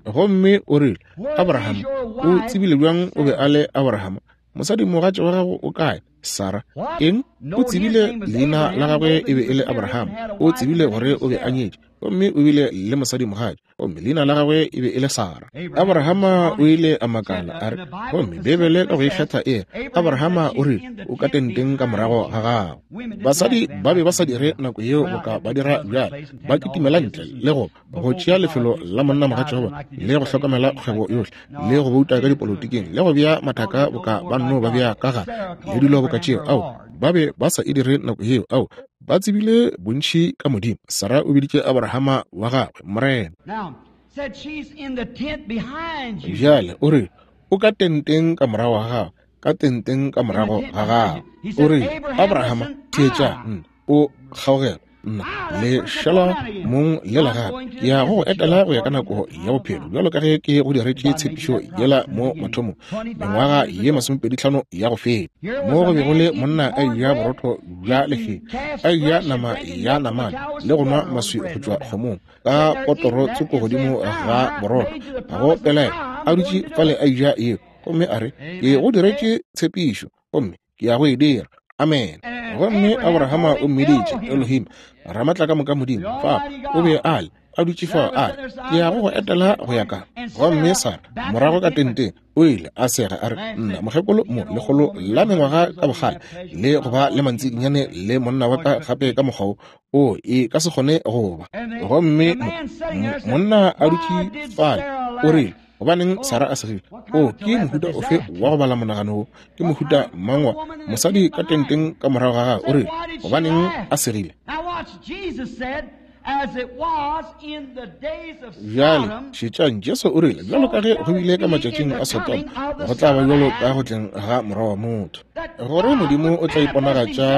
Gomme o rile, Abraham, o tsebile bjang o be a le Abraham? Mosadi mogatša wa gago o kae? Sarah. Eng? O tsebile leina la gagwe e be e le Abraham. O tsebile gore o be a nyetše, gomme o bile le mosadi mogatša, gomme leina la gagwe e be e le Sarah. Abrahama o ile a makala, a re, gomme Bibele ka go ikgetha e, Abrahama o rile, o ka tenteng ka morago ga gago. Basadi ba be ba sa dire nako yeo boka ba dira bjale, ba kitimela ntle le go go tšea lefelo la monna mogatša wa bona, le go hlokomela kgwebo yohle, le go bouta ka dipolotiking, le go bea mathaka boka ba nno ba bea ka gare, le dilo boka tšeo. Ao, ba be ba sa e dire nako yeo. Ao, ba tsebile bontši ka Modimo. Sarah o biditše Abrahama wa gagwe Morena. Bjale o re, o ka tenteng ka morago ga gago, ka tenteng ka morago ga gago. O re, Abrahama, theetša, o kgaogela nna le šala mong le la gape. Ke ya go go etela go ya ka nako ya bophelo, bjalo ka ge ke go diretše tshepišo yela mo mathomong, mengwaga ye masomepedi tlhano ya go feta, mo go bego le monna a eja borotho bja lehea, a eja nama ya namane, le go nwa maswi go tšwa kgomong, ka potoro tsoko godimo ga borotho, ga go pelaelo, a dutše fale a eja yeo, gomme a re, ke go diretše tshepišo, gomme ke ya go e dira. Amen. Gomme Abrahama o mmiditše Elohim, Ramatla ka moka Modimo. Fa o be a le, a dutše fao, a re, ke ya go go etela go ya ka. Gomme Sara morago ka tenteng o ile a sega, a re, nna mokgekolo mo lekgolo la mengwaga ka bogale, le go ba le mantsidinyane le monna wa ka gape ka mokgwa wo, o e ka se kgone go ba. Gomme monna a dutše fale, o rile, gobaneng Sarah a segile? O ke mohuta ofe wa go bala monagano wo? Ke mohuta mang wa mosadi ka tenteng ka morago ga gagwe? O rile, gobaneng a segile? Bjale šetšang, Jesu o rile, bjalo ka ge go bile ka matšatšing a Sodoma, go tla ba bjalo ka go tleng ga Morwa wa motho, gore Modimo o tla iponagatša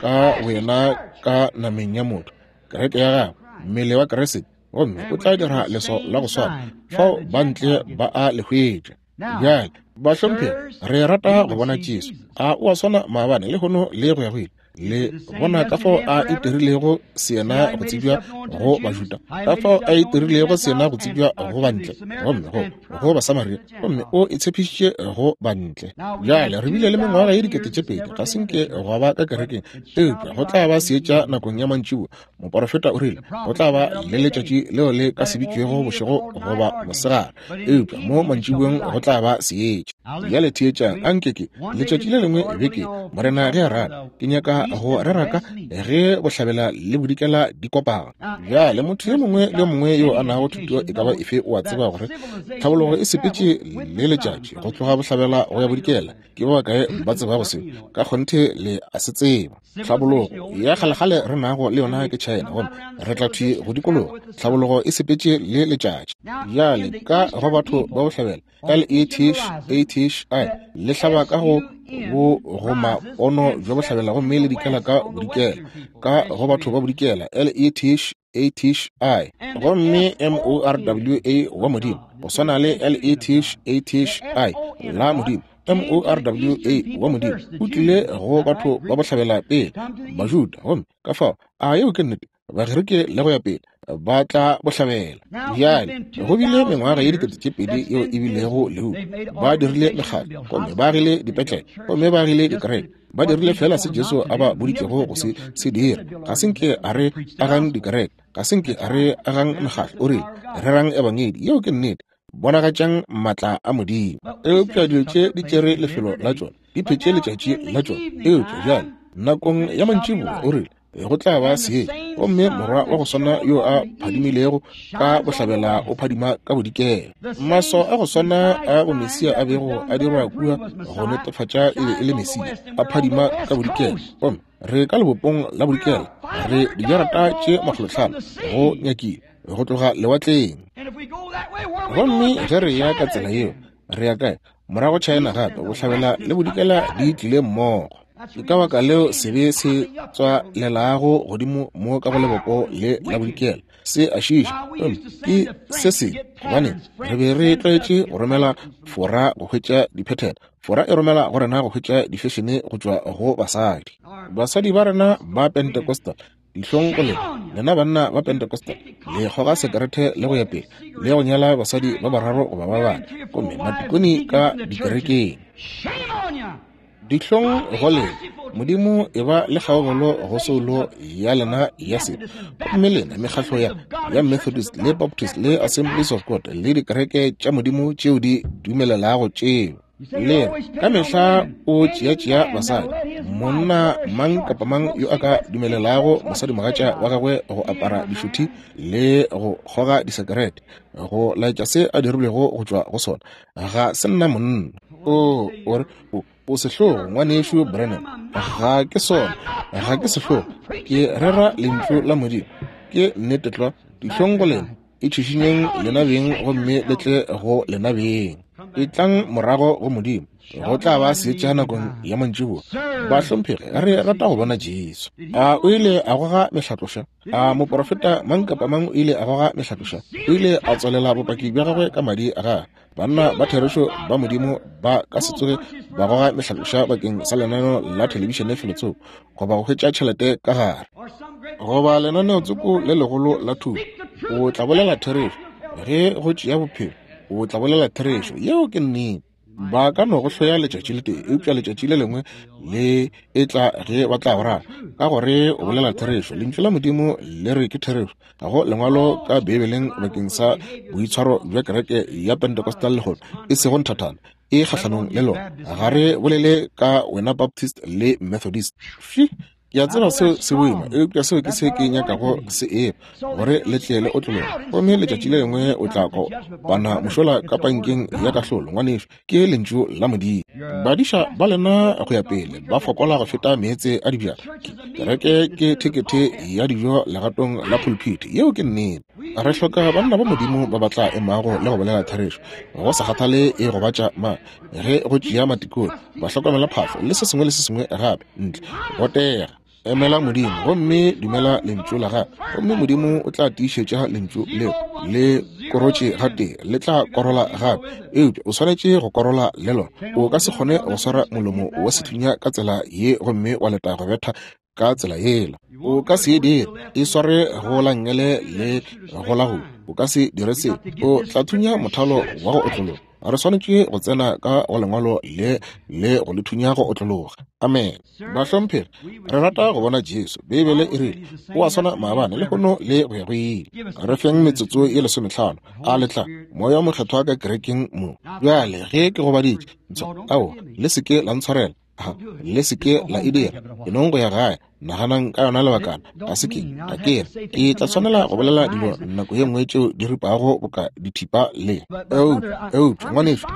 ka wena ka nameng ya motho, kereke ya gagwe, mmele wa Kriste, gomme o tla dira leswao la go swana. Fao ba ntle ba a le hwetša. Bjale bahlomphegi, re rata go bona Jesu. A o a swana maabane, lehono le go ya go ile? Le bona ka fao a itirilego seyena go tsebja go Bajuda, ka fao a itirilego seyena go tsebja go bantle, gomme go go Basamaria, gomme o e tshepišitše go bantle. Bjale re bile le mengwaga ye dikete tše pedi, ga se nke gwa ba ka kerekeng, eupša go tla ba seetša nakong ya mantšiboa. Moporofeta o rile go tla ba le letšatši leo le ka se bitšwego bošego goba mosegare, eupša mo mantšiboeng go tla ba seetša. Bjale theetšang, a nke ke letšatši le lengwe beke, Morena ge a rata, ke nyaka go rera ka ge bohlabela le bodikela di kopana. Bjale motho yo mongwe le mongwe yo a nago thuto e ka ba efe o a tseba gore tlhabologo e sepetše le letšatši go tloga bohlabela go ya bodikela. Ke ba bakae ba tsebago seo? Ka kgonthe le a se tseba. Tlhabologo ya kgalekgale re nago le yona ke China, gomme re tla thwi go dikologa. Tlhabologo e sepetše le letšatši. Bjale ka go batho ba bohlabela, L E T H A T H I le hlaba ka go bo goma pono bja bohlabela, gomme le dikela ka bodikela. Ka go batho ba bodikela, L E T H A T H I, gomme M O R W A wa Modimo, go swana le L E T H A T H I la Modimo, M O R W A wa Modimo, o tlile go batho ba bohlabela pele, Bajuda, gomme ka fao a yeo ke nnete, Bagerike le go ya pele ba tla bohlabela. Bjale go bile mengwaga ye dikete tše pedi yeo e bilego lehu. Ba dirile mekgatlo, gomme ba agile dipetlele, gomme ba agile dikereke. Ba dirile fela se Jesu a ba boditšego go se se dira. Ga se nke a re agang dikereke, ga se nke a re agang mekgatlo. O rile, rerang ebangedi. Yeo ke nnete. Bonagatšang maatla a Modimo. Eupša dilo tše di tšere lefelo la tšona. Di phetše letšatši la tšona. Eupša bjale nakong ya mantšiboa o rile go tla ba seetša, gomme morwa wa go swana yo a phadimilego ka bohlabela o phadima ka bodikela. Maswao a go swana a bomesia a bego a dirwa kua go netefatša e be e le Mesia a phadima ka bodikela. Gomme re ka lebopong la bodikela, re dijarata tše makgolotlhano go nyakile go tloga lewatleng. Gomme ge re ya ka tsela yeo, re ya kae? Morago China gape, bohlabela le bodikela di tlile mmogo. Ke ka baka leo sebe se tswalelago godimo mo ka go lebopo le la bodikela se a šiša. Ke se se gobane re be re tlwaetše go romela Fora go hwetša diphethelo. Fora e romela go rena go hwetša difešene go tšwa go basadi. Basadi ba rena ba Pentecostal, dihlong go lena, lena banna ba Pentecostal, le kgoga sekerete le go ya pele, le go nyala basadi ba bararo goba ba bane, gomme matikoni ka dikerekeng. Dihlong go lena. Modimo e ba le kgaogelo go soulo ya lena ya sebe. Gomme lena mekgahlo ya ya Methodist le Baptist le Assemblies of God le dikereke tša Modimo tšeo di dumelelago tšeo. Le ka mehla o tšea-tšea basadi. Monna mang kapa mang yo a ka dumelelago mosadimogatša wa gagwe go apara dišuthi le go kgoga disekerete, go laetša se a dirilwego go tšwa go sona, ga se nna monna. O o re o o sehlogo, ngwanešu Branham. Ga ke sona, ga ke sehlogo. Ke rera lentšu la Modimo. Ke nnete tlwa. Dihlong go lena. Itšhišinyeng lena beng gomme le tle go lena beng. Etlang morago go Modimo. Go tla ba seetša nakong ya mantšiboa. Bahlomphegi, re rata go bona Jesu. A o ile a goga mehlatloša? A moprofeta mang kapa mang o ile a goga mehlatloša? O ile a tswalela bopaki bja gagwe ka madi a gagwe. Banna ba therešo ba Modimo ba ka se tsoge ba goga mehlatloša bakeng sa lenaneo la thelebišene felotsoko, goba go hwetša tšhelete ka gare, goba lenaneotsoko le legolo la thuto. O tla bolela therešo ge go tšea bophelo. O tla bolela therešo. Yeo ke nnete. Ba ka no go hloya letšatši le tee, eupša letšatši le lengwe le e tla ge ba tla go rata, ka gore o bolela therešo. Lentšu la Modimo le re ke therešo. Ga go lengwalo ka Beibeleng bakeng sa boitshwaro bja kereke ya Pentecostal lehono, e sego nthathana, e kgahlanong le lona. Ga re bolele ka wena Baptist le Methodist. Fi, ke a tseba seo se boima, eupša seo ke se ke nyakago se eba, gore le tle le otlologe. Gomme letšatši le lengwe o tla kopana mošola ka pankeng ya kahlolo, ngwanešu. Ke lentšu la Modimo. Badiša ba lena go ya pele ba fokola go feta meetse a dibjana. Kereke ke thekethe ya dijo legatong la pulpit. Yeo ke nnete. Re hloka banna ba Modimo ba ba tla emago le go bolela therešo, go sa kgathale e gobatša mang, ge go tšea matikone, ba hlokomela phahlo le se sengwe le se sengwe gape ntle. Botega, emela Modimo gomme dumela lentšu la gagwe, gomme Modimo o tla tiišetša lentšu leo. Le korotše gatee, le tla korola gape, eupša o swanetše go korola le lona. O ka se kgone go swara molomo wa sethunya ka tsela ye gomme wa leta go betha ka tsela yela. O ka se e dire, e sware go la nngele le go la go. O ka se dire se, o tla thunya mothalo wa go otlologa. Re swanetše go tsena ka go lengwalo le le go le thunya go otlologa. Amen. Bahlomphegi, re rata go bona Jesu. Beibele e rile o a swana maabane le lehono le go ya go ile. Re feng metsotso ye lesometlhano. A le tla moya o mokgethwa ka kerekeng mo. Bjale ge ke gobaditše, ao le se ke la ntshwarela, le se ke la e dira. E nong go ya gae, naganang ka yona lebakana. Ga se ke ga ke re ke tla tshwanela go bolela dilo nako ye nngwe tšeo di ripago boka dithipa le. Eupša ngwanešu,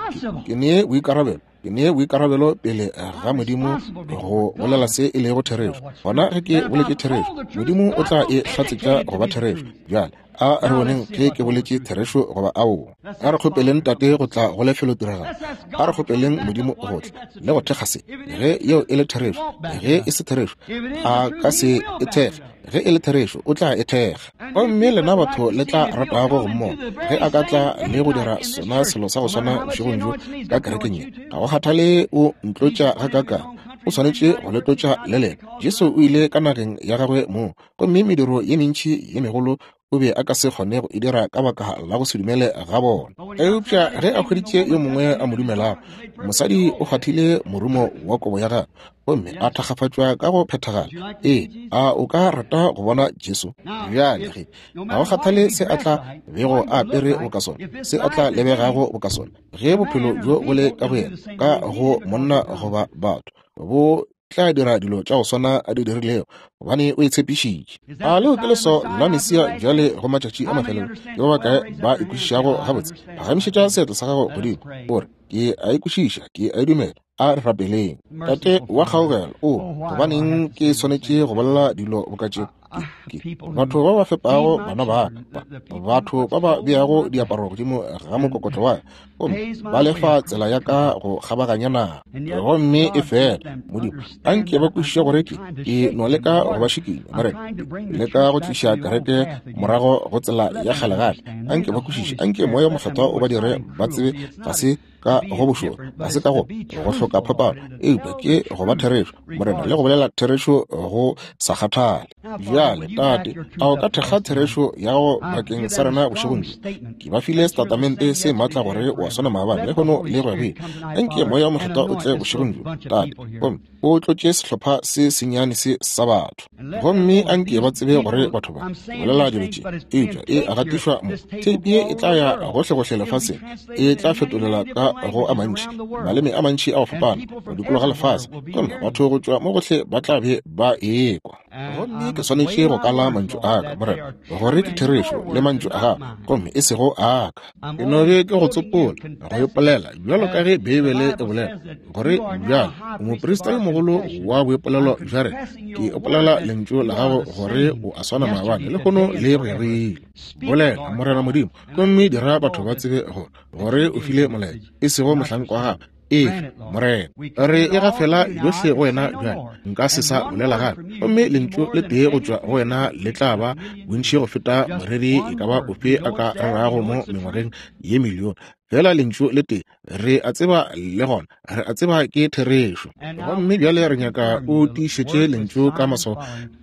ke nee boikarabelo, ke nee boikarabelo pele ga Modimo go bolela se e lego therešo. Gona ge ke boletše therešo, Modimo o tla e hlatsetša go ba therešo. Bjale a re boneng ge ke boletše therešo goba aowa. A re kgopeleng Tate go tla go lefelotiragalo. A re kgopeleng Modimo go tla le go thekga se. Ge yeo e le therešo, ge e se therešo, a ka se e thekge. Ge e le therešo, o tla e thekga. Gomme lena batho le tla ratago go mmona ge a ka tla le go dira sona selo sa go swana bošegong bjo ka kerekeng ye. Ga go kgathale o ntlotša gakaakang, o swanetše go le tlotša le lena. Jesu o ile ka nageng ya gagwe moo, gomme mediro ye mentši ye megolo o O be a ka se kgone go e dira ka baka la go se dumele ga bona. Eupša ge a hweditše yo mongwe a mo dumelago, mosadi o kgwathile morumo wa kobo ya gagwe gomme a thakgafatšwa ka go phethagala. Ee, a o ka rata go bona Jesu? Bjale ge, ga go kgathale se a tla bego a apere boka sona, se a tla lebegago boka sona, ge bophelo bjo bo le ka go yena, ka go monna goba batho, bo tla dira dilo tša go swana a di dirilego, gobane o e tshepišitše. A leo ke leswao la Mesia bjale go matšatši a mafelelo? Ke ba bakae ba e kwešišago gabotse? Phagamišetša seatla sa gago godimo, o re, ke a e kwešiša, ke a e dumela. A re rapeleng. Tate wa kgaogelo, o gobaneng ke swanetše go bolela dilo boka tše? Batho ba ba fepago bana ba ka, batho ba ba beago diaparo godimo ga mokokotlo wa ka, gomme ba lefa tsela ya ka go kgabaganya naga. Gomme e fela, Modimo, anke ba kwešiše gore ke ke no leka go ba šikinya, Morena, leka go tliša kereke morago go tsela ya kgale gape. Anke ba kwešiše, anke Moya o Mokgethwa o ba dire ba tsebe ga se ka go bošoro, ga se ka go go hloka phapano, eupša ke go ba therešo, Morena, le go bolela therešo go sa kgathale. Bjale, Tate, a o ka thekga therešo ya gago bakeng sa rena bošegong bjo? Ke ba file setatamente se maatla gore o a swana maabane, lehono le go ya go ile. Anke Moya o Mokgethwa o tle bošegong bjo, Tate, gomme o tlotše sehlopha se sennyane se sa batho. Gomme anke ba tsebe gore batho ba bolela dilo tše, eupša e gatišwa mo. Theipi ye e tla ya gohlegohle lefaseng, e tla fetolela ka go a mantši, maleme a mantši a go fapana go dikologa lefase, gomme batho go tšwa mo gohle ba tla be ba ekwa. Gomme ke swanetše go kala mantšu a ka, Morena, gore ke therešo le mantšu a gago, gomme e sego a ka. Ke no be ke go tsopola, go ipolela, bjalo ka ge Beibele e bolela, gore bjale o moprista yo mogolo wa boipolelo bja rena. Ke ipolela lentšu la gago gore o a swana maabane, lehono le go ya go ile. Bolela, Morena Modimo, gomme dira batho ba tsebe gore gore o file molaetša, e sego mohlanka wa gago. Ee, Morena, re e gafela yohle go wena bjale, nka se sa bolela gape. Gomme lentšu le tee go tšwa go wena le tla ba bontši go feta moreri e ka ba ofe a ka rerago mo mengwageng ye milione. Fela lentšu le tee, re a tseba le gona, re a tseba ke therešo. Gomme bjale re nyaka o tiišetše lentšu ka maswao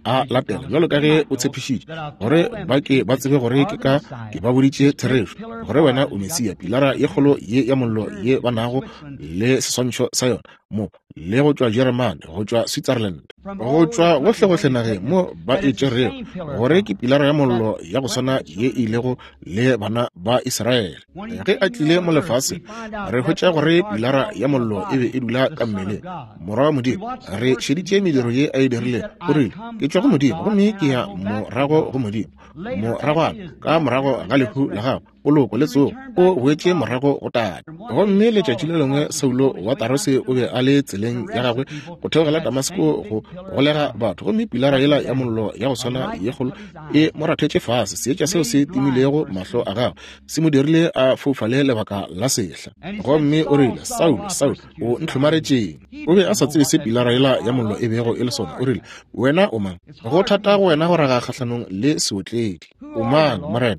a latela, bjalo ka ge o tshepišitše, gore ba ke ba tsebe gore ke ka ke ba boditše therešo, gore wena o Mesia, pilara ye kgolo ye ya mollo ye ba nago le seswantšho sa yona mo, le go tšwa Jeremane, go tšwa Switzerland, go tšwa gohlegohle nageng mo ba e tšerego, gore ke pilara ya mollo ya go swana ye e ilego le bana ba Israele. Ge a tlile mo lefaseng, re hwetša gore pilara ya mollo e be e dula ka mmeleng, Morwa wa Modimo. Re šeditše mediro ye a e dirilego. O rile, ke tšwa go Modimo, gomme ke ya morago go Modimo. Moragwana, ka morago ga lehu la gagwe, poloko le tsogo, o boetše morago go Tate. Gomme letšatši le lengwe Saulo wa Tarose o be a le tseleng ya gagwe go theogela Damasko go golega batho, gomme pilara yela ya mollo ya go swana ye kgolo e mo rathetše fase. Seetša seo se timilego mahlo a gagwe se mo dirile a foufale lebaka la sehla. Gomme o rile, Saulo, Saulo, o ntlhomaretšeng? O be a sa tsebe se pilara yela ya mollo e bego e le sona. O rile, wena o mang? Go thata go wena go raga kgahlanong le seotledi. O mang, Morena?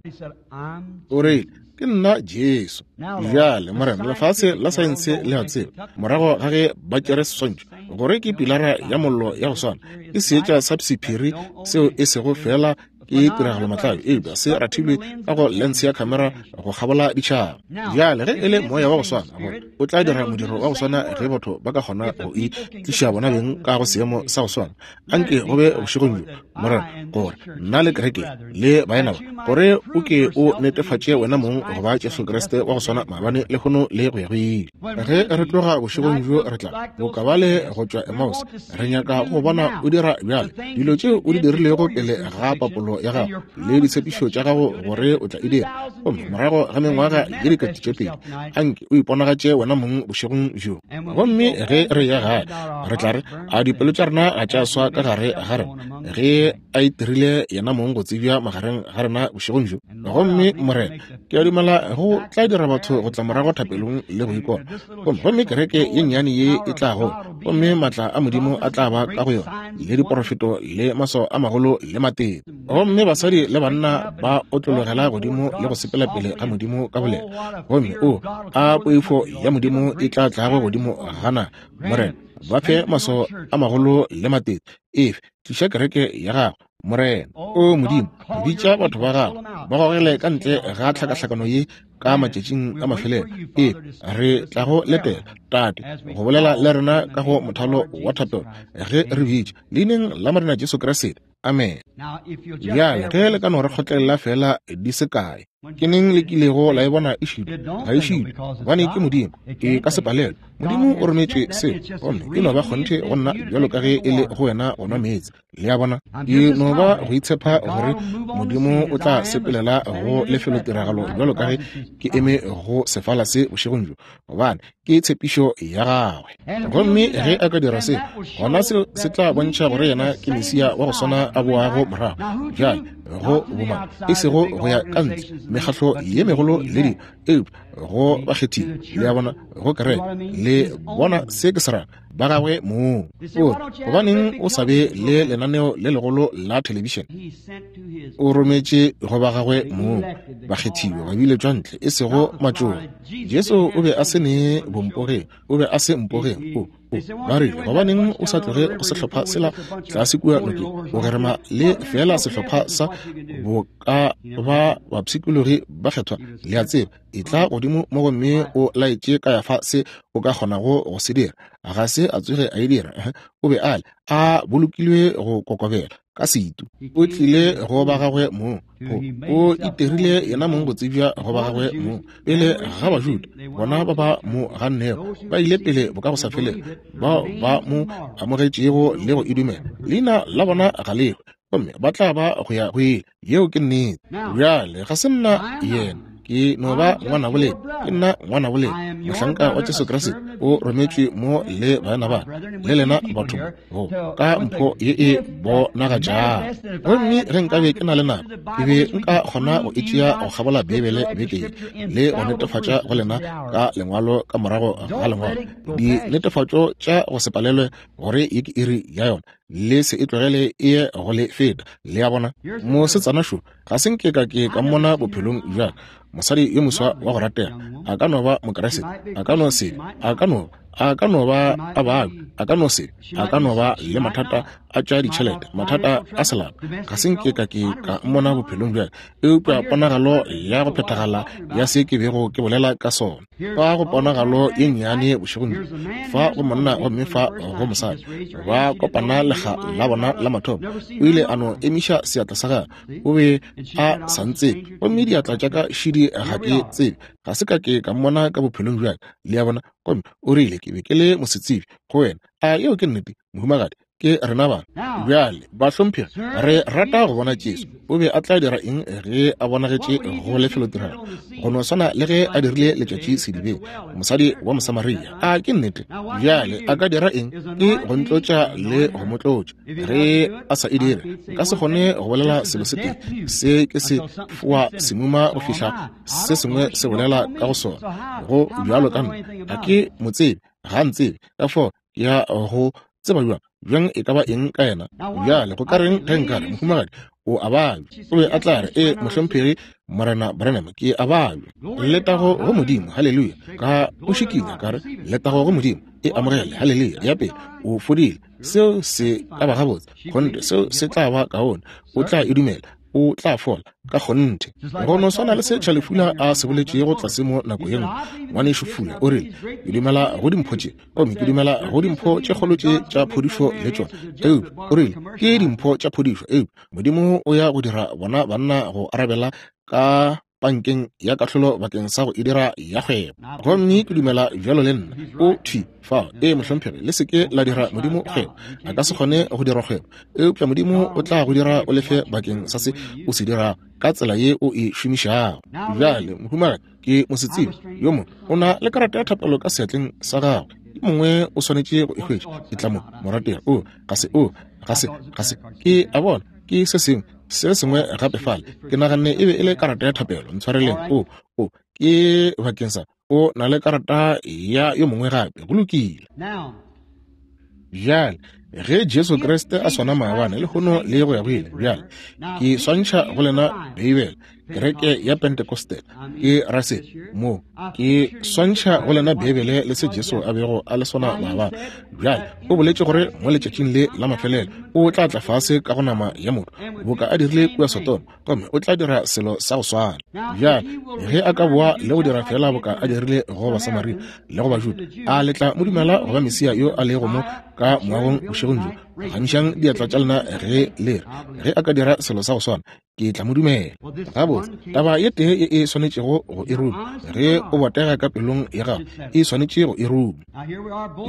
O rile, ke nna Jesu. Bjale, Morena, lefase la saense le a tseba, morago ga ge ba tšere seswantšho, gore ke pilara ya mollo ya go swana, ke seetša sa sephiri seo e sego fela ke tiragalo matlabe, eupša se rathilwe ka go lens ya camera go kgabola ditšhaba. Bjale ge e le moya wa go swana, gore o tla dira modiro wa go swana ge batho ba ka kgona go e tliša bona beng ka go seemo sa go swana. Anke go be bošegong bjo, Morena, gore nna le kereke le baena ba, gore o ke o netefatše wena mong go ba Jesu Kriste wa go swana maabane, lehono le go ya go ile. Ge re tloga bošegong bjo, re tla boka bale go tšwa Emmaus, re nyaka go bona o dira bjale dilo tšeo o di dirilego pele ga papolo ya gago le ditshepišo tša gago gore o tla e dira. Gomme morago ga mengwaga ye dikete tše pedi, anke o iponagatše wena mong bošegong bjo. Gomme ge re ya gae, re tla re, a dipelo tša rena ga tša swa ka gare ga rena ge a itirile yena mong go tsebja magareng ga rena bošegong bjo. Gomme Morena, ke a dumela go tla dira batho go tla morago thapelong le go ikona. Gomme gomme kereke ye nnyane ye e tla gola, gomme maatla a Modimo a tla ba ka go yona, le diporofeto le maswao a magolo le matete. Gomme basadi le banna ba otlologela godimo le go sepela pele ga Modimo ka boleta. Gomme o a poifo ya Modimo e tla tlago godimo gana, Morena, Ba fe maswao a magolo le matete. Efe, tliša kereke ya gago, Morena. O Modimo, bitša batho ba gago, ba gogele ka ntle ga tlhakahlakano ye ka matšatšing a mafelelo. E re tla go letela, Tate, go bolela le rena ka go mothalo wa thapelo ge re bitša leineng la Morena Jesu Kriste. Amen. Bjale ge le ka no re kgotlelela fela di se kae. Ke neng le kilego la e bona e šitwa? Ga e šitwe, gobane ke Modimo, e ka se palelwe. Modimo o rometše seo, gomme e no ba kgonthe go nna bjalo ka ge e le go wena go nwa meetse. Le a bona? E no ba go itshepa gore Modimo o tla sepelela go lefelotiragalo bjalo ka ge ke eme go sefala se bošegong bjo, gobane ke tshepišo ya gagwe. Gomme ge a ka dira se, gona seo se tla bontšha gore yena ke Mesia wa go swana a boago morago bjale go boma, e sego go ya ka ntle mekgatlo ye megolo le dilo, eupša go bakgethiwa. Le a bona, go kereke. Le bona se ke se rago? Ba gagwe mong. O gobaneng o sa be le lenaneo le legolo la thelebišene? O rometše go ba gagwe mong, bakgethiwa, ba biletšwa ntle, e sego matšoba. Jesu o be a se ne bompogeng, o be a se mpogeng. O ba rile, gobaneng o sa tloge go sehlopha sela tlase kua nokeng, o gerema le fela sehlopha sa boka ba bapshikologi ba kgethwa? Le a tseba, e tla godimo mo gomme o laetše ka ya fa se o ka kgonago go se dira. Ga se a tsoge a e dira. O be a le a bolokilwe go kokobela ka setu. O tlile go ba gagwe mong. O itirile yena mong go tsebja go ba gagwe mong pele ga Bajuda. Bona ba ba mo gannego ba ile pele bo ka go sa felego, bao ba mo amogetšego le go e dumela, leina la bona ga le hwe, gomme ba tla ba go ya go ile. Yeo ke nnete. Bjale ga se nna yena, ke no ba ngwana bolena, ke nna ngwana bolena, mohlanka wa Jesu Kriste, o rometšwe mo le baena ba le lena batho go ka mpho ye e bonagatšago. Gomme ge nkabe ke na le nako, ke be nka kgona go e tšea go kgabola Beibele beke ye le go netefatša go lena ka lengwalo ka morago ga lengwalo dinetefatšo tša go se palelwe gore ye ke iri ya yona. Le se e tlogele e ye go le feta. Le a bona? Mosetsana šo ga se nke ka ke ka mmona bophelong bja ka. Mosadi yo moswa wa go ratega, a ka no ba Mokriste, a ka no se, a ka no, a ka no ba a babja, a ka no se, a ka no ba le mathata a tša ditšhelete, mathata a selapa. Ga se nke ka ke ka mmona bophelong bja ka, eupša ponagalo ya go phethagala ya se ke bego ke bolela ka sona. Fa go ponagalo ye nnyane bošegong bjo, fa go monna gomme fa go mosadi, ba kopana lekga la bona la mathomo. O ile a no emiša seatla sa gagwe, o be a sa ntsebe, gomme diatla tša ka šidi ga ke tsebe, ga se ka ke ka mmona ka bophelong bja ka. Le a bona? Gomme o rile ke be ke le mosetsebje go wena. A yeo ke nnete, mohumagadi? Ke rena bana. Bjale bahlomphegi, re rata go bona Jesu. O be a tla dira eng ge a bonagetše go lefelotiragalo? Go no swana le ge a dirile letšatši sedibeng, mosadi wa Mosamaria. A ke nnete? Bjale a ka dira eng? Ke go ntlotša le go mo tlotša. Ge a sa e dire, nka se kgone go bolela selo se tee. Se ke se foa semuma go fihla se sengwe se bolela ka go sona. Go bjalo ka nna, ga ke mo tsebe, ga ntsebe. Ka fao ke ya go tseba bjang bjang e ka ba eng ka yena? Bjale go ka reng ge nkare, mohumagadi, o a babja? O be a tla re, e mohlomphegi Morena Branham, ke a babja. Letago go Modimo, haleluya. Ka o šikinya ka re, letago go Modimo, e amogele, haleluya. Ya pele, o fodile. Seo se ka ba gabotse, kgonthe, seo se tla ba kaone. O tla e dumela, o tla fola ka kgonthe. Go no swana le se Charlie Fuller a se boletšego tlase mo nako ye nngwe. Ngwanešu Fuller o rile, ke dumela go dimpho tše, gomme ke dumela go dimpho tše kgolo tše tša phodišo le tšona. Eupša o rile, ke dimpho tša phodišo, eupša Modimo o ya go dira bona banna go arabela ka pankeng ya kahlolo bakeng sa go e dira ya kgwebo. Gomme ke dumela bjalo le nna. O thwi fao. Ee, mohlomphegi, le se ke la dira Modimo kgwebo. A ka se kgone go dira kgwebo, eupša Modimo o tla go dira o lefe bakeng sa se o se dirago ka tsela ye o e šomišago. Bjale, mohumagadi, ke mosetsebje yo mongwe o na le karata ya thapelo ka seatleng sa gagwe. Yo mongwe o swanetše go e hwetša. E tla mo, morategi. O ga se, o ga se, ga se. Ke a bona ke se sengwe, se sengwe gape fale. Ke naganne e be e le karata ya thapelo. Ntshwareleng. O, o ke bakeng sa, o na le karata ya yo mongwe gape. Go lokile. Bjale ge Jesu Kriste a swana maabane lehono le go ya go ile, bjale ke swantšha go lena Beibele. kereke ya Pentecostal. Ke ra se mo ke swantšha go lena Beibele le se Jesu a bego a le sona maabane. Bjale o boletše gore mo letšatšing le la mafelelo o tla tla fase ka go nama ya motho boka a dirile kua Sodoma, gomme o tla dira selo sa go swana. Bjale ge a ka boa le go dira fela boka a dirile go Basamaria le go Bajuda, a le tla mo dumela go ba Mesia yo a lego mo ka moagong bošegong bjo? Phagamišang diatla tša lena ge le re, ge a ka dira selo sa go swana, ke tla mo dumela. Gabotse, taba ye tee ye e swanetšego go e ruma, ge o botega ka pelong ya gago, e swanetše go e ruma.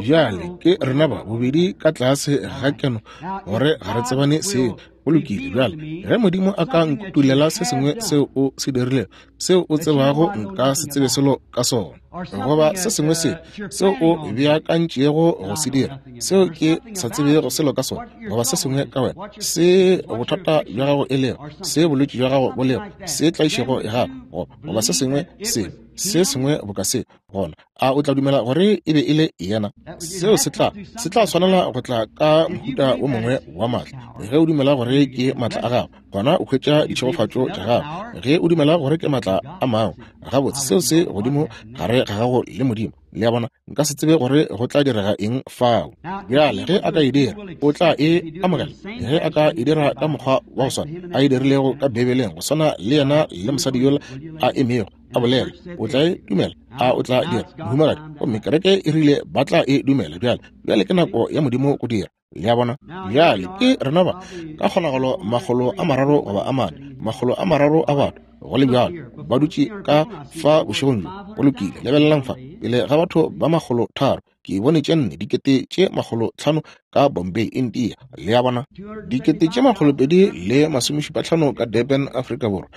Bjale ke rena ba bobedi ka tlase ga keno gore ga re tsebane seo. Go lokile. Bjale ge Modimo a ka nkutulela se sengwe seo o se dirilego, seo o tsebago nka se tsebe selo ka sona, goba se sengwe se seo o beakantšego go se dira, seo ke sa tsebego selo ka sona, goba se sengwe ka wena, se bothata bja gago e lego, se bolwetši bja gago bo lego, se tlaišego ya gago, goba se sengwe se se sengwe boka se, gona a o tla dumela gore e be e le yena? Seo se tla se tla swanela go tla ka mohuta o mongwe wa maatla. Ge o dumela gore ke maatla a gago, gona o hwetša ditšhegofatšo tša gago. Ge o dumela gore ke maatla a mangwe, gabotse seo se godimo gare ga gago le Modimo. Le a bona, nka se tsebe gore go tla direga eng fao. Bjale ge a ka e dira, o tla e amogela. Ge a ka e dira ka mokgwa wa go swana a e dirilego ka Beibeleng, go swana le yena le mosadi yola a emego a bolela, o tla e dumela. A o tla dira, mohumagadi? Gomme kereke e rile ba tla e dumela. Bjale bjale ke nako ya Modimo go dira. Le a bona? Bjale ke rena ba ka kgonagalo makgolo a mararo goba a mane, makgolo a mararo a batho go le bjalo ba dutše ka fa bošegong bjo. Go lokile, lebelelang fa pele ga batho ba makgolo tharo, ke bone tše nne dikete tše makgolo tlhano ka Bombay, India. Le a bona? Dikete tše makgolo pedi le masomešupa tlhano ka Durban, Afrika Borwa.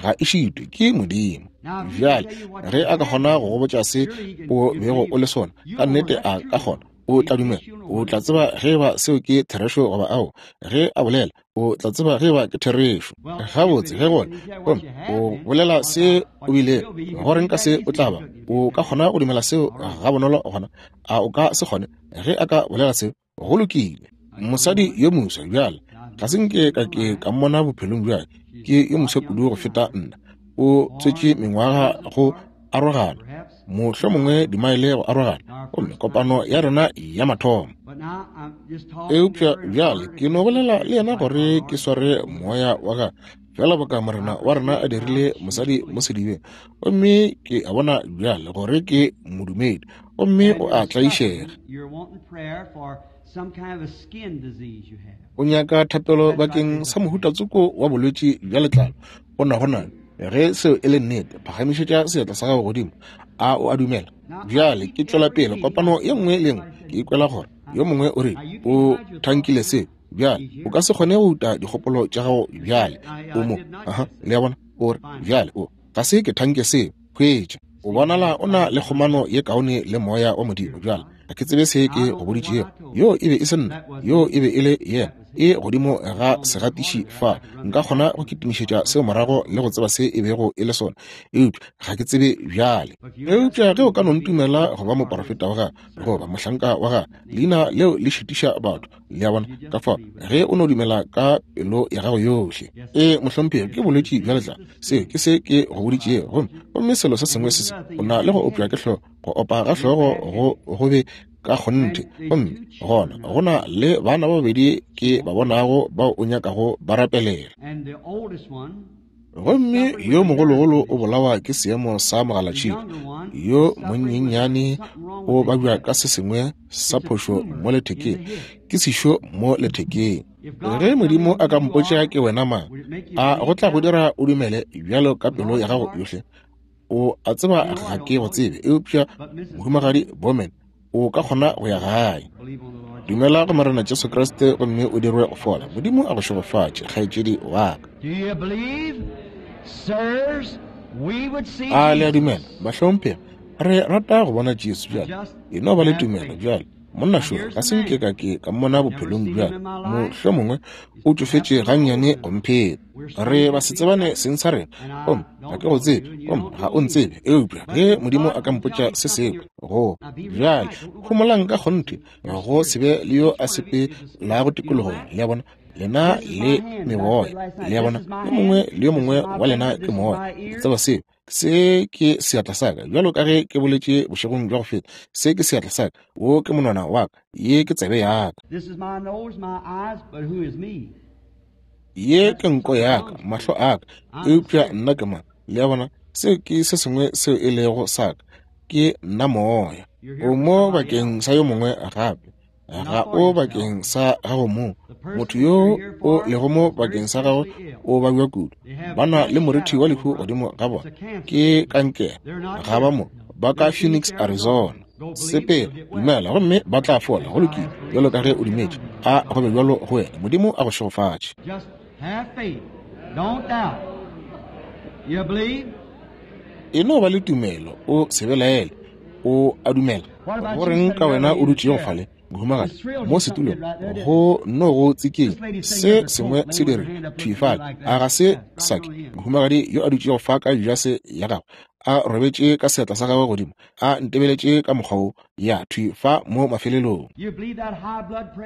Ga e šitwe ke Modimo. Bjale ge a ka kgona go go botša se o bego o le sona, ka nnete a ka kgona, o tla dumela. O tla tseba ge ba seo ke therešo goba ao. Ge a bolela, o tla tseba ge ba ke therešo. Gabotse, ge gona gomme o bolela se o bile gore nka se o tla ba, o ka kgona go dumela seo ga bonolo gona? A o ka se kgone? Ge a ka bolela seo, go lokile. Mosadi yo moswa bjale, ga se nke ka ke ka mmona bophelong bjale, ke yo moswa kudu go feta nna. O tswetše mengwaga go arogana, mohlomongwe dimaele go arogana, gomme kopano ya rena ya mathomo. Eupša bjale ke no bolela le yena gore ke sware moya wa gagwe, fela boka Morena wa rena a dirile mosadi mo sedibeng. Gomme ke a bona bjale gore ke modumedi, gomme o a tlaišega. O nyaka thapelo bakeng sa mohuta tsoko wa bolwetši bja letlalo. O na gona. Ge seo e le nnete, phagamišetša seatla sa gago godimo. A o a dumela? Bjale ke tšwela pele kopano ye nngwe le nngwe, ke ikwela gore yo mongwe o re o thankile se. Bjale o ka se kgone go uta dikgopolo tša gago bjale. O mo, aha, le a bona, o re bjale o ga se ke thanke seo. Hwetša, o bonala o na le kgomano ye kaone le moya wa Modimo. Bjale ga ke tsebe se ke go boditšego. Yo e be e se nna, yo e be e le yena. E godimo ga segatiši fa, nka kgona go kitimišetša seo morago le go tseba se e bego e le sona, eupša ga ke tsebe bjale. Eupša ge o ka no ntumela go ba moporofeta wa gagwe goba mohlanka wa gagwe, leina leo le šitiša batho. Le a bona? Ka fao ge o no dumela ka pelo ya gago yohle. E mohlomphegi, ke bolwetši bja letlalo, seo ke se ke go boditšego. Gomme gomme selo se sengwe se se, o na le go opša ke hlogo, go opa ga hlogo go go be ka kgonthe. Gomme gona go na le bana ba babedi ke ba bonago bao o nyakago ba rapelela. Gomme yo mogologolo o bolawa ke seemo sa mogalatšhika, yo monyenyane o babja ka se sengwe sa phošo mo lethekeng, ke sešo mo lethekeng. Ge Modimo a ka mpotša ke wena mang, a go tla go dira o dumele bjalo ka pelo ya gago yohle? O a tseba ga ke go tsebe, eupša mohumagadi Bowman, o ka kgona go ya gae. Dumela go Morena Jesu Kriste gomme o dirwe go fola. Modimo a go šegofatše, kgaetšedi wa ka. A le a dumela, bahlomphegi? Re rata go bona Jesu bjale. E no ba le tumelo bjale. Monna šo ga se nke ka ke ka mmona bophelong bjale, mohlomongwe o tšofetše gannyane go mpheta. Re ba se tsebane seng sa rena, gomme ga ke go tsebe, gomme ga o ntsebe. Eupša ge Modimo a ka mpotša se sengwe go bjale, homolang ka kgonthe, go se be le yo a sepelago tikologong. Le a bona? Lena le meboya. Le a bona, yo mongwe le yo mongwe wa lena ke moya. Le tseba seo. Se ke seatla sa ka, bjalo ka ge ke boletše bošegong bja go feta. Se ke seatla sa ka, wo ke monwana wa ka, ye ke tsebe ya ka. Ye ke nko ya ka, mahlo a ka, eupša nna ke mang? Le a bona, seo ke se sengwe seo e lego sa ka, ke nna moya. O mo bakeng sa yo mongwe gape, ga o bakeng sa gago mong. Motho yo o lego mo bakeng sa gago o babja kudu. Ba na le morithi wa lehu godimo ga bona, ke kankere. Ga ba mo, ba ka Phoenix, Arizona. Sepela, dumela, gomme ba tla fola. Go lokile, bjalo ka ge o dumetše, a go be bjalo go wena. Modimo a go šegofatše. E no ba le tumelo, o se belaele. O a dumela. Go reng ka wena o dutšego fale, mohumagadi, mo setulong, go no go tsikeng se sengwe se dire thwi fale? A ga se sake mohumagadi yo a dutšego fa ka jase ya gagwe, a robetše ka seatla sa gagwe godimo, a ntebeletše ka mokgwa wo, ya thwi fa mo mafelelong?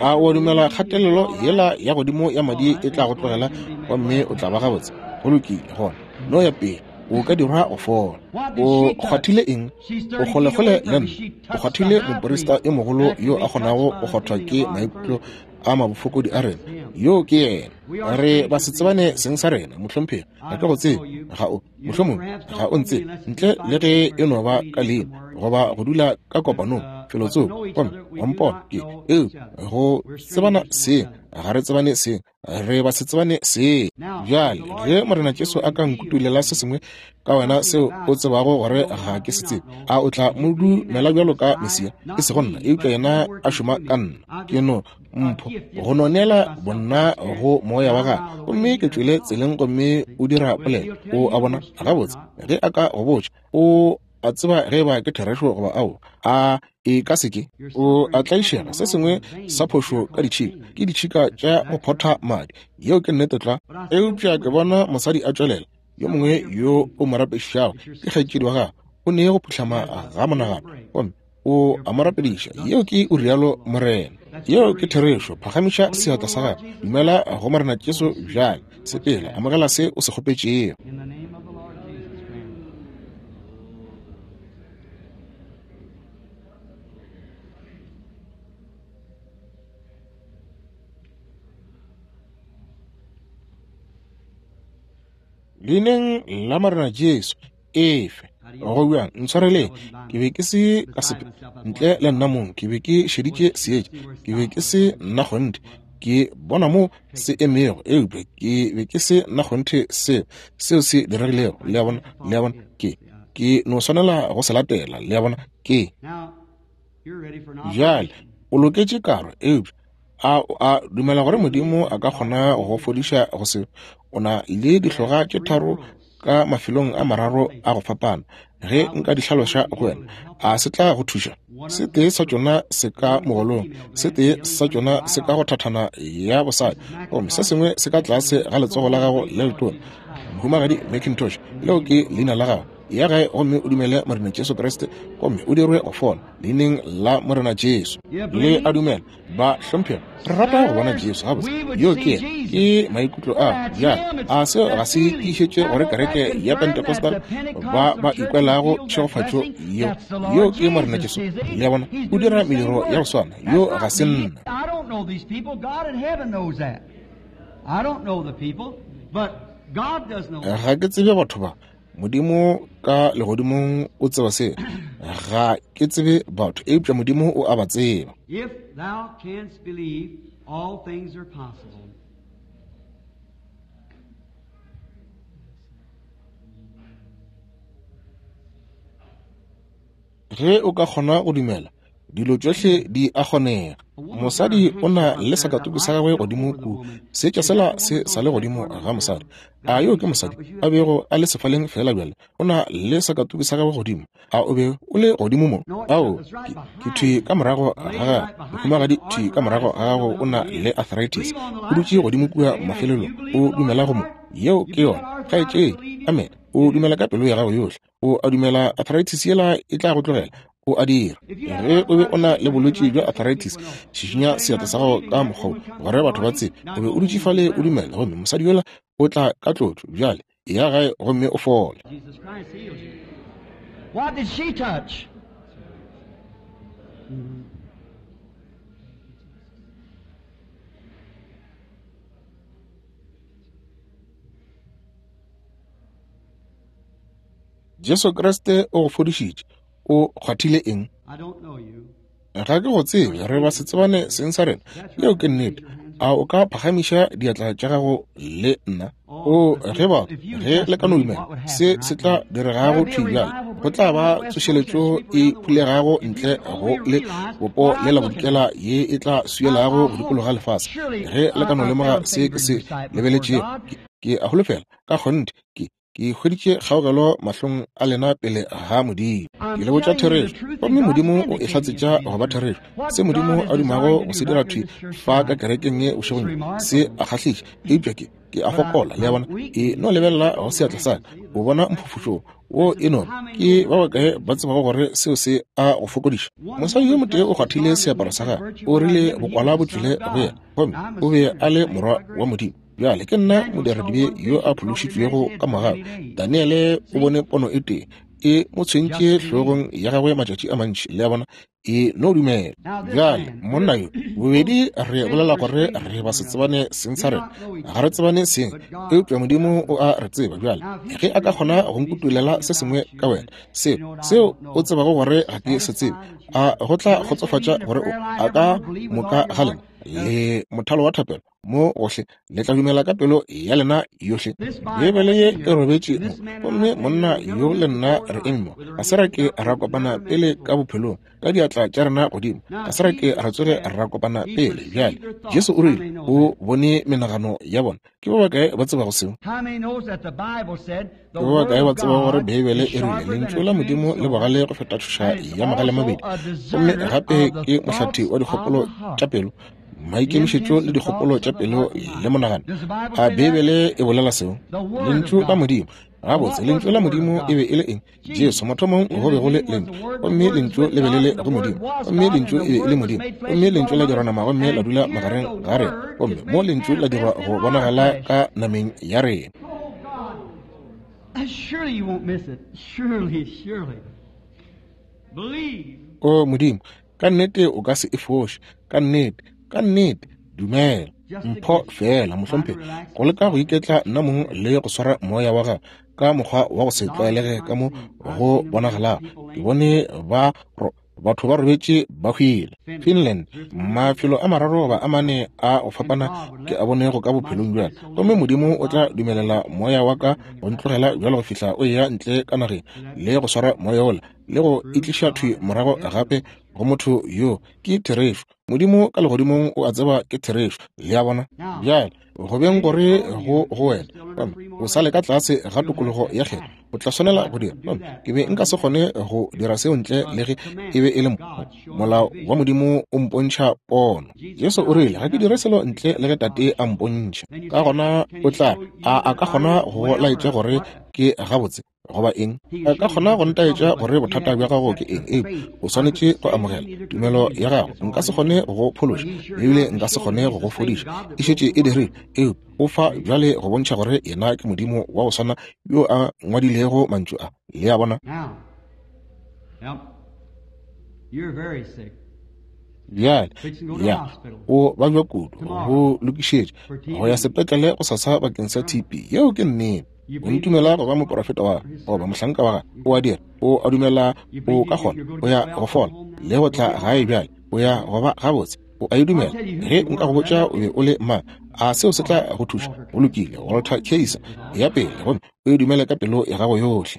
A o dumela kgatelelo yela ya godimo ya madi e tla go tlogela gomme o tla ba gabotse? Go lokile, gona no ya pele, o ka dirwa go fola. O kgwathile eng? O kgolekgole le nna. O kgwathile moporista yo mogolo yo a kgonago go kgwathwa ke maikutlo a mabofokodi a rena. Yo ke yena. Re ba se tsebane seng sa rena, mohlomphegi. Ga ke go tsebe, ga o, mohlomongwe ga o ntsebe, ntle le ge e no ba ka leina goba go dula ka kopanong felotsoko, gomme wa mpona ke eo go tsebana seng, ga re tsebane seng, re ba se tsebane seng. Bjale ge Morena Jesu a ka nkutulela se sengwe ka wena seo o tsebago gore ga ke se tsebe, a o tla mo dumela bjalo ka Mesia? E sego nna, eupša yena a šoma ka nna. Ke no mpho go no neela bonna go moya wa gagwe, gomme ke tšwele tseleng gomme o dira polelo. O a bona gabotse ge a ka go botša, o a tseba ge ba ke therešo goba ao a e ka se ke. O a tlaišega se sengwe sa phošo ka ditšhika, ke ditšhika tša go photha madi. Yeo ke nnete tla. Eupša ke bona mosadi a tšwelela, yo mongwe yo o mo rapedišago ke kgaetšedi wa gagwe, o ne go phuhlama ga monagano gomme o a mo rapediša. Yeo ke o rialo Morena. Yeo ke therešo. Phagamiša seatla sa gago, dumela go Morena Jesu bjale. Sepela, amogela se o se kgopetšego. Leineng la Morena Jesu, efe go bjang, ntshwareleng, ke be ke se ka sepe ntle le nna mong. Ke be ke šeditše seetša, ke be ke se nna kgonthe. Ke bona mo se emego, eupša ke be ke se nna kgonthe seo seo se diregilego. Le a bona, le a bona, ke ke no swanela go se latela. Le a bona, ke bjale o loketše karo, eupša a a dumela gore Modimo a ka kgona go fodiša go se. O na le dihloga tše tharo ka mafelong a mararo a go fapana. Ge nka di hlaloša go wena, a se tla go thuša? Se tee sa tšona se ka mogolong, se tee sa tšona se ka go thathana ya bosadi, gomme se sengwe se ka tlase ga letsogo la gago le letona. Mohumagadi McIntosh, leo ke leina la gago. Ya gae gomme o dumele Morena Jesu Kriste, gomme o dirwe go fola leineng la Morena Jesu. Le a dumela, ba hlomphega. Re rata go bona Jesu gabotse. Yo ke yena, ke maikutlo a bjale. A seo ga se tiišetše gore kereke ya Pentecostal ba ba ikwelago tšhegofatšo yeo? Yo ke Morena Jesu. Le a bona, o dira mediro ya go swana. Yo ga se nna. Ga ke tsebe batho ba. Modimo ka legodimong o tseba se. Ga ke tsebe batho, eupša Modimo o a ba tseba. If thou canst believe, all things are possible. Ge o ka kgona go dumela, dilo tšohle di a kgonega. Mosadi o na le sakatuku sa gagwe godimo ku, seetša sela se sa le godimo ga mosadi. A yo ke mosadi a bego a le sefaleng fela bjale, o na le sakatuku sa gagwe godimo. A o be o le godimo mo? Ao, ke, ke thwi ka morago ga gagwe. Mohumagadi thwi ka morago ga gago o na le arthritis. O dutše godimo kua mafelelong, o dumela go mo. Yeo ke yona, kgaetšedi. Amen. O dumela ka pelo ya gago yohle. O a dumela arthritis yela e tla go tlogela. O a dira. Ge o be o na le bolwetši bja arthritis, šišinya seatla sa gago ka mokgwa gore batho ba tsebe. O be o dutše fale o dumela, gomme mosadi yola o tla ka tlotšo. Bjale ya gae gomme o fole. What did she touch? Jesu Kriste o go fodišitše. O kgwathile eng? Ga ke go tsebe, re ba se tsebane seng sa rena. Yeo ke nnete. A o ka phagamiša diatla tša gago le nna? O ge ba ge le ka no dumela, se se tla diregago thwi bjale. Go tla ba tsošeletšo e phulegago ntle go le bopo le la bodikela ye e tla swielago go dikologa lefase. Ge le ka no lemoga se ke se lebeletšego, ke a holofela ka kgonthe ke ke hweditše kgaogelo mahlong a lena pele ga Modimo. Ke le botša therešo, gomme Modimo o e hlatsetša go ba therešo. Se Modimo a dumago go se dira thwi fa ka kerekeng ye bošegong se a kgahliša, eupša ke ke a fokola. Le a bona? E no lebelela go seatla sa ka, o bona mphufutšo wo e no ke ba bakae ba tsebago gore seo se a go fokodiša. Mosadi yo motee o kgwathile seaparo sa gagwe, o rile bokwala bo tšwele go yena, gomme o be a le morwa wa Modimo. Bjale ke nna modiradibe yo a phološitšwego ka mogau. Daniele o bone pono e tee e mo tshwentše hlogong ya gagwe matšatši a mantši. Le a bona? E no dumela. Bjale monna yo bobedi re bolela gore re ba se tsebane seng sa rena, ga re tsebane seng, eupša Modimo o a re tseba. Bjale ge a ka kgona go nkutulela se sengwe ka wena, seo seo o tsebago gore ga ke se tsebe, a go tla kgotsofatša gore o a ka moka ga lena le mothalo wa thapelo mo gohle le tla dumela ka pelo ya lena yohle. Beibele ye e robetše mo, gomme monna yo le nna re eme mo. Ga se ra ke ra kopana pele ka bophelong, ka diatla tša rena godimo. Ga se ra ke ra tsoge ra kopana pele. Bjale Jesu o rile o bone menagano ya bona. Ke ba bakae ba tsebago seo? Ke ba bakae ba tsebago gore Beibele e rile lentšu la Modimo le bogale go feta tšhoša ya magale mabedi, gomme gape ke mohlathi wa dikgopolo tša pelo, maikemišetšo le dikgopolo tša pelo le monagano? A Beibele e bolela seo? Lentšu la Modimo. Gabotse, lentšu la Modimo e be e le eng? Jesu. Mathomong go be go le lentšu, gomme lentšu le be le le go Modimo, gomme lentšu e be e le Modimo, gomme lentšu la dirwa nama gomme la dula magareng ga rena, gomme mo lentšu la dirwa go bonagala ka nameng ya rena. O Modimo, ka nnete o ka se e foše. Ka nnete, ka nnete, dumela. Mpho fela, mohlomphegi, go leka go iketla nna mong le go swara moya wa gago ka mokgwa wa go se tlwaelege ka mo go bonagalago. Ke bone ba batho ba robetše ba hwile. Finland, mafelo a mararo goba a mane a go fapana ke a bonego ka bophelong bjale, gomme Modimo o tla dumelela moya wa ka go ntlogela bjalo go fihla o eya ntle ka nageng le go swara moya ola le go itliša thwi morago gape go motho yo. Ke therešo. Modimo ka legodimong o a tseba ke therešo. Le a bona? Bjale go beng gore go go wena o sa le ka tlase ga tokologo ya kgetho, o tla swanela go dira. Ke be nka se kgone go dira seo ntle le ge e be e le molao wa Modimo o mpontšha pono. Jesu o rile ga ke dire selo ntle le ge Tate a mpontšha. Ka gona o tla a a ka kgona go laetša gore ke gabotse goba eng, a ka kgona go ntaetša gore bothata bja gago ke eng, eupša o swanetše go amogela tumelo ya gago. Nka se kgone go phološa, ebile nka se kgone go go fodiša, e šetše e dirile, eupša o fa bjale go bontšha gore yena ke Modimo wa go swana yo a ngwadilego mantšu a. Le a bona? Bjale ya o babja kudu go lokišetša go ya sepetlele go sasa bakeng sa T B. Yeo ke nnete. O ntumela go ba moprofeta wa goba mohlanka wa gagwe? O a dira. O a dumela o ka kgona o ya go fola le go tla gae bjale, o ya go ba gabotse. O a e dumela? Ge nka go botša o be o le mang, a seo se tla go thuša? Go lokile, Walter Kaiser, ya pele, gomme o e dumele ka pelo ya gago yohle.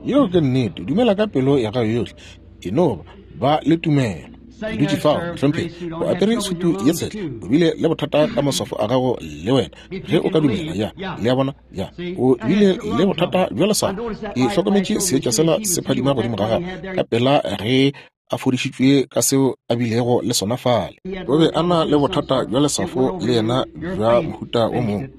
Yeo ke nnete. Dumela ka pelo ya gago yohle. E no ba le tumelo. Dutše fao, mohlomphegi, o apere sutu ye tshehla, o bile le bothata ka maswafo a gago le wena. Ge o ka dumela, ya, le a bona, ya, o bile le bothata bja leswao. Ke hlokometše seetša sela se phadima godimo ga gago ka pela ge a fodišitšwe ka seo a bilego le sona fale. O be a na le bothata bja leswafo le yena bja mohuta o mongwe,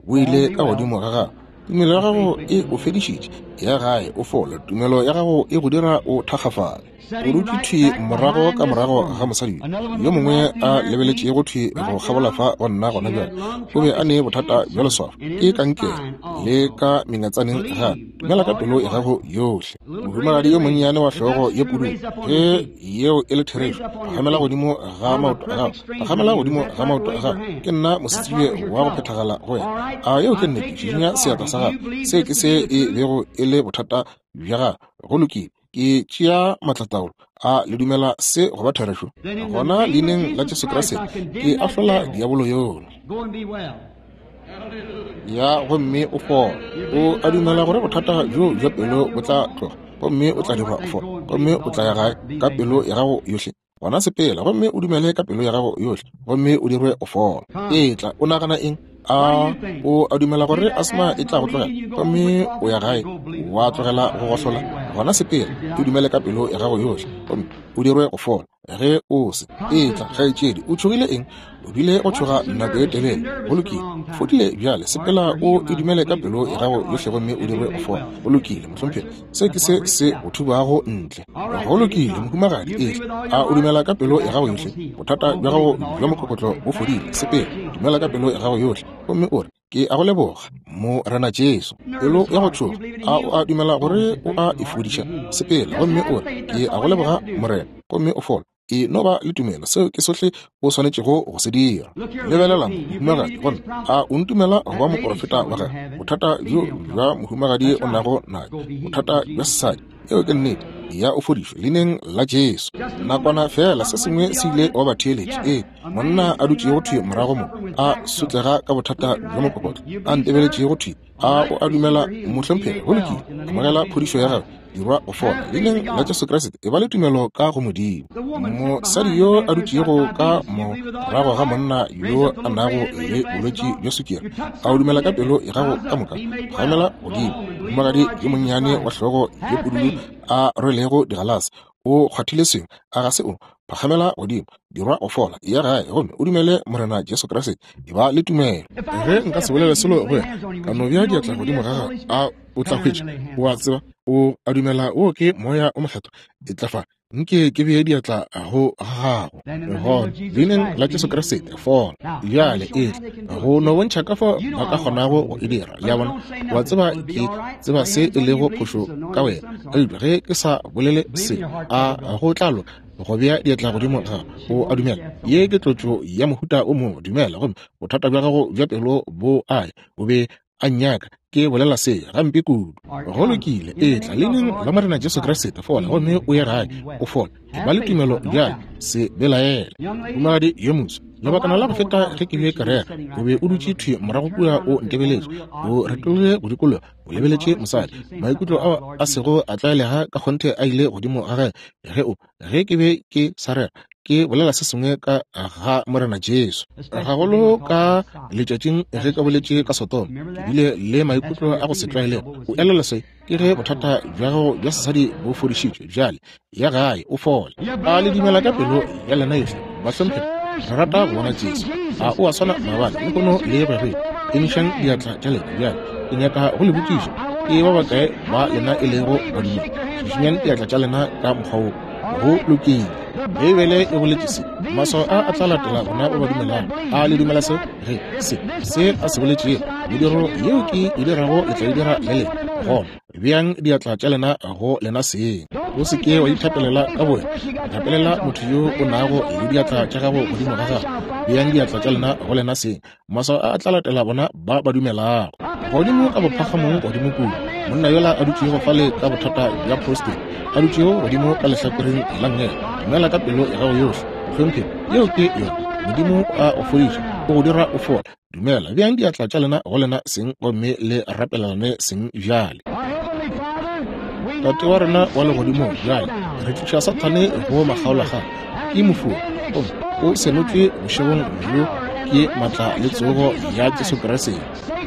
bo ile ka godimo ga gagwe. Tumelo ya gago e o fedišitše, ya gae o fole. Tumelo ya gago e go dira o thakgafale. O dutše thwi morago ka morago ga mosadi yo mongwe a lebeletšego thwi go kgabola fa go nna gona bjale. O be a ne bothata bja leswafo, ke kankere le ka mengatsaneng gape. Dumela ka pelo ya gago yohle. Mohumagadi yo monnyane wa hlogo ye pududu, ge yeo e le therešo, phagamela godimo ga maoto a gago, phagamela godimo ga maoto a gago. Ke nna mosetsebje wa go phethagala go wena. A yeo ke nnete? Šišinya seatla sa gago. Se ke se e bego e le bothata bja gago. Go lokile. Ke tšea matlataolo. A le dumela se go ba therešo? Gona leineng la Jesu Kriste ke ahlola diabolo yola. Ya gomme o fola. O a dumela gore bothata bjo bja pelo bo tla tloga, gomme o tla dirwa o fola, gomme o tla ya gae ka pelo ya gago yohle. Gona sepela gomme o dumele ka pelo ya gago yohle, gomme o dirwe o fola. Etla, o nagana eng? A o a dumela gore asma e tla go tlogela, gomme o ya gae wa tlogela go gohlola? Gona sepela, o dumele ka pelo ya gago yohle, gomme o dirwe go fola. Ge o se etla, kgaetšedi, o tšhogile eng? O bile go tšhoga nako e telele. Go lokile, fodile bjale. Sepela o e dumele ka pelo ya gago yohle, gomme o dirwe go fola. Go lokile, mohlomphegi, se ke se se go thubago ntle. Go lokile, mohumagadi, etla. A o dumela ka pelo ya gago yohle? Bothata bja gago bja mokokotlo bo fodile. Sepela, dumela ka pelo ya gago yohle, gomme o re, ke a go leboga, Morena Jesu. Pelo ya go tšhoga, a o a dumela gore o a e fodiša? Sepela gomme o re, ke a go leboga, Morena, gomme o fola. E no ba le tumelo, seo ke sohle o swanetšego go se dira. Lebelela mohumagadi, gomme a o ntumela go ba moprofeta wa gagwe? Bothata bjo bja mohumagadi o nago nayo, bothata bja sesadi, eo ke nnete, ya o fodišwe leineng la Jesu. Nakwana fela se sengwe se ile wa ba theeletše. Ee, monna a dutšego thwi morago mo, a sotlega ka bothata bja mokokotlo, a ntebeletšego thwi. A o a dumela, mohlomphegi? Go lokile, amogela phodišo ya gagwe, dirwa go fola leineng la Jesu Kriste. E ba le tumelo ka go Modimo. Mosadi yo a dutšego ka morago ga monna yo a nago le bolwetši bja sukiri, a o dumela ka pelo ya gago ka moka? Phagamela godimo. Mohumagadi yo monnyane wa hlogo ye pududu a rwelego digalase, o kgwathile sengwe, a ga se o? Phagamela godimo, dirwa go fola, ya gae gomme o dumele Morena Jesu Kriste. E ba le tumelo. Ge nka se bolele selo go wena, ka no bea diatla godimo ga gago, a o tla hwetša? O a tseba, o a dumela o ke moya o mokgethwa? E tla fa, nke ke bee diatla go gago. Gona leineng la Jesu Kriste, fola bjale. Etla go no bontšha ka fao ba ka kgonago go e dira. Le a bona? Wa tseba ke tseba se e lego phošo ka wena, eupša ge ke sa bolele se, a go tla loka go bea diatla godimo ga gago? O a dumela ye ke tlotšo ya mohuta o mongwe? Dumela gomme bothata bja gago bja pelo bo aye. O be a nnyaka ke bolela se gampe kudu. Go lokile, etla leineng la Morena Jesu Kriste, fola gomme o ye gae o fola. E ba le tumelo bjale, se belaele. Mohumagadi yo moso, lebakana la go feta ge ke be ke rera, o be o dutše thwi morago kua o ntebeletše, o retologile go dikologa, o lebeletše mosadi. Maikutlo ao a sego a tlwaelega ka kgonthe a ile godimo ga gagwe ge o ge ke be ke sa rera, ke bolela se sengwe ka ga Morena Jesu. Gagolo ka letšatšing ge ka boletše ka Sodoma, ke bile le maikutlo a go se tlwaelege. O elelwa se? Ke ge bothata bja gago bja sesadi bo fodišitšwe bjale, ya gae o fole. A le dumela ka pelo ya lena yohle? Bahlomphegi, re rata go bona Jesu. A o a swana maabane, lehono le go ya go ile? Emišang diatla tša lena bjale. Ke nyaka go le botšiša, ke ba bakae ba lena e lego badumedi? Šišinyang diatla tša lena ka mokgwa wo. Go lokile. Beibele e boletše se, maswao a a tla latela bona ba ba dumelago. A le dumela se? Ge se se a se boletšego, mediro yeo ke e dirago le tla e dira le lena. Gona beang diatla tša lena go lena seng. O se ke wa ithapelela ka bowena, rapelela motho yo o nago le diatla tša gago godimo ga gago. Beang diatla tša lena go lena seng. Maswao a a tla latela bona ba ba dumelago. Godimo ka bophagamong godimo kudu, monna yola a dutšego fale ka bothata bja prostate, a dutšego godimo ka lehlakoreng la nngele, dumela ka pelo ya gago yohle, mohlomphegi. Yeo ke yona. Modimo a o fodiša, o go dira o fola. Dumela. Beang diatla tša lena go lena seng gomme le rapelelane seng bjale. Tate wa rena wa legodimong, bjale re tliša Sathane go makgaolakgang. Ke mofuo, gomme o senotšwe bošegong bjo ke matla le tsogo ya Jesu Kriste.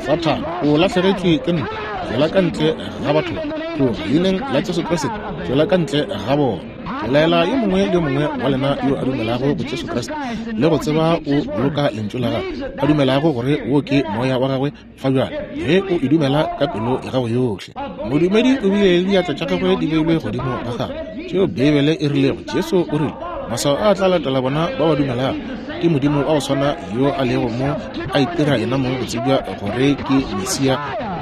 Sathane, o lahlegetšwe ke ntwa. Tšwela ka ntle ga batho ba. Tloga leineng la Jesu Kriste, tšwela ka ntle ga bona. Ke laela yo mongwe le yo mongwe wa lena yo a dumelago go Jesu Kriste le go tseba o boloka lentšu la gagwe, a dumelago gore wo ke moya wa gagwe fa bjale, ge o e dumela ka pelo ya gago yohle. Modumedi o bile le diatla tša gagwe di beilwe godimo ga gagwe, tšeo Beibele e rilego Jesu o rile maswao a tla latela bona ba ba dumelago. Ke Modimo wa go swana yo a lego mo a itira yena mong go tsebja gore ke Mesia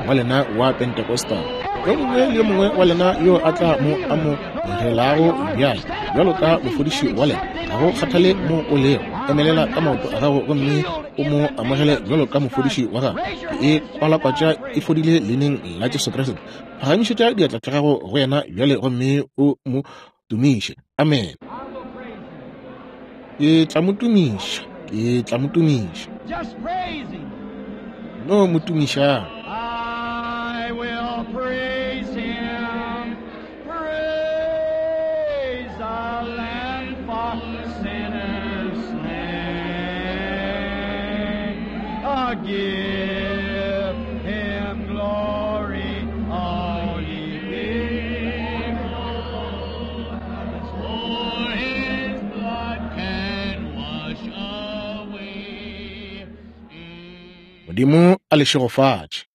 wa lena wa Pentecostal. Yo mongwe le yo mongwe wa lena yo a tla mo amogelago bjale bjalo ka mofodiši wa lena, ga go kgathale mo o lego, emelela ka maoto a gago gomme o mo amogele bjalo ka mofodiši wa gago. Ke e kwalakwatša e fodile leineng la Jesu Kriste. Phagamišetša diatla tša gago go yena bjale gomme o mo tumiše. Amen. Ke tla mo tumiša, ke tla mo tumiša. No mo tumišang. I will praise him. Praise the Lamb for sinners slain. Oh, give him glory, all ye people. For his blood can wash away. Modimo a le šegofatše.